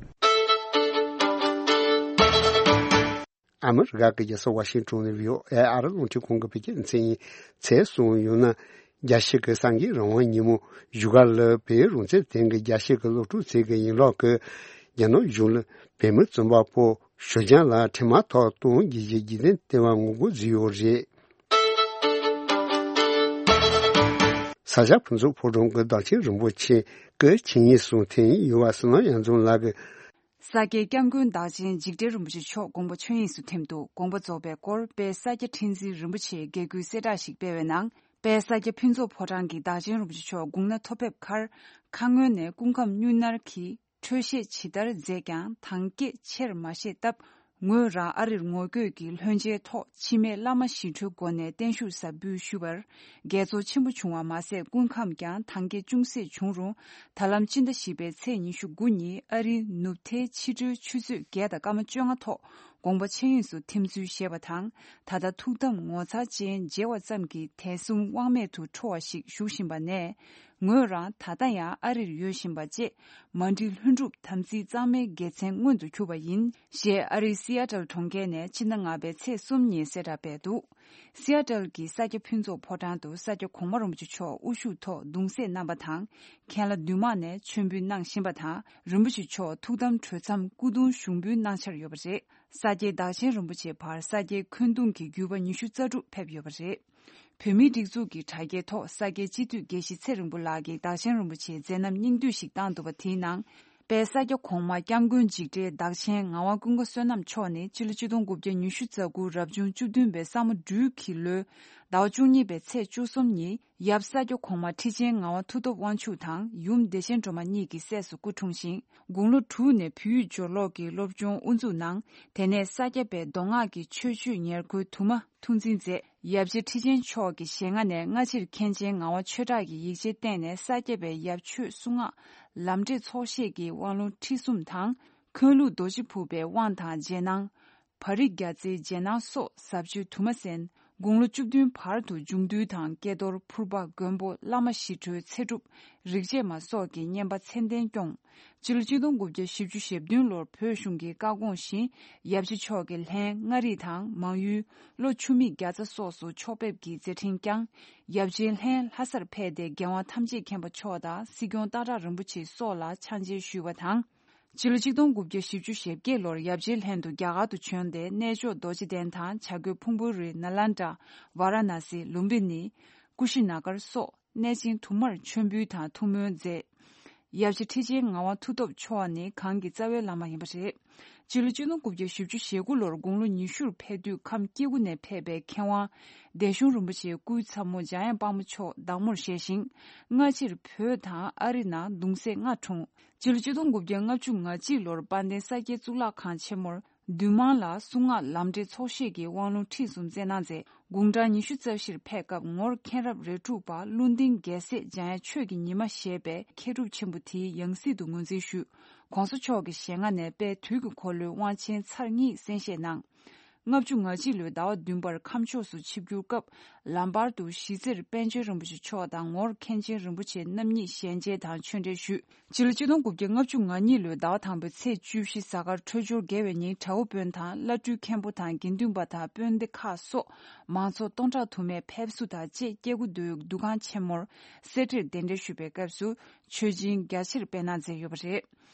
ཨ་མི་རི་ཀ་གི་རྒྱལ་ས་ཝ་ཤིང་ཊོན་ནས་བྷི་ཨོ་ཨེ་ཨ་རི་རླུང་འཕྲིན་ཁང་གི་བོད་སྐད་སྡེ་ཚན་ཡིན། ཚེས་གསུམ་ཡོང་ན། རྒྱལ་སྤྱི་གི་སངས་རྒྱས་རང་དབང་ཉིན་མོ་བཞུགས་སྒར་ལ་བོད་རང་བཙན་ལྡན་གྱི་རྒྱལ་སྤྱི་གི་སློབ་ཕྲུག་ཚོའི་གི་ཡིན་ལོག་གི། རྒྱ་ནག་གཞུང་ལ་བོད་མི་བཙོན་པ་པོ་ཞོལ་རྒྱང་ལ་འཕྲིན་མ་ཐོག་གཏོང་རྒྱུ་གི་རྒྱུ་མཚན་སྟེར་བ་ངོ་རྒོལ་བཟོས་ཡོད་རེད། ས་སྐྱ་ཕུན་ཚོགས་ཕོ་བྲང་གི་བདག་ཆེན་རིན་པོ་ཆེ་གི་ཆིངས་ཡིག་སྲུང་མཐུན་ཡིན་ཡོད་པ་སི་ནམ་གཡང་འཛོམས་ལགས་ཀྱིས། ས་སྐྱའི་སྐྱབས་མགོན་བདག་ཆེན་འཇིགས་བྲལ་རིན་པོ་ཆེ་མཆོག་དགོངས་པ་ཆོས་དབྱིངས་སུ་ཐིམ་འདུག། དགོངས་པ་རྫོགས་པའི་སྐོར་དཔལ་ས་སྐྱ་ཁྲི་འཛིན་རིན་པོ་ཆེས་དགེ་སྐུལ་གསལ་བསྒྲགས་ཤིག་སྤེལ་བའི་ནང་། དཔལ་ས་སྐྱ་ཕུན་ཚོགས་ཕོ་བྲང་གི་བདག་ཆེན་རིན་པོ་ཆེ་མཆོག་དགུང་ན་ཐོ་ཕེབས་ཁར། ཁ་སྔོན་ནས་སྐུ་ཁམས་སྨྱུང་གནས་ཀྱི་འཕྲོས་བཤད་ཇི་ལྟར་མཛད་ཀྱང་དང་སྐད་ཆེར་མ་བཤད་སྟབས། ངོས་རང་ཨ་རིར་ངོ་བསྐྱོད་ཀྱིས་ལྷན་མཇལ་ཐོག་འཆི་མེད་བླ་མ་ཞི་ཁྲོའི་སྒོ་ནས་བརྟན་བཞུགས་ཟབ་འབུལ་ཞུས་པར། དགྱེས་ཚོར་ཆེན་པོ་བྱུང་བ་མ་ཟད། སྐུ་ཁམས་ཀྱང་དང་སྐད་ཅུང་ཟད་བྱུང་རུང་། ད་ལམ་སྤྱི་ཟླ་བཞི་པའི་ཚེས་ཉི་ཤུ་དགུ་ཉིན་ཨ་རིའི་ནུབ་མཐའི་ཕྱི་དྲོའི་ཆུ་ཚོད་བརྒྱད་དང་སྐར་མ་བཅོ་ལྔ་ཐོག་དགོངས་པ་ཆོས་དབྱིངས་སུ་ཐིམ་ཚུལ་བཞེས་པ་དང་། ད་ལྟ་ཐུགས་དམ་ངོ་མཚར་ཅན་མཇལ་བ་ཙམ་གྱིས་དད་གསུམ་དབང་མེད་དུ་འཕྲོ་བ་ཞིག་བཞུགས་བཞིན་པ་ནས། ངོས་རང་ད་ལྟ་ཡང་ཨ་རིར་ཡོད་བཞིན་པ་བཅས། མ་འགྲིག་ལྷུན་གྲུབ་དམ་ཚིག་གཙང་མའི་དགེ་མཚན་མངོན་དུ་གྱུར་པ་ཡིན། ཞེས་ཨ་རིའི་སི་ཨ་ཏལ་གྲོང་ཁྱེར་ནས་ཕྱི་ཟླ་ལྔ་པའི་ཚེས་གསུམ་ཉིན་གསལ་བསྒྲགས་སྤེལ་འདུག། སི་ཨ་ཏལ་གྱི་ས་སྐྱ་ཕུན་ཚོགས་ཕོ་བྲང་དུ་ས་སྐྱ་གོང་མ་རིན་པོ་ཆེ་མཆོག་དབུ་བཞུགས་ཐོག་གདུང་སྲས་རྣམ་པ་དང་། མཁན་བླ་འདུས་མང་ནས་མཆོད་འབུལ་གནང་བཞིན་པ་དང་། རིན་པོ་ཆེ་མཆོག་ཐུགས་དམ་གྲོལ་མཚམས་སྐུ་གདུང་ཞུགས་འབུལ་གནང་འཆར་ཡོད་པ་རེད། ས་སྐྱའི་བདག་ཆེན་རིན་པོ་ཆེ་བར་ས་སྐྱའི་འཁོན་གདུང་གི་བརྒྱུད་པ་ཉི་ཤུ་རྩ་དྲུག་ཕེབས་ཡོད་པ་རེད། བོད་མིའི་སྒྲིག་འཛུགས་ཀྱི་དྲ་རྒྱའི་ཐོག་ས་སྐྱའི་སྤྱི་འཐུས་དགེ་བཤེས་ཚེ་རིང་པོ་ལགས་ཀྱིས་བདག་ཆེན་རིན་པོ་ཆེའི་མཛད་རྣམ་སྙིང་བསྡུས་ཤིག་བཏང་འདུག་པ། དེའི་ནང་། དཔལ་ས་སྐྱ་གོང་མ་སྐྱབས་མགོན་འཇིགས་བྲལ་བདག་ཆེན་ངག་དབང་ཀུན་དགའ་བསོད་ནམས་མཆོག་ནི་སྤྱི་ལོ་ཆིག་སྟོང་དགུ་བརྒྱ་ཉི་ཤུ་རྩ་དགུ་རབ་བྱུང་བཅུ་བདུན་པའི་ས་མོ་སྦྲུལ་གྱི་ལོའི་ཟླ་བ་བཅུ་གཉིས་པའི་ཚེས་བཅུ་གསུམ་ཉིན་ཡབ་ས་སྐྱ་གོང་མ་ཁྲི་ཆེན་ངག་དབང་མཐུ་སྟོབས་དབང་ཕྱུག་དང་ཡུམ་བདེ་ཆེན་སྒྲོལ་མ་གཉིས་ཀྱི་སྲས་སུ་སྐུ་འཁྲུངས་ཤིང་། དགུང་ལོ་དྲུག་ནས་བོད་ཡིག་སྦྱོར་ཀློག་གི་སློབ་སྦྱོང་དབུ་འཛུགས་གནང་། དེ་ནས་ས་སྐྱ་པའི་མདོ་སྔགས་ཀྱི་ཆོས་སྤྱོད་ཉེར་མཁོའི་དུ་མ་ཐུགས་འཛིན་མཛད། ཡབ་རྗེ་ཁྲི་ཆེན་མཆོག་གི་ཞལ་སྔ་ནས་སྔ་ཕྱིར་མཁན་ཆེན་ངག་དབང་ཆོས་གྲགས་ཀྱི་ཡིག་ཆའི་སྟེང་ནས་ས་སྐྱ་པའི་ཡབ་ཆོས་གསུང་ངག་ལམ་འབྲས་ཚོགས་བཤད་ཀྱི་དབང་ལུང་ཁྲིད་གསུམ་དང་། འཁོན་ལུགས་རྡོ་རྗེ་ཕུར་པའི་དབང་དང་རྗེས་གནང་། བ་རི་རྒྱ་རྩའི་རྗེས་གནང་སོགས་ཟབ་ཆོས་དུ་མ་གསན། དགུང་ལོ་བཅུ་བདུན་བར་དུ་འབྱུང་འདུལ་དང་ཀྱེ་རྡོར་ཕུར་པ་མགོན་པོ་བླ་མ་ཞི་ཁྲོའི་ཚེ་སྒྲུབ་རིག་བྱེད་མ་སོགས་ཀྱི་བསྙེན་པ་མཚན་ལྡན་སྐྱོང་། སྤྱི་ལོ་ཆིག་སྟོང་དགུ་བརྒྱ་བཞི་བཅུ་ཞེ་བདུན་ལོར་བོད་གཞུང་གི་བཀའ་དགོངས་བཞིན་ཡབ་རྗེ་མཆོག་གི་ལྷན་མངའ་རིས་དང་མང་ཡུལ། ལྷོ་ཆུ་མིག་རྒྱ་ཚ་སོགས་སུ་ཕྱོགས་ཕེབས་ཀྱི་མཛད་འཕྲིན་བསྐྱངས། ཡབ་རྗེའི་ལྷན་ལྷ་སར་ཕེབས་ཏེ་རྒྱལ་དབང་ཐམས་ཅད་མཁྱེན་པ་མཆོག་དང་སྲིད་སྐྱོང་སྟག་བྲག་རིན་པོ་ཆེ་སོགས་ལ་ཕྱག་མཇལ་ཞུས་པ་དང་། སྤྱི་ལོ་ཆིག་སྟོང་དགུ་བརྒྱ་བཞི་བཅུ་ཞེ་བརྒྱད་ལོར་ཡབ་རྗེའི་ལྷན་དུ་རྒྱ་གར་དུ་བྱོན་ཏེ་གནས་མཆོག་རྡོ་རྗེ་གདན་དང་བྱ་རྒོད་ཕུང་པོའི་རི་ནཱ་ལེནྡྲ། ཝཱ་ར་ཎ་སི། ལུམ་བི་ནི། ཀུ་ཤི་ན་གར་སོགས་གནས་ཆེན་དུ་མར་མཆོད་འབུལ་དང་ཐུགས་སྨོན་མཛད། ཡབ་རྗེ་ཁྲི་ཆེན་ངག་དབང་མཐུ་སྟོབས་མཆོག་ནི་གང་གི་རྩ་བའི་བླ་མ་ཡིན་པ་རེད། སྤྱི་ལོ་ཆིག་སྟོང་དགུ་བརྒྱ་བཞི་བཅུ་ཞེ་དགུ་ལོར་དགུང་ལོ་ཉི་ཤུར་ཕེབས་དུས་ཁམས་སྐྱེ་དགུ་ནས་ཕེབས་པའི་མཁས་དབང་། སྡེ་གཞུང་རིན་པོ་ཆེའི་སྐུའི་ཚ་མོ་འཇམ་དབྱངས་དཔལ་མོ་མཆོག་བདག་མོར་བཞེས་ཤིང་། སྔ་ཕྱིར་བོད་དང་ཨ་རི་ནང་གདུང་སྲས་ལྔ་འཁྲུངས། སྤྱི་ལོ་ཆིག་སྟོང་དགུ་བརྒྱ་ལྔ་བཅུ་ང་གཅིག་ལོར་དཔལ་ལྡན་ས་སྐྱའི་གཙུག་ལག་ཁང་ཆེན་མོར་འདུས་མང་ལ་གསུང་ངག་ལམ་འབྲས་ཚོགས་བཤད་ཀྱི་དབང་ལུང་ཁྲིད་གསུམ་སྩལ་གནང་མཛད། དགུང་གྲངས་ཉི་ཤུ་རྩ་བཞིར་ཕེབས་སྐབས་ངོར་མཁན་རབས་རེ་དྲུག་པ་ཀླུ་ལྡིང་རྒྱལ་སྲས་འཇམ་དབྱངས་ཆོས་ཀྱི་ཉི་མ་ཞེས་པའི་མཁས་གྲུབ་ཆེན་པོ་དེའི་ཡང་སྲིད་དུ་ངོས་འཛིན་ཞུས། ྋགོང་ས་མཆོག་གི་ཞལ་སྔ་ནས་དཔལ་དུས་ཀྱི་འཁོར་ལོའི་དབང་ཆེན་ཚར་གཉིས་གསན་བཞེས་གནང་། ལྔ་བཅུ་ང་གཅིག་ལོའི་ཟླ་བ་བདུན་པར་ཁམས་ཕྱོགས་སུ་ཆིབས་བསྒྱུར་སྐབས། ལམ་བར་དུ་གཞིས་རྩེར་པཎ་ཆེན་རིན་པོ་ཆེ་མཆོག་དང་ངོར་མཁན་ཆེན་རིན་པོ་ཆེ་རྣམ་གཉིས་ཞལ་མཇལ་དང་ཆོས་འབྲེལ་ཞུས། སྤྱི་ལོ་ཆིག་སྟོང་དགུ་བརྒྱ་ལྔ་བཅུ་ང་གཉིས་ལོའི་ཟླ་བ་དང་པོའི་ཚེས་བཅུ་བཞི་གཟའ་སྐར་འཕྲོད་སྦྱོར་དགེ་བའི་ཉིན་བྲག་འོག་དཔོན་དང་བླ་སྤྲུལ་མཁན་པོ་དང་དགེ་འདུན་པ་དང་དཔོན་སྡེ་ཁག་སོགས་མང་ཚོགས་སྟོང་ཕྲག་དུ་མས་ཕེབས་བསུ་དང་བཅས་སྐྱེ་རྒུ་མདོའི་འདུ་ཁང་ཆེན་མོར་གསེར་ཁྲིར་གདན་འདྲེན་ཞུས་པའི་སྐབས་སུ་མཆོད་སྦྱིན་རྒྱ་ཆེར་སྤེལ་གནང་མཛད་ཡོད་པ་རེད།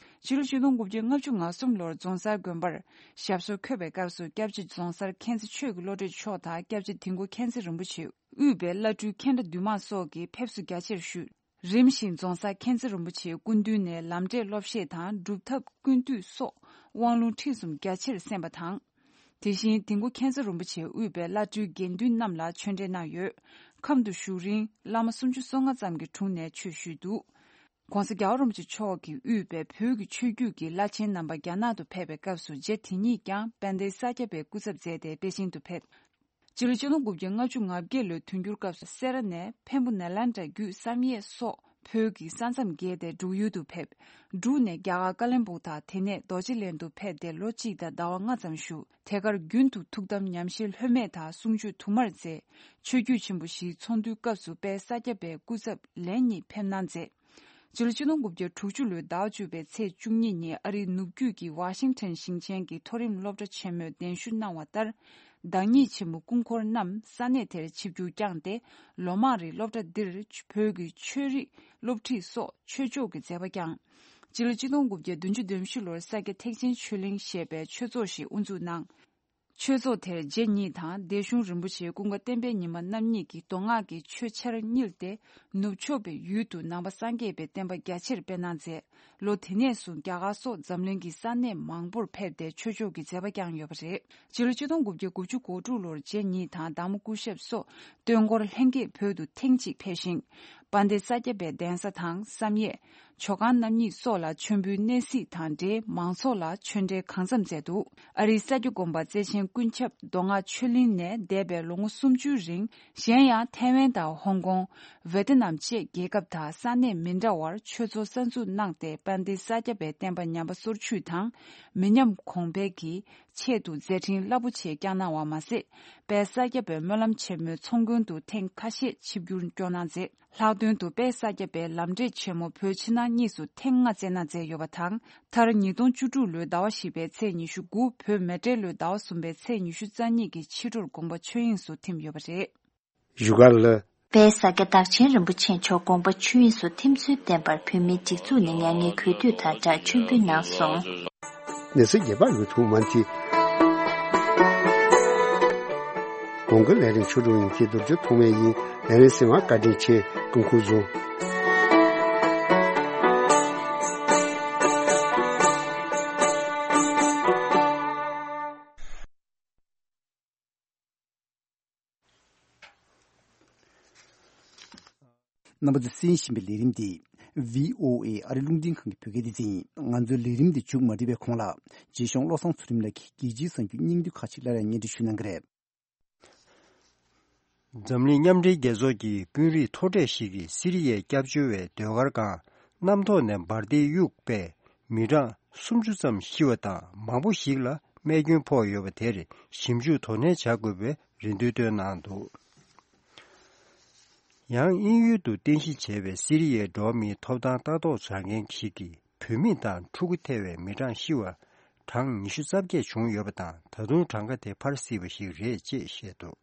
སྤྱི་ལོ་ཆིག་སྟོང་དགུ་བརྒྱ་ལྔ་བཅུ་ང་གསུམ་ལོར་རྫོང་སར་དགོན་པར་ཞབས་སོར་འཁོད་པའི་སྐབས་སུ་སྐྱབས་རྗེ་རྫོང་སར་མཁྱེན་བརྩེ་ཆོས་ཀྱི་བློ་གྲོས་མཆོག་དང་སྐྱབས་རྗེ་དིལ་མགོ་མཁྱེན་བརྩེ་རིན་པོ་ཆེ་དབུས་པའི་བླ་སྤྲུལ་མཁན་བརྒྱ་འདུས་མང་སོགས་ཀྱིས་ཕེབས་བསུ་རྒྱ་ཆེར་ཞུས། རིམ་བཞིན་རྫོང་སར་མཁྱེན་བརྩེ་རིན་པོ་ཆེའི་སྐུ་མདུན་ནས་ལམ་འབྲས་སློབ་བཤད་དང་སྒྲུབ་ཐབས་ཀུན་བཏུས་སོགས་དབང་ལུང་ཁྲིད་གསུམ་རྒྱ་ཆེར་གསན་པ་དང་། དེ་བཞིན་དིལ་མགོ་མཁྱེན་བརྩེ་རིན་པོ་ཆེ་དབུས་པའི་བླ་སྤྲུལ་དགེ་འདུན་རྣམས་ལ་ཆོས་འབྲེལ་གནང་ཡོད། ཁམས་དུ་བཞུགས་རིང་བླ་མ་སུམ་ཅུ་སོ་ལྔ་ཙམ་གྱི་དྲུང་ནས་ཆོས་ཞུས་འདུག། ྋགོང་ས་རྒྱལ་བ་རིན་པོ་ཆེ་མཆོག་གིས་དབུས་པའི་བོད་ཀྱི་ཆོས་བརྒྱུད་ཀྱི་བླ་ཆེན་རྣམ་པ་རྒྱ་ནག་ཏུ་ཕེབས་པའི་སྐབས་སུ་རྗེ་དེ་ཉིད་ཀྱང་དཔལ་ལྡན་ས་སྐྱ་པའི་སྐུ་ཚབ་མཛད་དེ་པེ་ཅིང་དུ་ཕེབས། སྤྱི་ལོ་ཆིག་སྟོང་དགུ་བརྒྱ་ལྔ་བཅུ་ང་བརྒྱད་ལོའི་དུས་འགྱུར་སྐབས་སུ་སེ་ར་ནས་འཕན་པོ་ནཱ་ལེནྡྲ་བརྒྱུད་བསམ་ཡས་སོགས་ བོད་ཀྱི་ས་མཚམས་བརྒལ་ཏེ་འབྲུག་ཡུལ་དུ་ཕེབས། འབྲུག་ནས་རྒྱ་གར་ཀ་ལོན་སྦུག་དང་དེ་ནས་རྡོ་རྗེ་གླིང་དུ་ཕེབས་ཏེ་ལོ་གཅིག་དང་ཟླ་བ་ལྔ་ཙམ་བཞུགས། དེ་གར་རྒྱུན་དུ་ཐུགས་དམ་ཉམས་བཞེས་ལྷོད་མེད་དང་གསུང་ཆོས་དུ་མར་མཛད། ཆོས་བརྒྱུད་ཆེན་པོ་བཞིའི་ཚོགས་འདུའི་སྐབས་སུ་དཔལ་ས་སྐྱ་པའི་སྐུ་ཚབ་ལན་གཉིས་ཕེབས་གནང་མཛད། སྤྱི་ལོ་ཆིག་སྟོང་དགུ་བརྒྱ་དྲུག་ཅུ་ལོའི་ཟླ་བ་བཅུ་པའི་ཚེས་བཅུ་གཉིས་ཉིན་ཨ་རིའི་ནུབ་རྒྱུད་ཀྱི་ཝ་ཤིང་ཊོན་ཞིང་ཆེན་གྱི་མཐོ་རིམ་སློབ་གྲྭ་ཆེན་མོས་གདན་ཞུ་གནང་བ་ལྟར། བདག་ཉིད་ཆེན་མོ་སྐུ་འཁོར་རྣམས་ས་གནས་དེར་ཆིབས་བསྒྱུར་བསྐྱངས་ཏེ། ལོ་མང་རིང་སློབ་གྲྭ་འདིར་བོད་ཀྱི་ཆོས་རིག་སློབ་ཁྲིད་སོགས་ཆོས་ཕྱོགས་ཀྱི་མཛད་པ་བསྐྱངས། སྤྱི་ལོ་ཆིག་སྟོང་དགུ་བརྒྱ་བདུན་ཅུ་དོན་བཞི་ལོར་ས་སྐྱ་ཐེག་ཆེན་ཆོས་གླིང་ཞེས་པའི་ཆོས་ཚོགས་ཤིག་དབུ་འཛུགས་གནང་། ཆོས་ཚོགས་དེར་རྗེ་ཉིད་དང་སྡེ་གཞུང་རིན་པོ་ཆེ་ཀུན་དགའ་བསྟན་པའི་ཉི་མ་རྣམ་གཉིས་ཀྱིས་མདོ་སྔགས་ཀྱི་ཆོས་ཆར་བསྙིལ་ཏེ། ནུབ་ཕྱོགས་པའི་ཡུལ་དུ་ནང་པ་སངས་རྒྱས་པའི་བསྟན་པ་རྒྱ་ཆེར་སྤེལ་གནང་མཛད། ལོ་དེ་ནས་བཟུང་རྒྱ་གར་སོགས་འཛམ་གླིང་གི་ས་གནས་མང་པོར་ཕེབས་ཏེ་ཆོས་ཕྱོགས་ཀྱི་མཛད་པ་བསྐྱངས་ཡོད་པ་རེད། སྤྱི་ལོ་ཆིག་སྟོང་དགུ་བརྒྱ་དགུ་བཅུ་གོ་དྲུག་ལོར་རྗེ་ཉིད་དང་བདག་མོ་སྐུ་ཞབས་སོགས་སྟོན་འཁོར་ལྷན་རྒྱས་བོད་དུ་ཐེངས་གཅིག་ཕེབས་ཤིང་། དཔལ་ལྡན་ས་སྐྱ་པའི་གདན་ས་དང་བསམ་ཡས། ཇོ་ཁང་རྣམ་གཉིས་སོགས་ལ་མཆོད་འབུལ་གནས་གཟིགས་དང་འབྲེལ་མང་ཚོགས་ལ་ཆོས་འབྲེལ་གང་འཚམ་མཛད་འདུག་ཨ་རིའི་ས་སྐྱ་དགོན་པ་བརྩེ་ཆེན་ཀུན་ཁྱབ་མདོ་སྔགས་ཆོས་གླིང་ནས་འདས་པའི་ལོ་ངོ་སུམ་ཅུའི་རིང་། གཞན་ཡང་ཐའེ་ཝན་དང་ཧོང་ཀོང་། ཝེ་ཏི་ནམ་བཅས་རྒྱལ་ཁབ་དང་ས་གནས་མི་འདྲ་བར་ཆོས་ཚོགས་གསར་འཛུགས་གནང་སྟེ། དཔལ་ལྡན་ས་སྐྱ་པའི་བསྟན་པ་ཉམས་པ་སོར་ཆུད་དང་། མི་ཉམས་གོང་འཕེལ་གྱི་ཆེད་དུ་མཛད་འཕྲིན་རླབས་པོ་ཆེ་བསྐྱངས་གནང་བ་མ་ཟད། དཔལ་ས་སྐྱ་པའི་སྨོན་ལམ་ཆེན་མོའི་ཚོགས་མགོན་དུ་ཐེངས་ཁ་ཤས་ཆིབས་བསྒྱུར་བསྐྱངས་གནང་མཛད། ལྷག་དོན་དུ་དཔལ་ས་སྐྱ་པའི་ལམ་འབྲས་ཆེན་མོ་བོད་ཕྱི་ནང་གཉིས་སུ་ཐེངས་ལྔ་བསྩལ་གནང་མཛད་ཡོད་པ་དང་། མཐར་ཉིས་སྟོང་བཅུ་དྲུག་ལོའི་ཟླ་བ་བཞི་པའི་ཚེས་ཉི་ཤུ་དགུ། བོད་མེ་སྤྲེལ་ལོའི་ཟླ་བ་གསུམ་པའི་ཚེས་ཉི་ཤུ་རྩ་གཉིས་ཀྱི་ཕྱི་དྲོར་དགོངས་པ་ཆོས་དབྱིངས་སུ་ཐིམ་ཡོད་པ་རེད། བཞུགས་སྒར་ལ། དཔལ་ས་སྐྱ་བདག་ཆེན་རིན་པོ་ཆེ་མཆོག་དགོངས་པ་ཆོས་དབྱིངས་སུ་ཐིམ་ཚུལ་བསྟན་པར་བོད་མིའི་སྒྲིག་འཛུགས་ནས་མྱ་ངན་གུས་འདུད་དང་སྦྲགས་མཆོད་འབུལ་གནང་སོང་། གནས་ཚུལ་རྒྱས་པ་ཡོང་ཐུབ་མ་མཐུས། གོང་གི་ལས་རིམ་ཆོས་སྒྲུང་ཡིན་གྱི་རྡོ་རྗེ་ཐོགས་མེད་ཡིན། ལས་རིམ་གསན་པར་བཀའ་དྲིན་ཆེ། སྐུ་ཁམས་བཟང་། རྣམ་པ་ཚོས་གསན་བཞིན་པའི་ལས་རིམ་འདི་བྷི་ཨོ་ཨེ་ཨ་རི་རླུང་འཕྲིན་ཁང་གི་བོད་སྐད་སྡེ་ཚན་ཡིན། ང་ཚོའི་ལས་རིམ་འདི་མཇུག་མ་སྒྲིལ་བའི་གོང་ལ་རྗེ་གཞུང་བློ་བཟང་ཚུལ་ཁྲིམས་ལགས་ཀྱིས་རྒྱལ་སྤྱིའི་གསར་འགྱུར་སྙིང་བསྡུས་ཁག་ཅིག་སླར་ཡང་སྙན་སྒྲོན་ཞུ་གནང་གི་རེད། འཛམ་གླིང་མཉམ་འབྲེལ་རྒྱལ་ཚོགས་ཀྱི་དཔོན་རིགས་མཐོ་གྲས་ཤིག་གིས་སི་རི་ཡའི་སྐྱབས་བཅོལ་བའི་ཟློས་གར་ཁང་གནམ་ཐོག་ནས་འབར་མདེལ་གཡུགས་པས་མི་གྲངས་སུམ་ཅུ་ཙམ་ཤི་བ་དང་མང་པོ་ཞིག་ལ་རྨས་སྐྱོན་ཕོག་ཡོད་པ་དེར་ཞིབ་འཇུག་དོ་ནན་བྱ་དགོས་པའི་རེ་འདུན་བཏོན་གནང་འདུག་ཡང་དབྱིན་ཡུལ་དུ་རྟེན་གཞི་བྱས་པའི་སི་རི་ཡའི་འགྲོ་བ་མིའི་ཐོབ་ཐང་ལྟ་རྟོག་བྱ་མཁན་ཞིག་གིས། བུད་མེད་དང་ཕྲུ་གུ་ཐེ་བའི་མི་གྲངས་ཤི་བ་གྲངས་ཉི་ཤུ་རྩ་བརྒྱད་བྱུང་ཡོད་པ་དང་། ད་དུང་གྲངས་ཀ་དེ་འཕར་སྲིད་པ་ཞིག་རེད་ཅེས་བཤད་འདུག་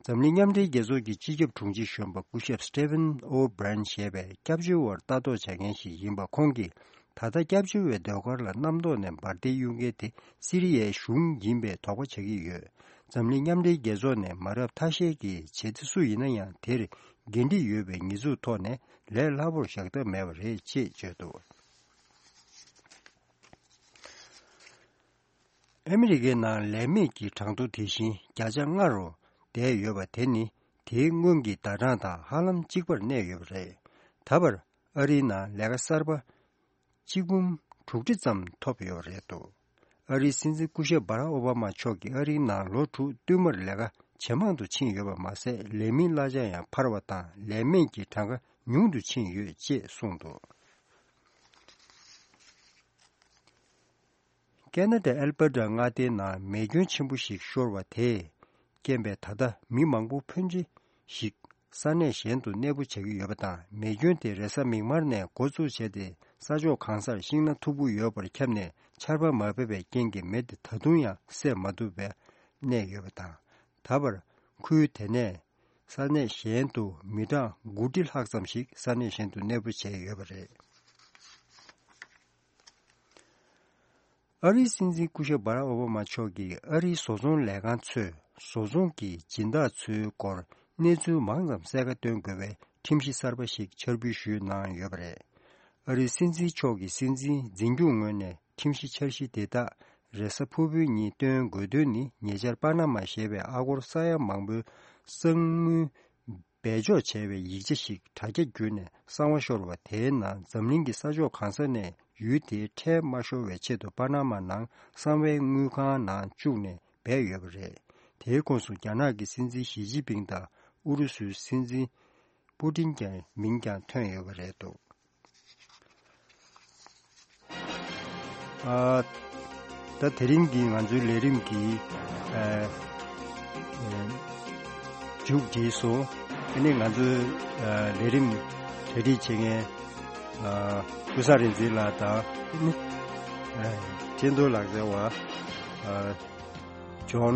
འཛམ་གླིང་མཉམ་འབྲེལ་རྒྱལ་ཚོགས་ཀྱི་སྤྱི་ཁྱབ་དྲུང་ཆེ་གཞོན་པ་སྐུ་ཞབས་Stephen O'Brien ཞེས་པའི་སྐྱབས་བཅོལ་བར་ལྟ་རྟོག་བྱ་མཁན་ཞིག་ཡིན་པ་ཁོང་གིས། ད་ལྟ་སྐྱབས་བཅོལ་བའི་ཟློས་གར་ལ་གནམ་ཐོག་ནས་འབར་མདེལ་གཡུག་མཁན་དེ་སི་རི་ཡའི་གཞུང་ཡིན་པའི་དོགས་པ་བྱ་གི་ཡོད། འཛམ་གླིང་མཉམ་འབྲེལ་རྒྱལ་ཚོགས་ནས་མ་རབས་ཐ་ཤལ་གྱི་བྱེད་གཏེ་སུ་ཡིན་ན་ཡང་དེར་འགན་འཁྲི་ཡོད་པའི་ཉེས་འཛུགས་ཐོག་ནས་ལས་སླ་པོར་བཞག་ཐབས་མེད་པ་རེད་ཅེས་བརྗོད་འདུག་ཨ་མི་རི་ཀའི་ནང་ལས་མེད་ཀྱི་གྲངས་ཐོ་དེ་བཞིན་བརྒྱ་ཆ་ལྔ་རུ་བསྡད་ཡོད་པ་དེ་ནི་དེའི་སྔོན་གྱི་ཟླ་གྲངས་དང་ཧ་ལམ་གཅིག་པར་གནས་ཡོད་པ་རེད། ད་བར་ཨ་རིའི་ནང་ལས་ཀ་གསར་པ་གཅིག་འབུམ་དྲུག་ཁྲི་ཙམ་ཐོབ་ཡོད་པ་རེད་འདུག་ཨ་རིའི་སྲིད་འཛིན་སྐུ་ཞབས་Barack Obama མཆོག་གིས་ཨ་རིའི་ནང་ལོ་དྲུག་བསྟུད་མར་ལས་ཀ་ཇེ་མང་དུ་ཕྱིན་ཡོད་པ་མ་ཟད། ལས་མིའི་གླ་ཆ་ཡང་འཕར་བ་དང་ལས་མེད་ཀྱི་གྲངས་ཀ་ཉུང་དུ་ཕྱིན་ཡོད་ཅེས་གསུངས་འདུག་ཁེ་ན་ཌའི་ཨལ་བྷར་ཊ་མངའ་སྡེའི་ནང་མེ་སྐྱོན་ཆེན་པོ་ཞིག་ཤོར་བ་དེས་རྐྱེན་པས་ད་ལྟ་མི་མང་པོ་ཕོན་ཆེ་ཞིག་ས་གནས་གཞན་དུ་གནས་སྤོ་བྱ་གི་ཡོད་པ་དང་། མེ་སྐྱོན་དེ་རེས་གཟའ་མིག་དམར་ནས་འགོ་བཙུགས་བྱས་ཏེ། ས་ཕྱོགས་གང་སར་ཤིང་སྣ་མཐུག་པོ་ཡོད་པར་ཁྱབ་ནས་ཆར་པ་མ་བབས་པའི་རྐྱེན་གྱིས་མེ་དེ་ད་དུང་ཡང་བསད་མ་ཐུབ་པར་གནས་ཡོད་པ་དང་། ད་བར་ཁུལ་དེ་ནས་ས་གནས་གཞན་དུ་མི་གྲངས་དགུ་ཁྲི་ལྷག་ཙམ་ཞིག་ས་གནས་གཞན་དུ་གནས་སྤོ་བྱས་ཡོད་པ་རེད། ཨ་རིའི་སྲིད་འཛིན་སྐུ་ཞབས་Barack Obama མཆོག་གིས་ཨ་རིའི་བཟོ་ཚོང་ལས་ཁང་ཚོས་བཟོ་ཚོང་གི་སྦྱིན་བདག་ཚོའི་སྐོར་གནས་ཚུལ་མང་ཙམ་གསལ་ཁ་སྟོན་དགོས་པའི་ཁྲིམས་གཞི་གསར་པ་ཞིག་འཆར་འབུལ་ཞུས་གནང་ཡོད་པ་རེད། ཨ་རིའི་སྲིད་འཛིན་མཆོག་གིས་སྲིད་འཛིན་འཛིན་སྐྱོང་ངོས་ནས་ཁྲིམས་གཞི་འཆར་གཞི་དེ་དག་རེས་གཟའ་ཕུར་བུའི་ཉིན་བཏོན་དགོས་དོན་ནི། ཉེ་ཆར་པ་ན་མ་ཞེས་པའི་ཨ་སྒོར་ས་ཡ་མང་པོའི་གསང་དངུལ་སྦས་འཇོག་བྱས་པའི་ཡིག་ཆ་ཞིག་དྲ་རྒྱ་བརྒྱུད་ནས་གསང་བ་ཤོར་བ་དེའི་ནང་འཛམ་གླིང་གི་ས་ཕྱོགས་གང་ས་ནས་ཡུལ་དེའི་ཁྲལ་མ་ཤོར་བའི་ཆེད་དུ་པ་ན་མ་ནང་གསང་བའི་དངུལ་ཁང་ནང་བཅུག་ནས་སྦས་ཡོད་པ་རེད། དེའི་ཁོངས་སུ་རྒྱ་ནག་གི་སྲིད་འཛིན་ཞི་ཅིན་ཕིང་དང་ཨུ་རུ་སུའི་སྲིད་འཛིན་ པུ་ཏིན་ཀྱི་མིང་ཀྱང་ཐོན་ཡོད་པ་རེད་འདུག་ཨ། ད་དེ་རིང་གི་ང་ཚོའི་ལས་རིམ་གྱི་ཨ། ཨ། མཇུག་བསྒྲིལ་སོང་། དེ་ནས་ང་ཚོའི་ཨ། ལས་རིམ་གྲ་སྒྲིག་བྱེད་མཁན་ཨ། ཀུན་བཟང་རིག་འཛིན་ལགས་དང་ཨ། ཅན་ཏོ་ལགས་ཟེར་བ་ཨ། ཇོན་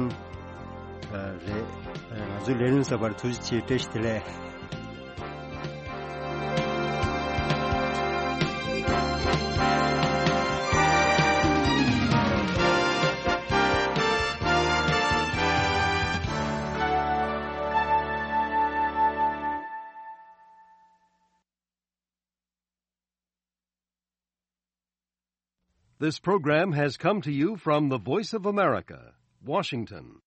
ཨ། རེད། ཨ། ང་ཚོའི་ལས་རིམ་གསར་པར་ཐུགས་རྗེ་ཆེ། བཀྲ་ཤིས་བདེ་ལེགས། This program has come to you from the Voice of America, Washington.